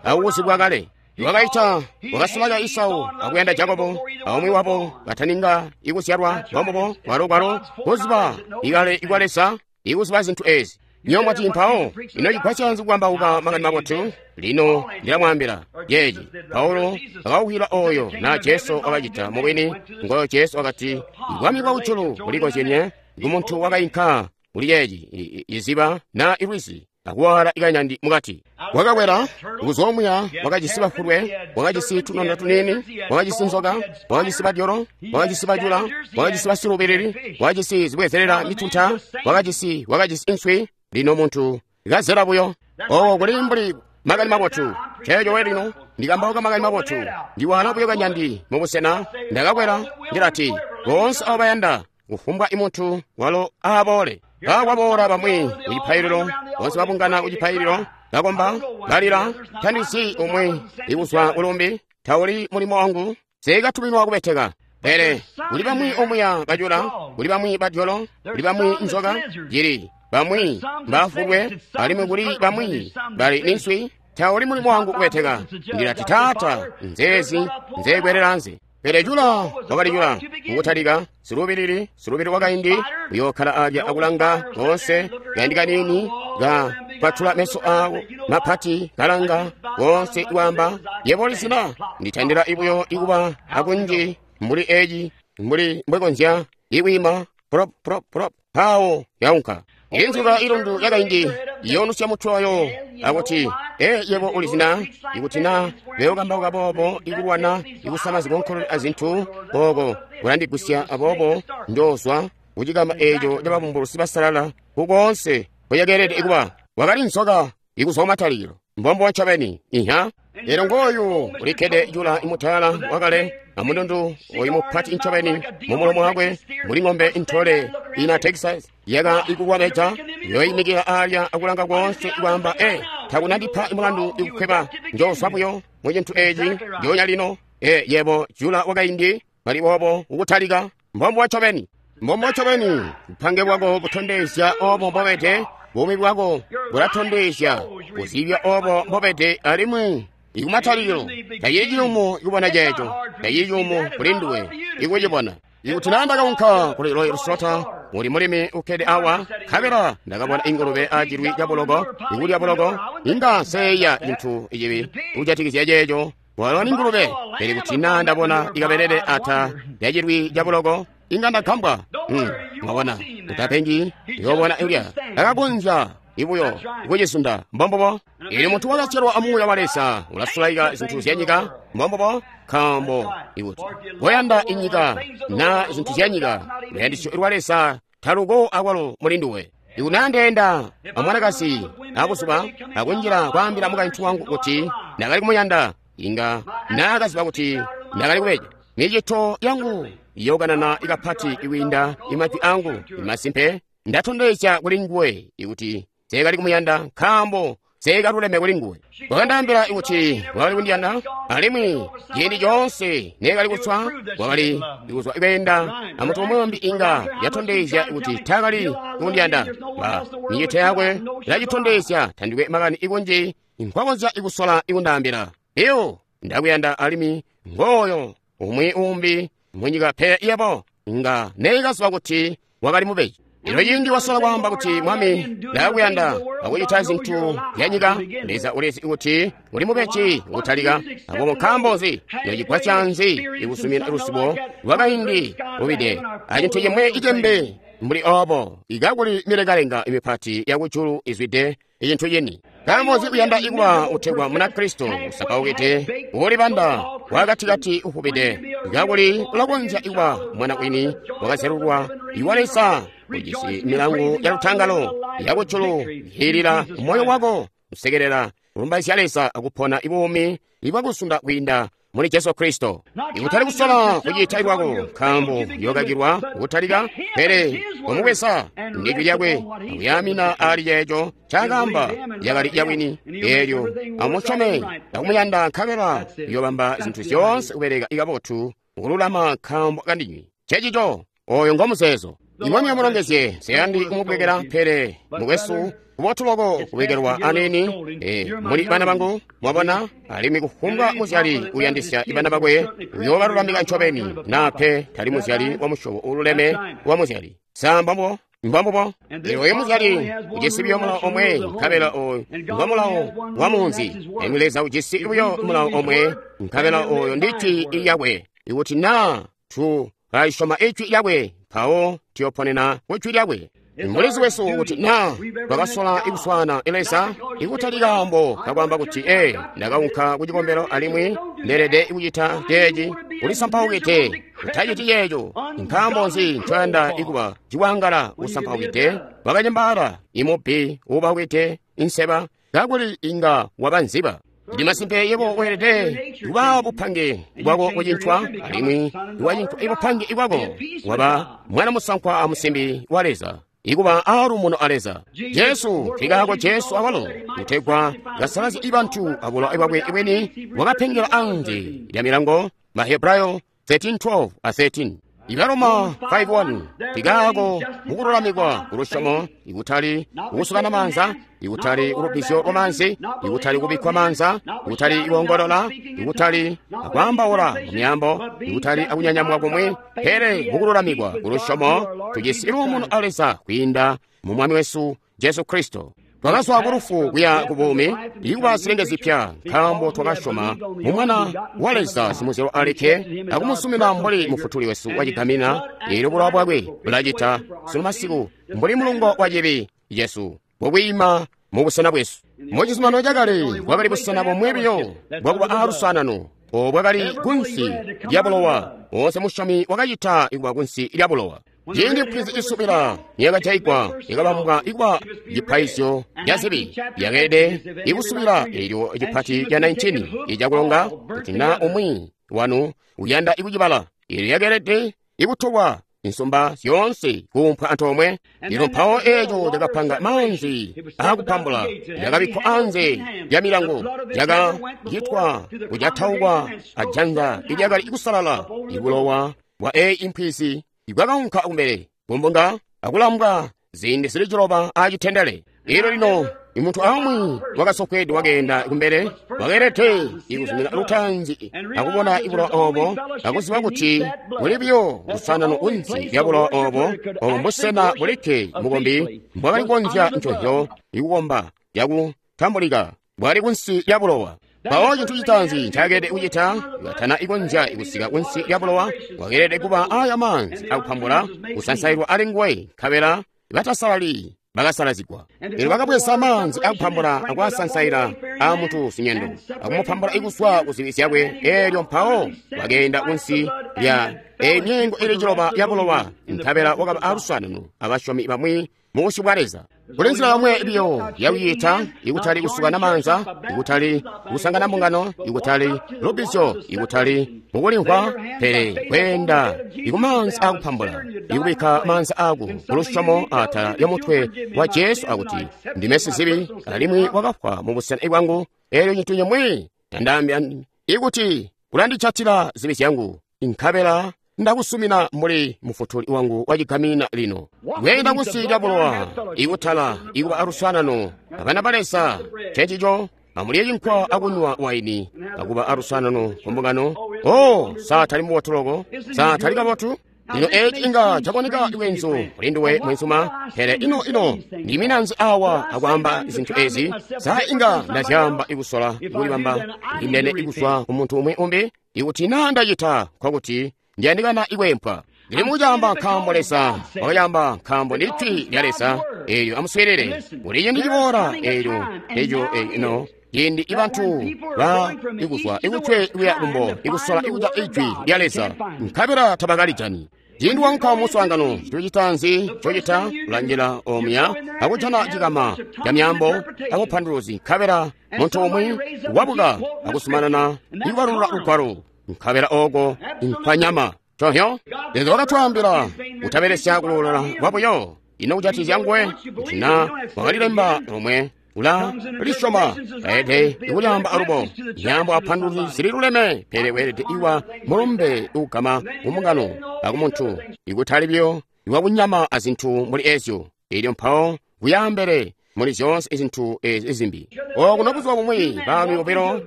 akukuzibwa kale. Wakaita wakasulaka Isau akuyanda Jakobo, aumwi wabo kataninga ikuzyalwa mbombobo kwalo kwalo kuziba ikale ikwa Leza ikuziba zintu ezi. Nyo mwati mpawo ino cigwasya kukambauka makani mabotu? Lino ndilamwaambila yeeci Paulo akawukwila oyo na Jesu wakacita mubwini. Ngoyo Jesu wakati ibwami bwa kujulu bulikozyenye kumuntu wakainka kuli yeeci iziba na ilwizi akuwala ikanyandi mukati. Wakakwela kuzoomuya, wakajisi bafulwe, wakajisi tunono tunini, wakajisi nzoka, wakajisi badyolo, wakajisi bajula, wakajisi basilubeleli, wakajisi zibwezelela mitunta, wakajisi wakajisi inswi. Lino muntu kazela buyo owo kuli mbuli makani mabotu. Ceeco we lino ndikambauka makani mabotu, ndiwala buyo kanyandi mubusena. Ndakakwela ndilati boonse abo bayanda kufumbwa imuntu walo aaboole. Bakwaboola bamwi kucipaililo, boonse babungana kucipaililo, bakomba, balila. Tandisi umwi ikuzwa kulumbi, tauli mulimo wangu, sekatuminwa kubeteka. Pele kuli bamwi omuya bajula, kuli bamwi badyolo, kuli bamwi nzoka, jili bamwi mbafulwe, alimwi kuli bamwi bali ninswi. Tauli mulimo wangu kubeteka. Ndilati Taata, nzeezi nzekwelela nze. Pele jula wakali jula mukutalika silubilili silubili wakaindi uyookhala alya akulanga konse kaindi kanini ka kwatula meso awo mapati kalanga konse iwamba yebo lizina nditandila ibuyo ikuba akunji mbuli eji mbuli mbwekonzya ikwima prop prop prop pawo yaunka inzuka ilundu yakaindi yonusya mutwe wayo akuti e yebo ulizina ikuti na beokambauka boobo ikulwana ikusama zikonkolole azintu boobo kulandigusya aboobo njoozwa kucikama eco cababumbulusi basalala kukoonse kuyakeelede ikuba wakali nzoka ikuzwa kumatalikilo mbombo ncobeni iha. Lero ngoyu ulikkede jula imutala wakale amundundu oyu mupati ncobeni mumulomo wakwe muli ng'ombe intole ina Texas yaka ikuwameja yoyimikila alya akulanga konse ikwamba e takunandipa imulandu ikukhweba njoswa buyo mu cintu eci njonya lino e yebo jula wakaindi bali bobo ukutalika mbombo ncobeni mbombo ncobeni bupange bwako butondezya obo mbobede buumi bwako bulatondezya kuzibya obo mbobede alimwi ikumatalikilo tacili ciyumu ikubona ceeco tacili ciyumu kuli nduwe ikucibona. Ikuti naa ndakaunka kuli Royal Slaughter muli mulimi ukkede awa nkabela ndakabona ingulube acilwi ca buloko ikulya buloko inga nseeya cintu icibi kujatikizya ceeco walo ni ngulube. Pele kuti naa ndabona ikabelele ata lyacilwi ca buloko inga ndagambwa. Hmm, mwabona utapengi yoobona ilya ndakakonzya ibuyo ikucisunda mbombobo. Ili muntu wakazyalwa amuuya wa Leza ulasulaika zintu zya nyika mbombobo, nkaambo ikuti koyanda inyika na zintu zya nyika luyandisyo lwa Leza taluko akwalo muli nduwe. Ikuti ndeenda amwanakazi abuzuba akunjila kwaambila mukaintu wangu kuti ndakali kumuyanda, inga naakaziba kuti ndakali kubeja. Micito yangu iyokanana ikapati ikwiinda imajwi angu. Imasimpe ndatondezya kuli nguwe ikuti nseekali kumuyanda nkaambo nseekaluleme kuli nguwe. Wakandaambila kuti wakali kundiyanda, alimwi ciindi coonse neekali kuswa wakali kuzwa kweenda amuntu umwi inga yatondezya kuti taakali kundiyanda. Ba micito yakwe ilacitondezya tandikwe makani ikunji nkwakonzya ikusola ikundaambila. Iyo ndakuyanda alimwi ngooyo umwi umbi munyika pe yebo nga neekaziba kuti wakali mubeji. Ino ciindi wasola kwaamba kuti Mwami ndakuyanda akucita zintu zya nyika, Leza ulizi kuti uli mubeji kutalika. Aboobo nkaambo nzi ino cigwasya nzi ikusumina lusibo lwakaindi lubide acintu cimwe icembe mbuli obo ikakuli milengalenga imipati yakujulu izwide icintu cini? Nkaambo nzi kuyanda ikuba utegwa Munakristo usapaukide uulibanda wakatikati ufubide kakuli ulakonzya ikuba mwana wini wakazyalulwa iwa Leza ujisi milangu ya lutangalo yakujulu ihilila moyo wako kusekelela kulumbaizya Leza akupona ibuumi ibwakusunda kwiinda muli Jesu Kristo. Ikutali kusola kucita lwako nkaambo yokakilwa kutalika, pele kumubweza ndijwi lyakwe akuyamina ali ceeco ncaakaamba yakali yawini. Eelyo amusyome akumuyanda nkabela uyobamba zintu zyoonse kubeleka ikabotu mukululama nkaambo kandinywe. Cecico oyo ngomuzeezo. Imwami amulongezye. Nseyandi kumubwekela, pele mukwesu kubotu loko kubekelwa anini. E, muli bana bangu mwabona, alimwi kufumbwa muzyali uyandisya ibana bakwe uyoobalulamika ncobeni, naa pe tali muzyali wa musyobo uululeme wa muzyali. Sa mbambo mbambubo oyo muzyali ujisi buyo mulawo omwe, nkabela oyo ngomulawo wa munzi. Alimwi Leza ujisi buyo mulawo omwe, nkabela oyo ndijwi lyakwe. Ikuti naa tu kayisyoma ijwi lyakwe, mpawo tuyoponena kujwi lyakwe. Mulizi wesu kuti naa twakasola ikuswaana Leza ikutali kaambo kakwaamba kuti ee ndakaunka ku cikombelo alimwi ndeelede kucita ceeci, ulisampaukide utaciti ceeco. Nkaambo nzi ncoyanda ikuba ciwangala usampaukide wakacembaala imubbi uubaukide inseba kakuli inga waba nziba? Ndi masimpe yebo weelede kuba bupange bwako kucintwa, alimwi wacincwa ibupange bwako waba mwana musankwa amusimbi wa Leza, ikuba aaluumuno a Leza. Jesu nkikaako Jesu awalo kutegwa kasalazye ibantu abulowa bwakwe bweni wakapengela anze lya milango. Mahebrayo thirteen twelve a thirteen. Ibaroma five one. Nkikaako mukululamikwa kulusyomo, ikutali kukusukana maanza, ikutali kulubizyo lwa maanzi, ikutali kubikkwa maanza, ikutali kuongolola, ikutali akwaambaula mu myaambo, ikutali akunyanyamwa kumwi, pele mukululamikwa kulusyomo tujisi luumuno a Leza kwiinda mu Mwami wesu Jesu Kristo. Twakazwa ku lufu kuya ku buumi, ikuba zilenge zipya, nkaambo twakasyoma mu Mwana wa Leza simuzyalwa alikke akumusumina mbuli Mufutuli wesu wacigamina. Eelyo bulowa bwakwe bulacita sunu masiku mbuli mulungo wa cibi cesu bukwiima mu busena bwesu. Mu cizuminano cakale bwakali busena bomwe buyo bwakuba aalusanano, obo bwakali kunsi lya bulowa. Woonse musyomi wakacita ikuba kunsi lya bulowa. Ciindi mpwizi isubila niyakajaigwa yakabambwa ikuba cipaizyo ca zibi, yakeelede ikusubila. Eelyo cipati ca nineteen icakulonga kuti naa umwi wanu uyanda ikucibala, eelyo yakeelede ikutolwa insumba zyoonse kuumpwa antoomwe. Lino mpawo eeco cakapanga maanzi aakupambula, yakabikkwa anze lya milango, yakacitwa kucataukwa ajanza ilyakali ikusalala. Ibulowa bwa eeyi impwizi ibwakaunka kumbele kumbunga akulambwa ziindi zili ciloba acitendele. Ilo lino imuntu aumwi wakasofweede wakeenda kumbele wakeelede ikuzumina lutaanzi akubona ibulowa obo akuziba kuti kuli buyo lusanano kunsi lya bulowa obo. Obo mbusena bulikke mukombi mbwakali kukonzya ncozyo ikukomba yakutambulika bwali kunsi lya bulowa. Mpawo cintu citaanzi ncakeelede kucita katana ikonzya ikusika kunsi lya bulowa, wakeelede kuba aya maanzi akupambula kusansailwa ali nguwe, nkabela batasalali bakasalazigwa. Elyo bakabweza maanzi akupambula akwasansaila a muntu sinyendo, akumupambula ikuzwa ku zibi zyakwe. Elyo mpawo bakeenda kunsi lya emyeengo ili ciloba ya bulowa, nkabela wakaba aluswaanano abasyomi bamwi mu busyu bwa Leza. Kuli nzila yomwe biyo yakuyita, ikutali kusukana maanza, ikutali kusangana mbungano, ikutali lubbizyo, ikutali mukulimvwa, pele kweenda ikumaanzi akupambula, ikubikka maanza ako kulusyomo atala lyomutwe wa Jesu akuti, ndime sizibi alimwi wakafwa mu busena bwangu. Elyo cintu cimwi tandaambya ikuti kulandijatila zibi zyangu, nkabela ndakusumina mbuli mufutuli wangu wachigamina lino. Kuyenda kunsi lya bulowa, ikutala ikuba aluswaanano abana ba Leza, ncencico amulye cinkwa akunywa waini, akuba aluswaanano ku mbungano. Oh, sa tali mubotu loko, sa tali kabotu? Lino eci inga caboneka lwenzu kuli nduwe mwenzuma, pele ino ino ndiminanzi awa akwaamba zinthu ezi? Sa inga ndazyamba ikusola kulibamba ndinene ikuzwa ku muntu umwi umbi? Ikuti na ndacita, nkokuti ndiyandikana ikwempwa. Ndili mukucaamba nkaambo Leza wakayamba, nkaambo ndi jwi lya Leza. Elyo amuswiilile kuli ciindi ciboola, elyo eco ino ciindi ibantu ba ikuzwa ikutwe kuya kumbo ikusola ikuca ijwi lya Leza, nkabela tabakalijani. Ciindi wanka muswaangano, cintu citaanzi cocita kulanjila omuya akujana cikama ca myaambo akupanduluzi, nkabela muntu umwi wabuka akusumanana ikubalulula lugwalo, nkabela oko nkwanyama. Chonyo Leza wakatwaambila kutabelesya kulolola kwabuyo. Ino kujatizya nguwe kuti na wakalilemba lomwe ula lisyoma, taelede ikulyamba alubo. Myaambo apanduluzi zililuleme, pele weelede iwa mulumbe ugama kumbungano akumuntu, ikutali biyo iwakunyama azinthu muli ezyo. Elyo mpawo kuyambele muli zyoonse izinthu ezi zimbi. Okuno buzuba bumwi baalumi bobilo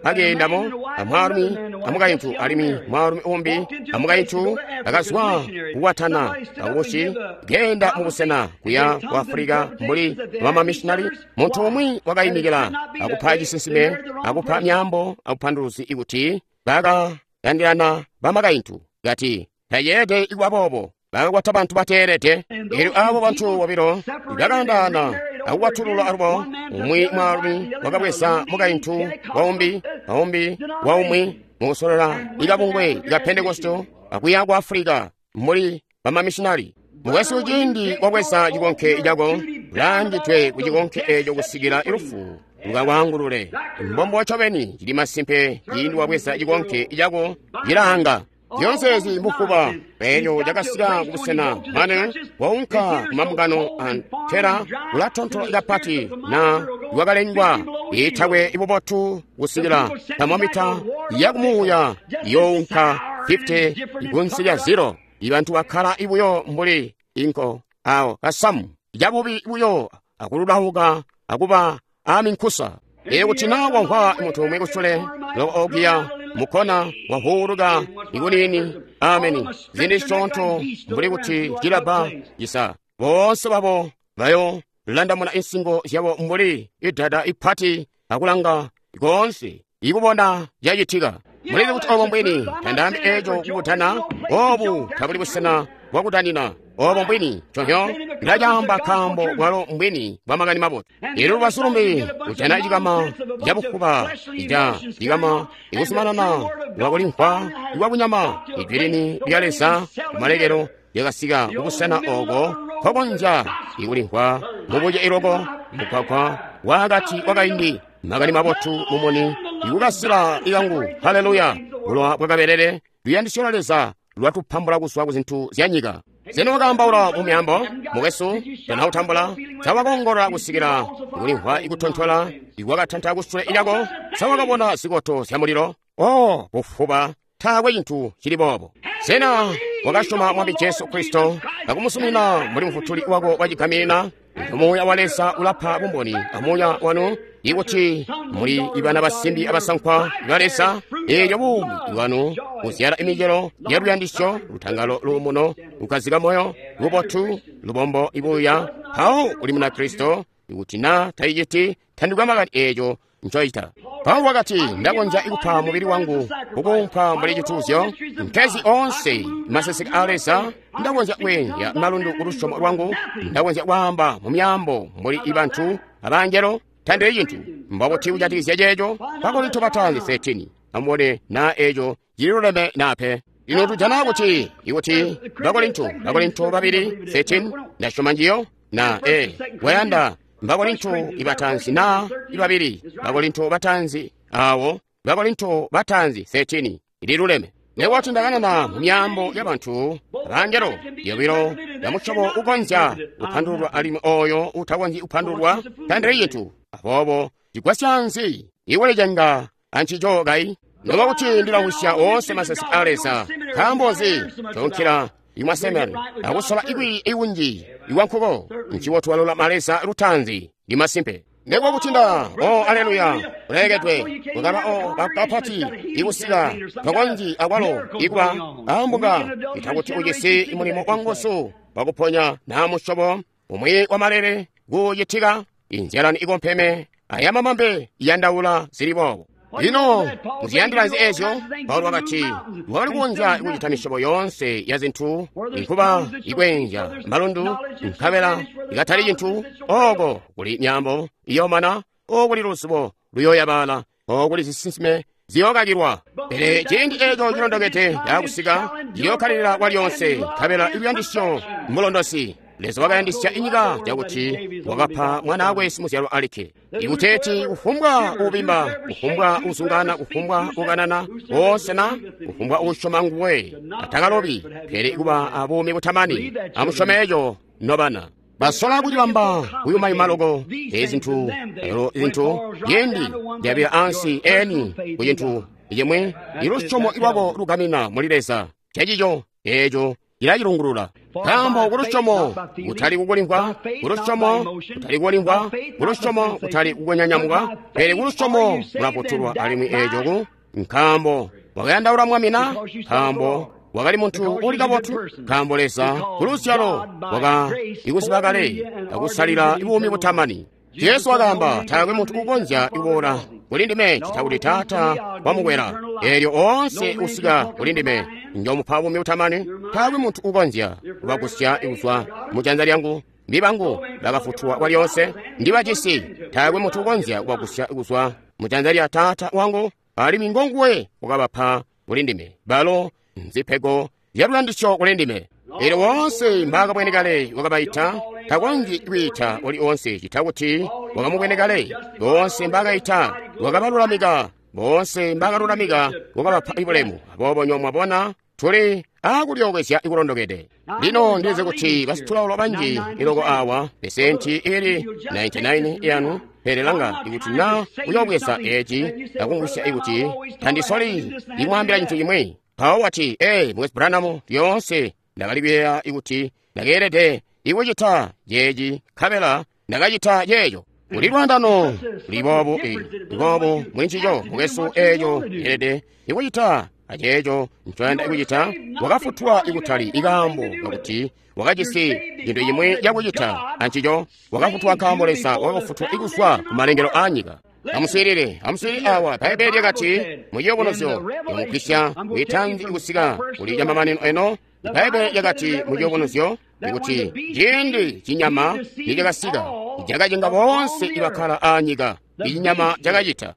bakeendamo, amwaalumi amukaintu, alimwi mwaalumi umbi amukaintu bakazwa kukwatana akubusi keenda mubusena kuya ku Afulika mbuli bamamishinali. Muntu umwi wakayimikila akupa cisinsime, akupa myaambo akupanduluzi ikuti bakayandirana bamakaintu, kati tayeede ikuba boobo, bakakwata bantu bateelede. Elyo abo bantu bobilo bakaandaana akukwatulula alubo. Umwi mwaalumi wakabweza mukaintu waumbi, aumbi waumwi mukusolola ikabungwe ika Pentekosto akuya ku Afulika mbuli bamamishinali. Mukwesu, ciindi wabweza cikonke cako, ulaangidwe ku cikonke eco kusikila ilufu lukakwangulule. Mbombo ncobeni cili masimpe, ciindi wabweza cikonke cako cilaanga. Zyoonse ezi mbufuba. Elyo cakasika kubusena mane waunka kumambungano antela ulatontola kapati na lwakalengwa itakwe ibubotu kusikila thermometer yakumuuya younka fifty kunsi lya zero. Ibantu bakkala ibuyo mbuli inko awo kasamu cabubi buyo akululauka akuba aminkusa. Elyo kuti na wamvwa muntu umwi kusule loko okuya mukona wahuuluka ikunini, ameni, zindi zisyoonto mbuli kuti cilaba cisa, boonse babo bayo landamuna insingo zyabo mbuli idada ipati akulanga koonse ikubona cacitika. Mulizi kuti obo mbwini, tandaambi eco kukutana, obu tabuli busena bwakutanina. Obo mbwini, chonyo ndacaamba nkaambo bwalo mbwini bwa makani mabotu. Elyo lubazu lumbi kujana cikama cabufuba ica cikama ikusumanana lwakulimvwa ikwakunyama. Ijwi lini lya Leza kumalekelo lyakasika kubusena oko nkokonzya ikulimvwa mubuce iloko mugwagwa wakati wakaindi. Makani mabotu mumuni ikukasila ikangu. Haleluya! Bulowa bwakabelele luyandisyo lwa Leza lwatupambula kuzwa ku zintu zya nyika. Zeno wakaambaula mu myaambo, mukwesu, tanautambula, sawakongolola kusikila ikulimvwa ikutontola ikwakatanta kusule lyako, sawakabona zikoto zya mulilo. Oh, bufuba, taakwe cintu cili boobo. Sena wakasyoma Mwami Jesu Kristo akumusumina mbuli mufutuli wako wacigaminina? Muuya wa Leza ulapa bumboni amuuya wanu ikuti muli ibana basimbi abasankwa ba Leza. Elyo buumi bwanu buzyala imicelo ya luyandisyo, lutangalo, luumuno, lukazika moyo, lubotu, lubombo, ibuya. Mpawo uli muna Kristo. Ikuti na tayiciti, tandikwa makani eco ncoita. Paulo wakati, ndakonzya kupa mubili wangu kukuumpa mbuli cituuzyo, nkezi onse maseseke a Leza, ndakonzya kweenzya malundu ku lusyomo lwangu, ndakonzya kwaamba mu myaambo mbuli ibantu abangelo, tandili cintu. Mbobuti kujatikizya ceeco? Bakorinto bataanzi thirteen. Amubone naa eeco cililuleme naa pe. Lino tujana kuti ikuti Bakorinto, Bakorinto babili thirteen, ndasyoma njiyo na e wayanda Bakorinto ibatanzi na ibabili Bakorinto batanzi awo Bakorinto batanzi thirteen ililuleme. Newati ndakanana mu myaambo y'abantu abangelo yobilo ya musyobo ukonzya kupandululwa alimwi oyo utakonzyi kupandululwa tandili cintu. Aboobo cigwasya nzi iwelecenga ancico kayi? Noba kuti ndilahusya oonse masesi a Leza, nkaambo nzi tonkela imwasemani akusola ikwi iwunji iwankuko nchiwotu walulama Leza lutanzi ndi masimpe. Ndekuwa kuti nda o aleluya ulekedwe kukaba o bakapati ikusika tokonzi akwalo ikuba ambuka itakuti ujisi mulimo wanguzu wakuponya na musyobo umwi wa malele kucitika inzyalani ikompeme ayamamambe iyandaula zili boobo. Lino muziyandila nzi ezyo? Paulo wakati wakali kukonzya kucita misyobo yoonse ya zinthu inkuba ikwenja malundu nkabela ikatali cinthu, oko kuli myaambo iyomana, okuli luzibo luyoyabala, okuli zisinsime ziyokakilwa. Pele ciindi eco cilondokede cakusika ciyokkalilila kwalyonse, nkabela iluyandisyo mulondosi. Leza wakayandisya inyika cakuti wakapa mwanaakwe simuzyalwa alikke, ikuteeti kufumbwa uubimba, kufumbwa uuzungana, kufumbwa ukanana woonse na kufumbwa uusyoma nguwe atakalobi, pele kuba abuumi butamani. Amusyome eco nobana. Basola kucibamba kuyumayuma loko ezinthu elo zinthu yindi ndiyabira ansi eni ku cinthu chimwe ilusyomo lwako lugamina muli Leza. Checico eco cilacilungulula. Nkaambo kulusyomo kutali kukulimvwa, kulusyomo kutali kukulimvwa, kulusyomo kutali kukunyanyamuka, pele kulusyomo kulafutulwa alimwi eco ku nkaambo wakayandaula Mwami na nkaambo wakali muntu uli kabotu, nkaambo Leza kuluzyalo waka ikuziba kale akusalila buumi butamani. Yesu wakaamba, taakwe muntu ukonzya kuboola kuli ndime cita kuti Taata wamukwela. Eelyo oonse usika kuli ndime njomupa buumi butamani. Taakwe muntu ukonzya kubagusya kuzwa mu janza lyangu. Ndi bangu bakafutulwa kwalyonse, ndi bacisi. Taakwe muntu ukonzya kubagusya kuzwa mu janza lya Taata wangu, alimwi ngonguwe wakabapa kuli ndime. Balo nzipego zyaluyandisyo kuli ndime. Eelyo woonse mbaakabwene kale wakabaita, takonzyi kwiita uli oonse cita kuti wakamubwene kale. Boonse mbaakaita wakabalulamika, boonse mbaakalulamika wakabapa bulemu. Aboobo nyo mwabona tuli aakulyookezya ikulondokede. Lino ndize kuti basitulaulo banji iloko awa pesenti ili ninety-nine yanu, pele langa ikuti na uyoobweza eci akumvwisya ikuti tandisoli imwambila cintu cimwi. Mpawo wati, ee, Mukwesu Branham, lyoonse ndakali kuyeeya ikuti ndakeelede ikucita ceeci nkabela ndakacita ceeco. Kuli lwandano luli boobu e boobu muli ncico, mukwesu, eeco yeelede ikucita aceeco ncoyanda ikucita. Wakafutulwa ikutali ikaambo kakuti wakajisi cintu cimwi cakucita ancico. Wakafutulwa nkaambo Leza wakafutulwa ikuzwa ku malengelo aanyika. Amuswiilile, amuswiilile awa. Bbaibele lyakati mu Ciyubunuzyo, yamugwisya kuitanzi kusika kuli camamanino eno. Bbaibele lyakati mu Ciyubunuzyo ikuti ciindi cinyama nicakasika cakacenga boonse ibakkala aanyika. Ichinyama cakacita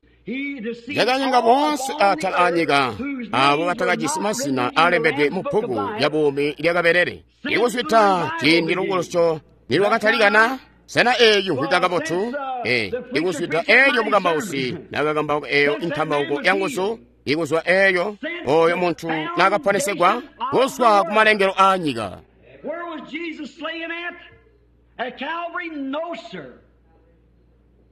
cakacenga boonse atala aanyika abo batakajisi mazina alembedwe mu bbuku lya buumi lyakaberere. Ikuzwita ciindi lukulusyo nilwakatalikana. Sena eeyi mvwika kabotu? Eh, ikuzwida eelyo mukambausi nakakambauka eeyo inkambauko yanguzu, ikuzwa eeyo oyo muntu nakaponesegwa kuzwa ku malengelo aanyika. Where was Jesus slain at? At Calvary? No, sir.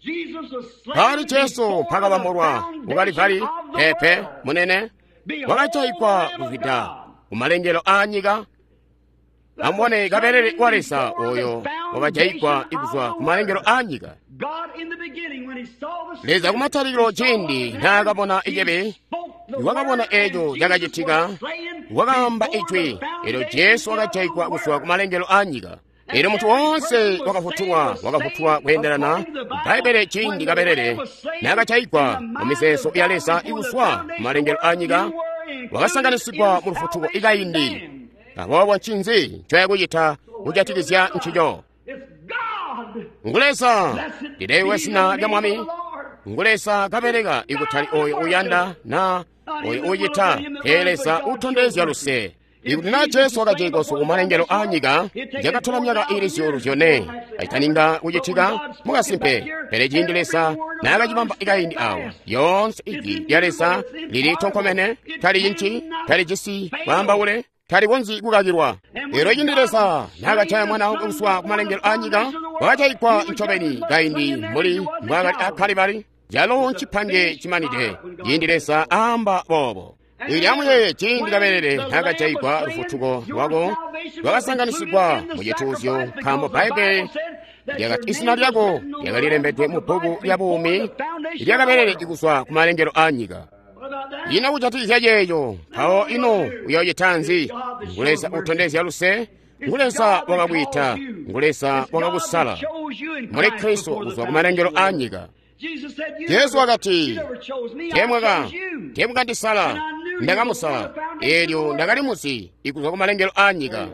Jesus was slain Pali Jesu before pakabambulwa the ku Kalivali, foundation of the pepe world. munene Behold, wakachayikwa the Lamb of kuzwida God. ku malengelo aanyika. Amubone kaberere wa Leza oyo wakachayikwa ikuzwa ku malengelo aanyika. God in the beginning, when he saw the Leza sin, kumatalikilo he saw ciindi what naakabona happened, icebe, he spoke the wakabona word, and eco Jesus cakacitika, was slain wakaamba before ijwi the eelyo foundation Jesu of the wakachayikwa kuzwa world. ku malengelo aanyika. Elyo muntu woonse wakafutulwa wakafutulwa kweendelana Bbaibbele ciindi kabelele naakajaigwa mu mizeezo ya Leza ikuzwa kumalengelo a nyika, wakasanganisigwa mu lufutuko ikaindi. Aboobo ncinzi ncoyakucita kujatikizya ncico? Ngu Leza, lilewe zina lya Mwami. Ngu Leza kabeleka ikutali oyo uyanda na oyo ucita, pele Leza utondezya luse. Ikuti na Jesu wakajaigwa ku malengelo a nyika, yakatola myaka ili zyuulu zyone aitaninga kucitika mukasimpe. Pele ciindi Leza naakacibamba ikaindi awo, yoonse ijwi lya Leza lili tonkomene, talicinci, talijisi kwaambaule, talikonzyi kukakilwa. Elyo ciindi Leza naakajaya mwana wakwe kuzwa ku malengelo a nyika, wakajaigwa ncobeni kaindi mbuli mbwaakali a Kalibali, calo ncipange cimanide ciindi Leza aamba boobo. Ili amuyeeye ciindi kabelele naakajaigwa, lufutuko lwako lwakasanganisigwa mu cituuzyo, nkaambo Bbaibbele lyakati izina lyako lyakalilembedwe mu bbuku lya buumi lya kabelele ikuzwa ku malengelo a nyika. Ino kujatikizya ceeco, mpawo ino uyoocita nzi? Ngu Leza utondezya luse, ngu Leza wakakwiita, ngu Leza wakakusala muli Kristo kuzwa ku malengelo a nyika. Jesu wakati, teemwaka teemwakandisala, ndakamusala, eelyo ndakalimuzi ikuzwa ku malengelo a nyika.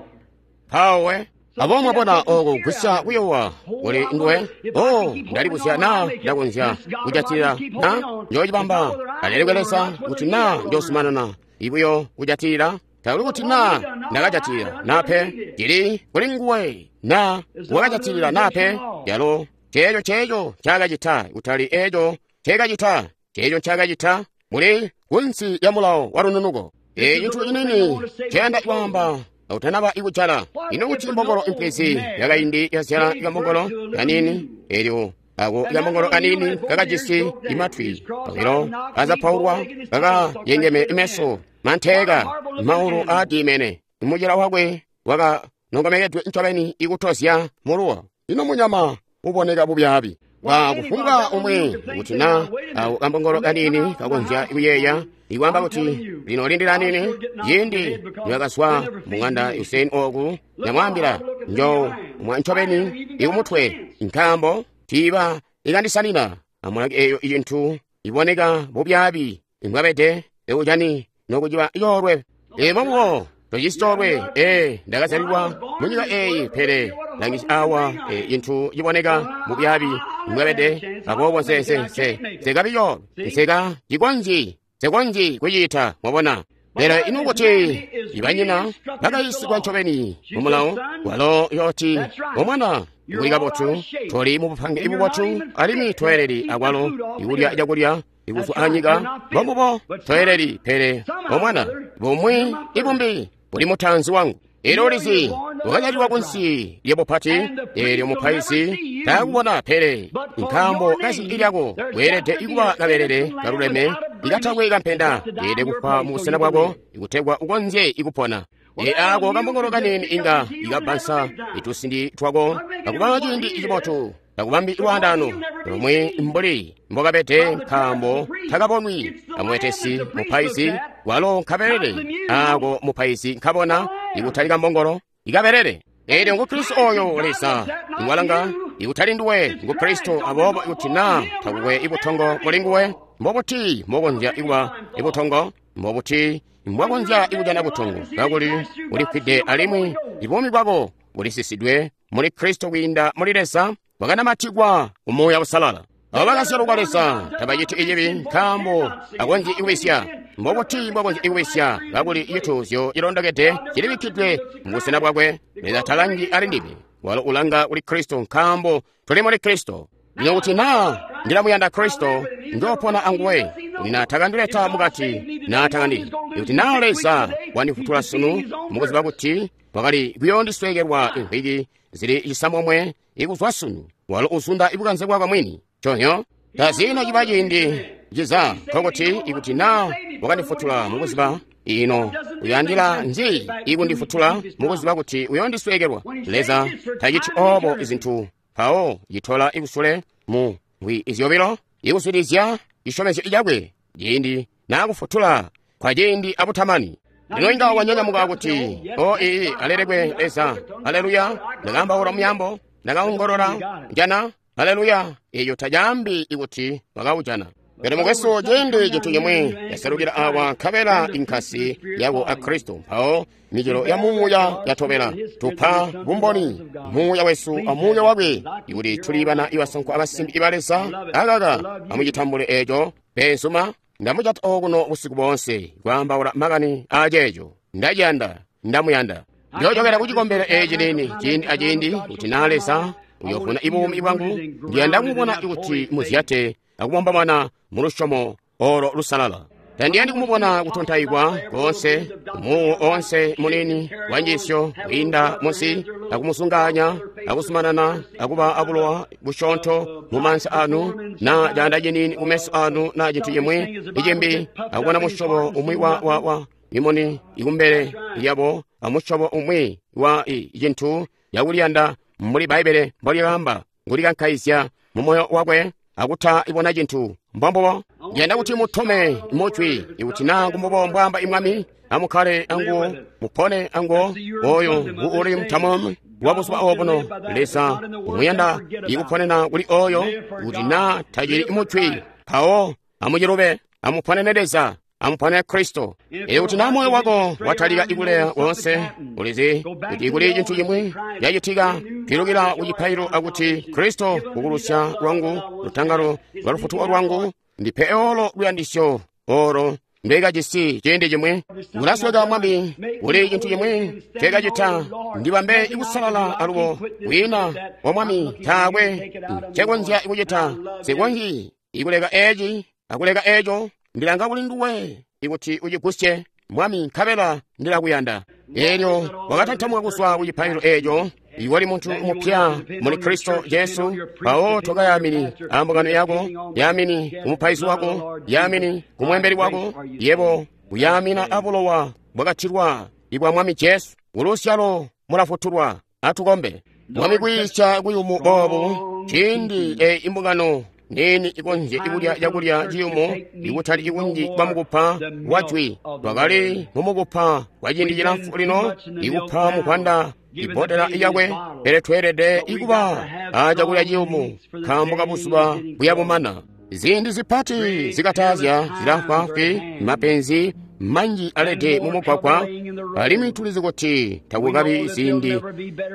Mpawo abo mwabona oko kugwisya kuyowa kuli nduwe. O, ndalibuzya na ndakonzya kujatilila na njoocibamba. Alelekwe Leza kuti na njoosumanana ibuyo kujatilila, takuli kuti na ndakajatilila nape, cili kuli nguwe na wakajatilila nape. Yalo ceeco ceeco ncaakacita, kutali eeco nceekacita, ceeco ncaakacita muli kunsi lya mulawo wa lununuko. Eeci cintu cinini nceyanda kwaamba akutanaba ikujala. Ino kuti mbongolo impwizi yakaindi yazyala kambongolo kanini, elyo ako kambongolo kanini kakajisi imatwi obilo azapaulwa, kakayengeme imeso manteeka, maulu aadiimene, mucila wakwe wakanongomekedwe ncobeni ikutozya muluwa. Ino munyama uboneka bubyaabi wa kufumbwa umwi kuti na ako kambongolo kanini kakonzya kuyeeya ikwaamba kuti lino lindila nini. Ciindi niwakazwa mung'anda Hussein oku ndamwaambila njo mwa ncobeni ikumutwe, nkaambo tiiba ikandisanina. Amulaki eyo icintu iboneka bubyaabi imbwabede ekucani nokuciba coolwe. Emomuwo tojisi coolwe. Ee, ndakazyalilwa munyika eyi, pele langisi awa cintu ciboneka bubyaabi imbwabede. Aboobo nse nse nse nsekabi coolwe, nseka cikonzyi nsekonzyi kuciita. Mwabona? Pele ino kuti ibanyina bakayisigwa ncobeni mu mulawo, walo yooti omwana ikuli kabotu, toli mu bupange ibubotu, alimwi toyeleli akwalo ikulya cakulya ikuzwa anyika. Mbomubo toyeleli, pele omwana bumwi ibumbi buli mutanzi wangu. Elyo ulizi wakazyalilwa kunsi lyabupati, eelyo mupaizi taakubona, pele nkaambo kazi lyako weelede ikuba kabelele kaluleme ikatakwe kampenda, yeelede kufa mu busena bwako ikutegwa ukonzye ikupona. E ako kambongolo kanini inga ikabbansa itusindi twako akuba ciindi cibotu, takubambi lwaandano lumwi mbuli mbokabede, nkaambo takabonwi amwetesi mupaizi walo nkabelele ako mupaizi nkabona ikutali kambongolo ikabelele. Elyo ngu Kristo oyo Leza iwalanga ikutali nduwe, ngu Kristo. Aboobo ikuti na takukwe ibutongo muli nguwe, mbobuti mbokonzya ikuba ibutongo? Mbobuti mbwakonzya ikujana butongo kakuli ulifwide alimwi ibuumi bwako bulisisidwe muli Kristo kwiinda muli Leza, bwakanamatikwa ku Muuya Usalala. Abo bakazyalwa Leza tabaciti icibi, nkaambo akonzyi ikubisya. Mbobuti mbwakonzya ikubisya kakuli cituuzyo cilondokede cilibikkidwe mu busena bwakwe? Leza talangi ali ndime, walo ulanga kuli Kristo, nkaambo tuli muli Kristo. Lino kuti na ndilamuyanda Kristo, njoopona anguwe, kuti na takandileta mukati na takandili. Ikuti na Leza wandifutula sunu, mukuziba kuti wakali kuyoondisweekelwa imvwiki zili cisamomwe ikuzwa sunu, walo uzunda ibukanze bwakwe mwini. Conyo tazino ciba ciindi ciza, nkokuti ikuti na wakandifutula mukuziba ino uyandila nzi ikundifutula mukuziba kuti uyondisweekelwa? Leza taciti obo izintu. Mpawo citola ikusule mu mbwi izyobilo ikuswilizya cisyomezyo cakwe ciindi nakufutula kwa ciindi abutamani. Lino inga wanyanyamuka kuti o ii alelekwe Leza, aleluya, ndakaambaula muyambo, ndakaongolola jana, aleluya. Eyo tajaambi ikuti wakaujana. Pele mukwesu, ciindi cintu cimwi yaselukila awa nkabela inkasi yako a Kristo, mpawo micelo ya muuya yatobela. Tupa bumboni muuya wesu a muuya wakwe ikuti tuli bana ibasankwa abasimbi iba Leza. Akaka amucitambule eco beenzuma. Ndamucata okuno busiku boonse kwaambaula makani aaceeco. Ndaciyanda, ndamuyanda. Ndiyocokera kucikombelo eci lini ciindi aciindi kuti naa Leza uyovuna ibuumi bwangu. Ndiyanda kumubona kuti muzyate akubomba mwana mu lusyomo olo lusalala. Tandiyandi kumubona kutontaikwa konse, umuwo onse munini wa njiisyo kwiinda munsi, akumusunganya, akusumanana, akuba abulowa busyoonto mu maanza anu, na caanda cinini kumeso anu, na cintu cimwi icimbi, akubona musyobo umwi wa, wa, wa imoni ikumbele lyabo, amusyobo umwi wa cintu yakuliyanda mbuli Bbaibbele mbolyaamba, kulikankaizya mu moyo wakwe, akuta ibona cintu. Mbombobo ndiyanda kuti mutome mujwi ikuti naa kumbobo mbwaamba imwami, amukkale anguwo, mupone anguwo. Oyo nguuli mutamu wa buzuba obuno. Leza umuyanda ikuponena kuli oyo kuti naa tacili mujwi, mpawo amucilube, amuponene Leza, amuponene Kristo. Ikuti naa moyo wako watalika ikuleya wonse, ulizi kuti kuli cintu cimwi cacitika, pilukila kucipailo akuti Kristo kukulusya lwangu, lutangalo lwa lufutuko lwangu, ndipe olo luyandisyo olo ndekajisi ciindi cimwi. Kulasweka Mwami, kuli cintu cimwi cekacita, ndibambe ikusalala alubo wina wa Mwami taakwe ncekonzya kucita, sikonzyi ikuleka eci akuleka eco. Ndilanga kuli nduwe ikuti ucigusye Mwami, nkabela ndilakuyanda. Elyo wakatantamuka kuzwa kucipailo eco, iwali muntu mupya muli Kristo Jesu. Mpawo tokayamini ambungano yako, yamini kumupaizi wako, yamini kumwembeli wako, yebo kuyamina abulowa bwakatilwa ibwa Mwami Jesu. Kulusyalo mulafutulwa. Atukombe. Mwami, kwiisya kuyumu boobu ciindi e imbungano nini ikonzye ikulya cakulya ciyumu, ikutali ikunji kwa mukupa wa jwi. Twakali mumukupa kwa ciindi cilamfu lino, ikupa mukwanda ibodela yakwe, pele tweelede ikuba a cakulya ciyumu nkaambo kabuzuba buya bumana. Ziindi zipati zikatazya zilafwaafwi, mapenzi manji alede mumugwagwa, alimwi tulizi kuti takukabi ziindi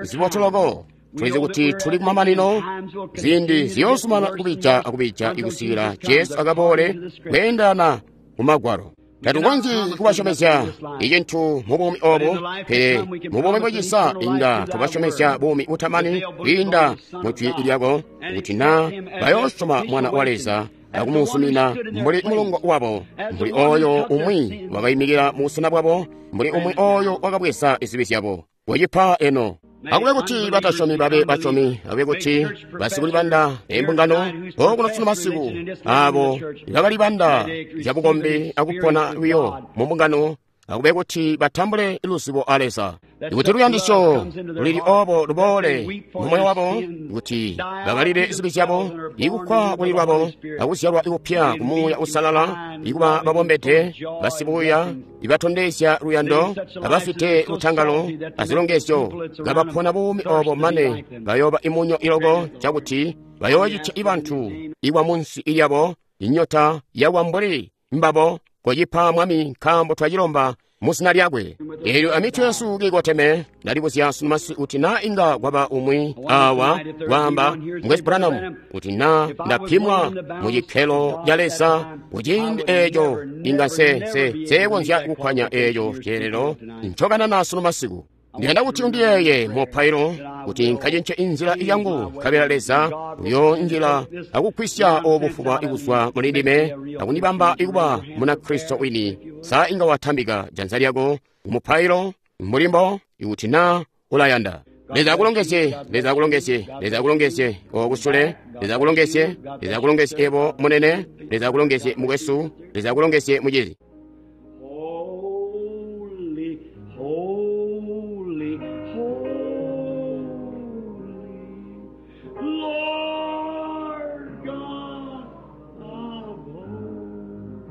zibotoloko. Tulizi kuti tuli kumamanino, ziindi ziyoosumana kubija akubija ikusikila Jesu akaboole kweendana kumagwalo. Tatukonzyi kubasyomezya icintu mu buumi obu, pele mu buumi bwacisa inga tubasyomezya buumi butamani kwiinda mu jwi lyako, kuti naa bayoosyoma Mwana wa Leza akumusumina mbuli mulongo wabo, mbuli oyo umwi wakaimikila mu busena bwabo, mbuli umwi oyo wakabweza izibi zyabo. Wacipa eno. Akube kuti batasyomi babe basyomi, akube kuti basikulibanda embungano okuno sunu masiku, abo bakalibanda zyabukombi akupona lwiyo mu mbungano, akube kuti batambule luzibo a Leza. Ikuti luyandisyo lulili obo luboole mu moyo wabo, kuti bakalile zibi zyabo, ikufwa kuli lwabo, akuzyalwa ikupya ku Muuya Usalala, ikuba babombede, basibuya, ibatondezya luyando, abafite lutangalo azilongezyo, kabapona buumi obo mane bayoba imunyo iloko cakuti bayoocitya ibantu ikwa munsi ilyabo inyota yawa mbuli mbabo. Kochipa Mwami, nkaambo twacilomba muzina lyakwe. Eelyo amitwe yesu kiikoteme, ndalibuzya sunu masiku kuti naa inga kwaba umwi awa waamba, Mukwesu Branham, kuti naa ndapimwa mu cikkelo ca Leza kuciindi eeco, inga nse nse nsekonzya kukkwanya eeco ceelelo ncokanana sunu masiku. Ndiyanda kuti undiyeeye mupailo kuti nkacince inzila yangu, nkabela Leza uyoonjila akugwisya obufuba ikuzwa muli ndime akundibamba ikuba muna Kristo wini. Sa inga watambika janza lyako kumupailo mulimbo ikuti naa ulayanda. Leza akulongezye, Leza akulongezye, Leza akulongezye okusule, Leza akulongezye, Leza akulongezye ebo munene, Leza akulongezye mukwesu, Leza akulongezye mucizi. Holy, holy, holy, Lord God of hosts,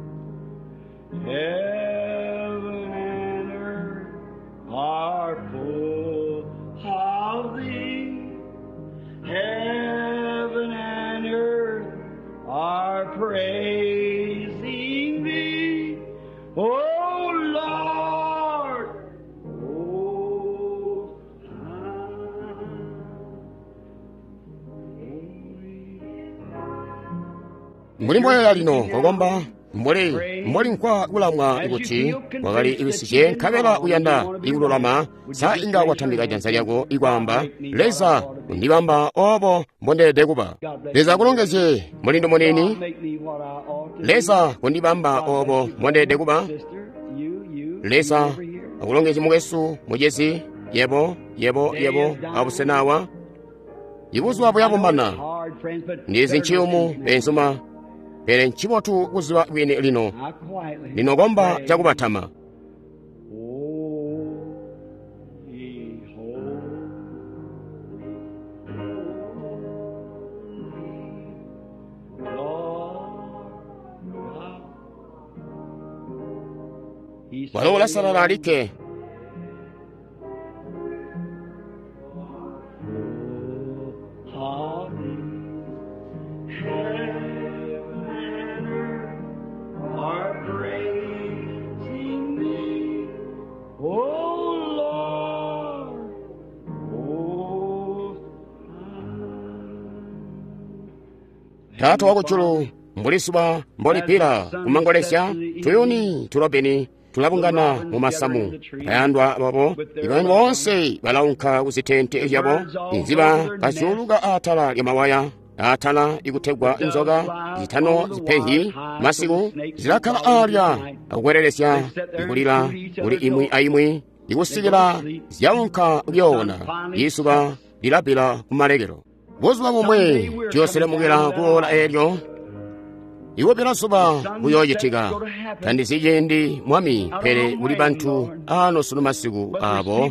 heaven and are praising thee, O Lord, O Mbuli mboyoya lino kokomba mbuli mbuli nkwa kulamwa kuti wakali ibisije nkabela uyanda ikululama sa inga watambika janza lyako ikwaamba Leza undibamba obo mbondeelede kuba. Leza akulongezye mulindu munini. Leza kundibamba obo mbondeelede kuba. Leza akulongezye mukwesu mucezi yebo yebo yebo abusena awa. Ibuzuba buyabumana ndizi nciyumu benzuma pele ncibotu kuziba bwini lino lino komba cakubatama. Walo ulasalala alikke. Taata wakujulu, mbuli zuba mbolipila kumangolezya, tuyuni tulobeni tulabungana mu masamu. Bayandwa babo, ibantu boonse balaunka kuzitente zyabo, inziba kazyuluka atala lya mawaya, atala ikutegwa inzoka zitano zipehi masiku zilakkala alya akukwerelesya ikulila kuli imwi aimwi ikusikila zyaunka kuyoona. Izuba lilapila kumalekelo. Buzuba bumwe tuyoselemukila kuola eelyo ikupila zuba kuyoocitika. Tandizi ciindi Mwami, pele kuli bantu ano sunu masiku abo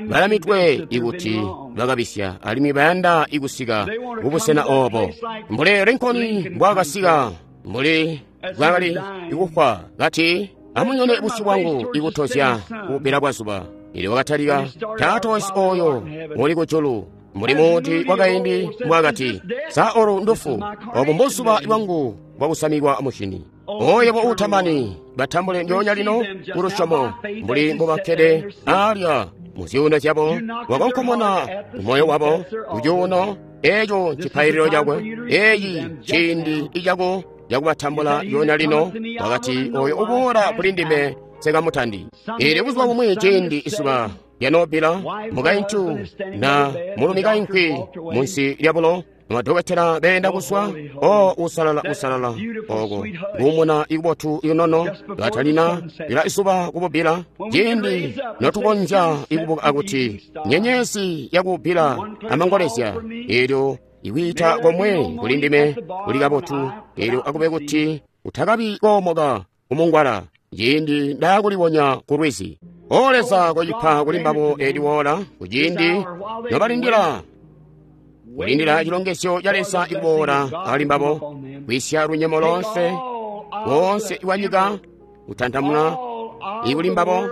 balamitwe ikuti bakabisya alimwi bayanda ikusika kubusena obo. Mbuli Lincoln mbwaakasika, mbuli bwakali ikufwa kati, amunyone busyu bwangu ikutozya kupila kwa zuba. Ili wakatalika, Taata wesu oyo uli kujulu, mbuli muti wakaindi mbwakati, sa olu ndufu, obu mbuzuba bwangu bwakusamikwa mushini. Oyebo utamani batambule ndyoonya lino kulusyomo mbuli mbubakkede alya mu zyuuno zyabo, wakonkomona moyo wabo kucuuno eeco ncipaililo cakwe. Eeyi ciindi icako cakubatambula ndyoonya lino. Wakati, oyo uboola kuli ndime nsikamutandi. Ili buzuba bumwi ciindi izuba lyanoobila, mukaintu na mulumi kainkwi munsi lyabulo, madokotela beenda kuswa, o usalala usalala oko kuumuna ikubotu inono katalina ila izuba kububila. Ciindi notukonzya ikubuka akuti nyenyezi yakubila amangolezya, eelyo ikwiita komwe kuli ndime kuli kabotu, eelyo akube kuti utakabi koomoka kumungwala ciindi ndaakulibonya ku lwizi. O Leza, kocipa kuli mbabo eli woola kuciindi nobalindila kulindila cilongezyo ca Leza ikuboola ali mbabo, kwisya lunyemo lonse wonse iwanyika kutantamuna ikuli mbabo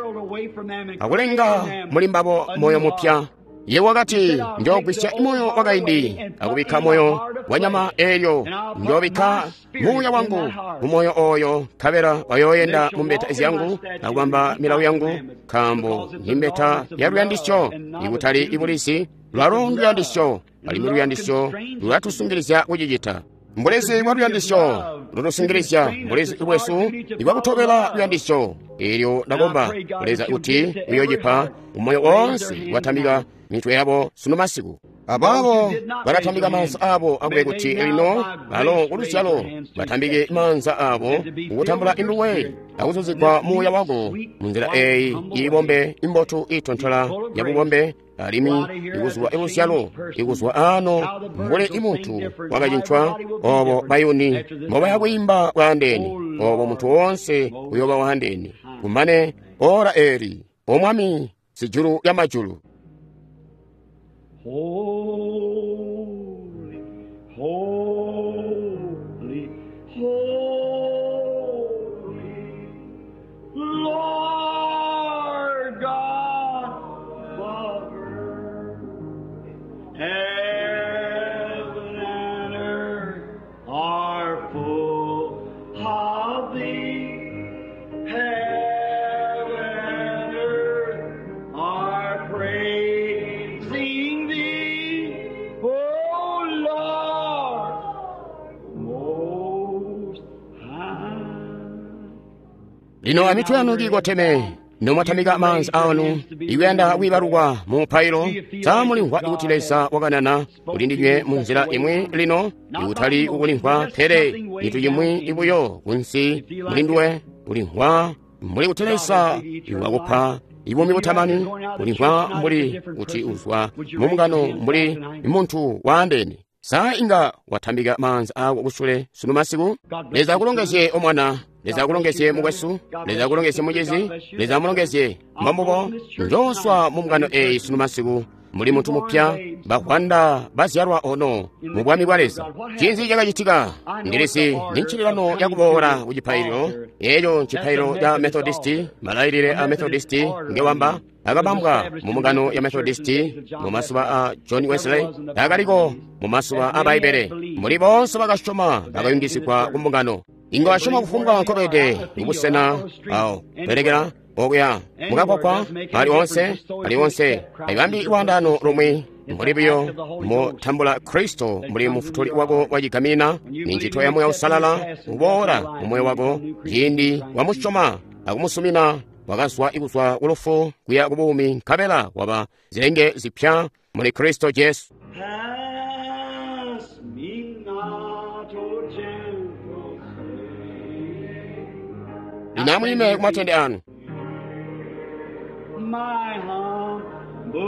akulenga muli mbabo moyo mupya. Ye wakati, njoogwisya moyo wakaindi akubikka moyo wanyama, eelyo njoobikka muuya wangu mumoyo oyo, nkabela bayooyenda mu mbeta zyangu akubamba milawo yangu, nkaambo ni mbeta ya luyandisyo ikutali ibulizi. Lwalo nduyandisyo, alimwi luyandisyo lulatusungilizya kucicita. Mbulezi bwa luyandisyo lutusungilizya, mbulezi bwesu ibwakutobela luyandisyo. Eelyo ndakomba Leza kuti uyoocipa umoyo woonse watambika mitwe yabo sunu masiku. Abaabo balatambika maanza abo akube kuti lino balo kuluzyalo batambike maanza abo kukutambula induwe akuzuzigwa muuya wako munzila eeyi iibombe imbotu iitontola yabubombe alimwi ikuzwa iluzyalo ikuzwa ano mbuli imuntu wakacincwa obo bayuni mbobaya kwiimba bwaandeene, obo muntu woonse uyooba waandeene. Kumane ora eeli, O Mwami sijulu lya majulu. Holy, holy, holy, Lord God, Father, heaven and earth are are full of thee. Heaven and earth are praising thee, O Lord, most high. Lino amitwe yanu kiikoteme nomwatamika maanza anu ikuyanda kwiibalukwa mu mupailo samulimvwa ikuti Leza wakanana kuli ndinywe mu nzila imwi lino ikutali kukulimvwa pele cintu cimwi ibuyo kunsi mulinduwe kulimvwa mbuli kuti Leza wakupa ibuumi butamani kulimvwa mbuli kuti uzwa mu mbungano mbuli muntu waandeene. Sa inga watambika maanza ako kusule sunu masiku. Leza akulongezye omwana, Leza akulongezye mukwesu, Leza akulongezye mucizi, Leza amulongezye mbambubo. Njooswa mu mbungano eyi sunu masiku muli muntu mupya, bahwanda bazyalwa ono mu bwami bwa Leza. Cinzi cakacitika? Ndilisi ndi ncililano yakuboola ku cipaililo. Eco ncipaililo ca Methodisti, malailile a Methodisti ngewamba akabambwa mu mbungano ya Methodisti mu masuba a John Wesley, akaliko mu masuba a Baibele. Muli bonse bakasyoma bakayungisigwa ku mbungano. Inga wasyoma kufumbwa nkobede kubusena awo pelekera okuya mukakwakwa ali onse ali onse ayibambi lwandano lomwe mbuli buyo mutambula Kristo mbuli mufutuli wako wachigamina ni ntchito ya Moyo Usalala uboola mu moyo wako ciindi wamusyoma akumusumina wakazwa ikuzwa kulufu kuya kubuumi nkabela waba zilenge zipya muli Kristo Jesu. Pass me not, O gentle Savior. Lino amuyime kumatende anu. My humble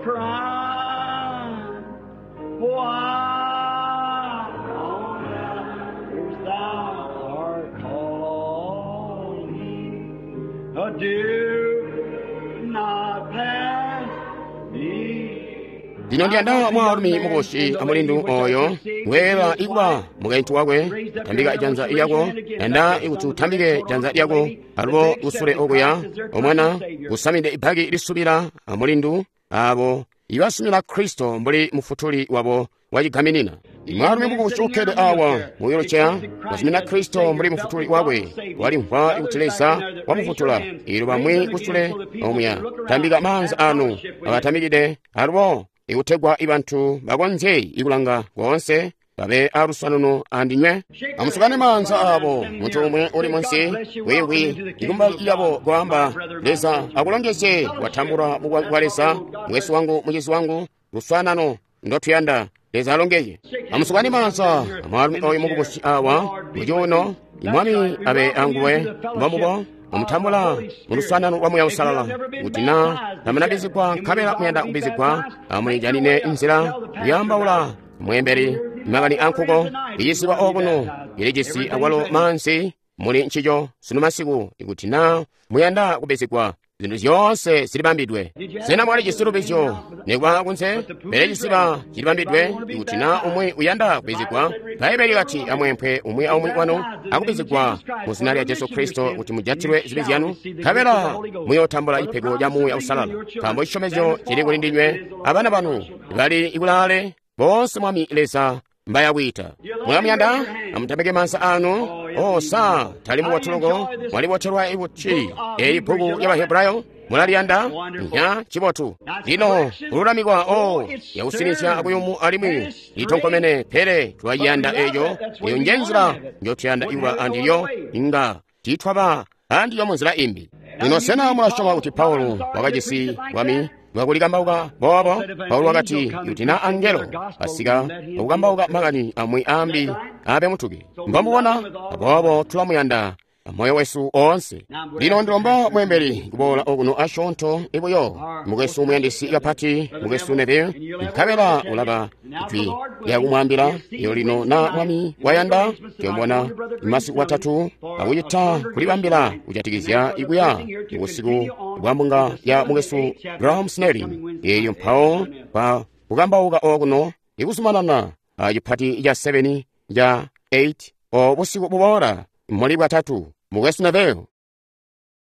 cry, why on earth thou art calling, do not pass me. Lino ndiyanda mwaalumi mukosi amulindu oyo weela ikuba mukaintu wakwe tambika janza lyako yanda ikuti utambike janza lyako alubo kusule okuya omwana kusamide ibhaki lisubila amulindu abo ibasumila Kristo mbuli mufutuli wabo wachigaminina. Mwaalumi mukusi ukkede awa mu wheelchair wasumina Kristo mbuli mufutuli wakwe walimvwa ikuti Leza wamufutula. Ilo bamwi kusule omuya tambika maanza anu akatamikide alubo ikutegwa ibantu bakonzye ikulanga konse babe aluswanuno andinywe. Amusukane maanza abo muntu umwe uli munsi wiwi ikumba lyabo kwaamba Leza akulongezye watambulwa mu bwa Leza mwesu wangu mucizi wangu luswanano ndotuyanda. Leza alongezye. Amusukane maanza amwaalumi oyu mukubusi awa mucuuno imwami abe anguwe mbambubo mumutambula mu luswanano lwa Muya Usalala kuti na tamunabizigwa nkabela muyanda kubizigwa amulijanine nzila kuyambaula mwemberi makani ankuko iyisigwa okuno ilijisi akwalo mansi muli ncico sunu masiku ikuti na muyanda kubizigwa zinthu zonse zilibambidwe. Sena mwali chisilubizyo nikuba kunse pele chisiba chilibambidwe ikuti na umwe uyanda kubizigwa. Bhaibeli kati amwemphe umwe aumwe wanu akubizigwa mu zina lya Jesu Kristo kuti mujatilwe zibi zyanu nkabela muyotambula ipego lya Muya Usalala nkambo chisyomezyo chili kuli ndinywe abana banu bali ikulale bonse Mwami Leza mbayawita. Mulamuyanda amutambike mansa anu osa tali muwatuloko mwaliwothelwa ikuti eyi bhuku ya Bahebrayo mulaliyanda nya chibotu. Lino kululamikwa o yakusinizya akuyumu alimwi litonkomene pele twayiyanda eyo eyo nje nzila njotuyanda ikuba andiyo inga titwaba andiyo mu nzila imbi. Lino sena mulasyoma kuti Paulo wakajisi bwami bwakulikambauka boobo? Paulo wakati kuti na angelo asika akukambauka makani amwi ambi abe mutuki. Mbamubona aboobo tulamuyanda moyo wesu onse. Lino ndilomba mwembeli kuboola okuno asyoonto ibuyo mukwesu muyandisi kapati mukwesu Neville nkabela ulaba jwi lyakumwambila iyo lino na mwami wayanda tuyomubona masiku atatu akucita kulibambila kujatikizya ikuya ubusiku bwa mbunga ya mukwesu Graham Snelling eyo mpawo pa kukambauka okuno ikuzumanana a chipati cha seven cha eight o busiku buboola muli bwatatu mukwesu Neville.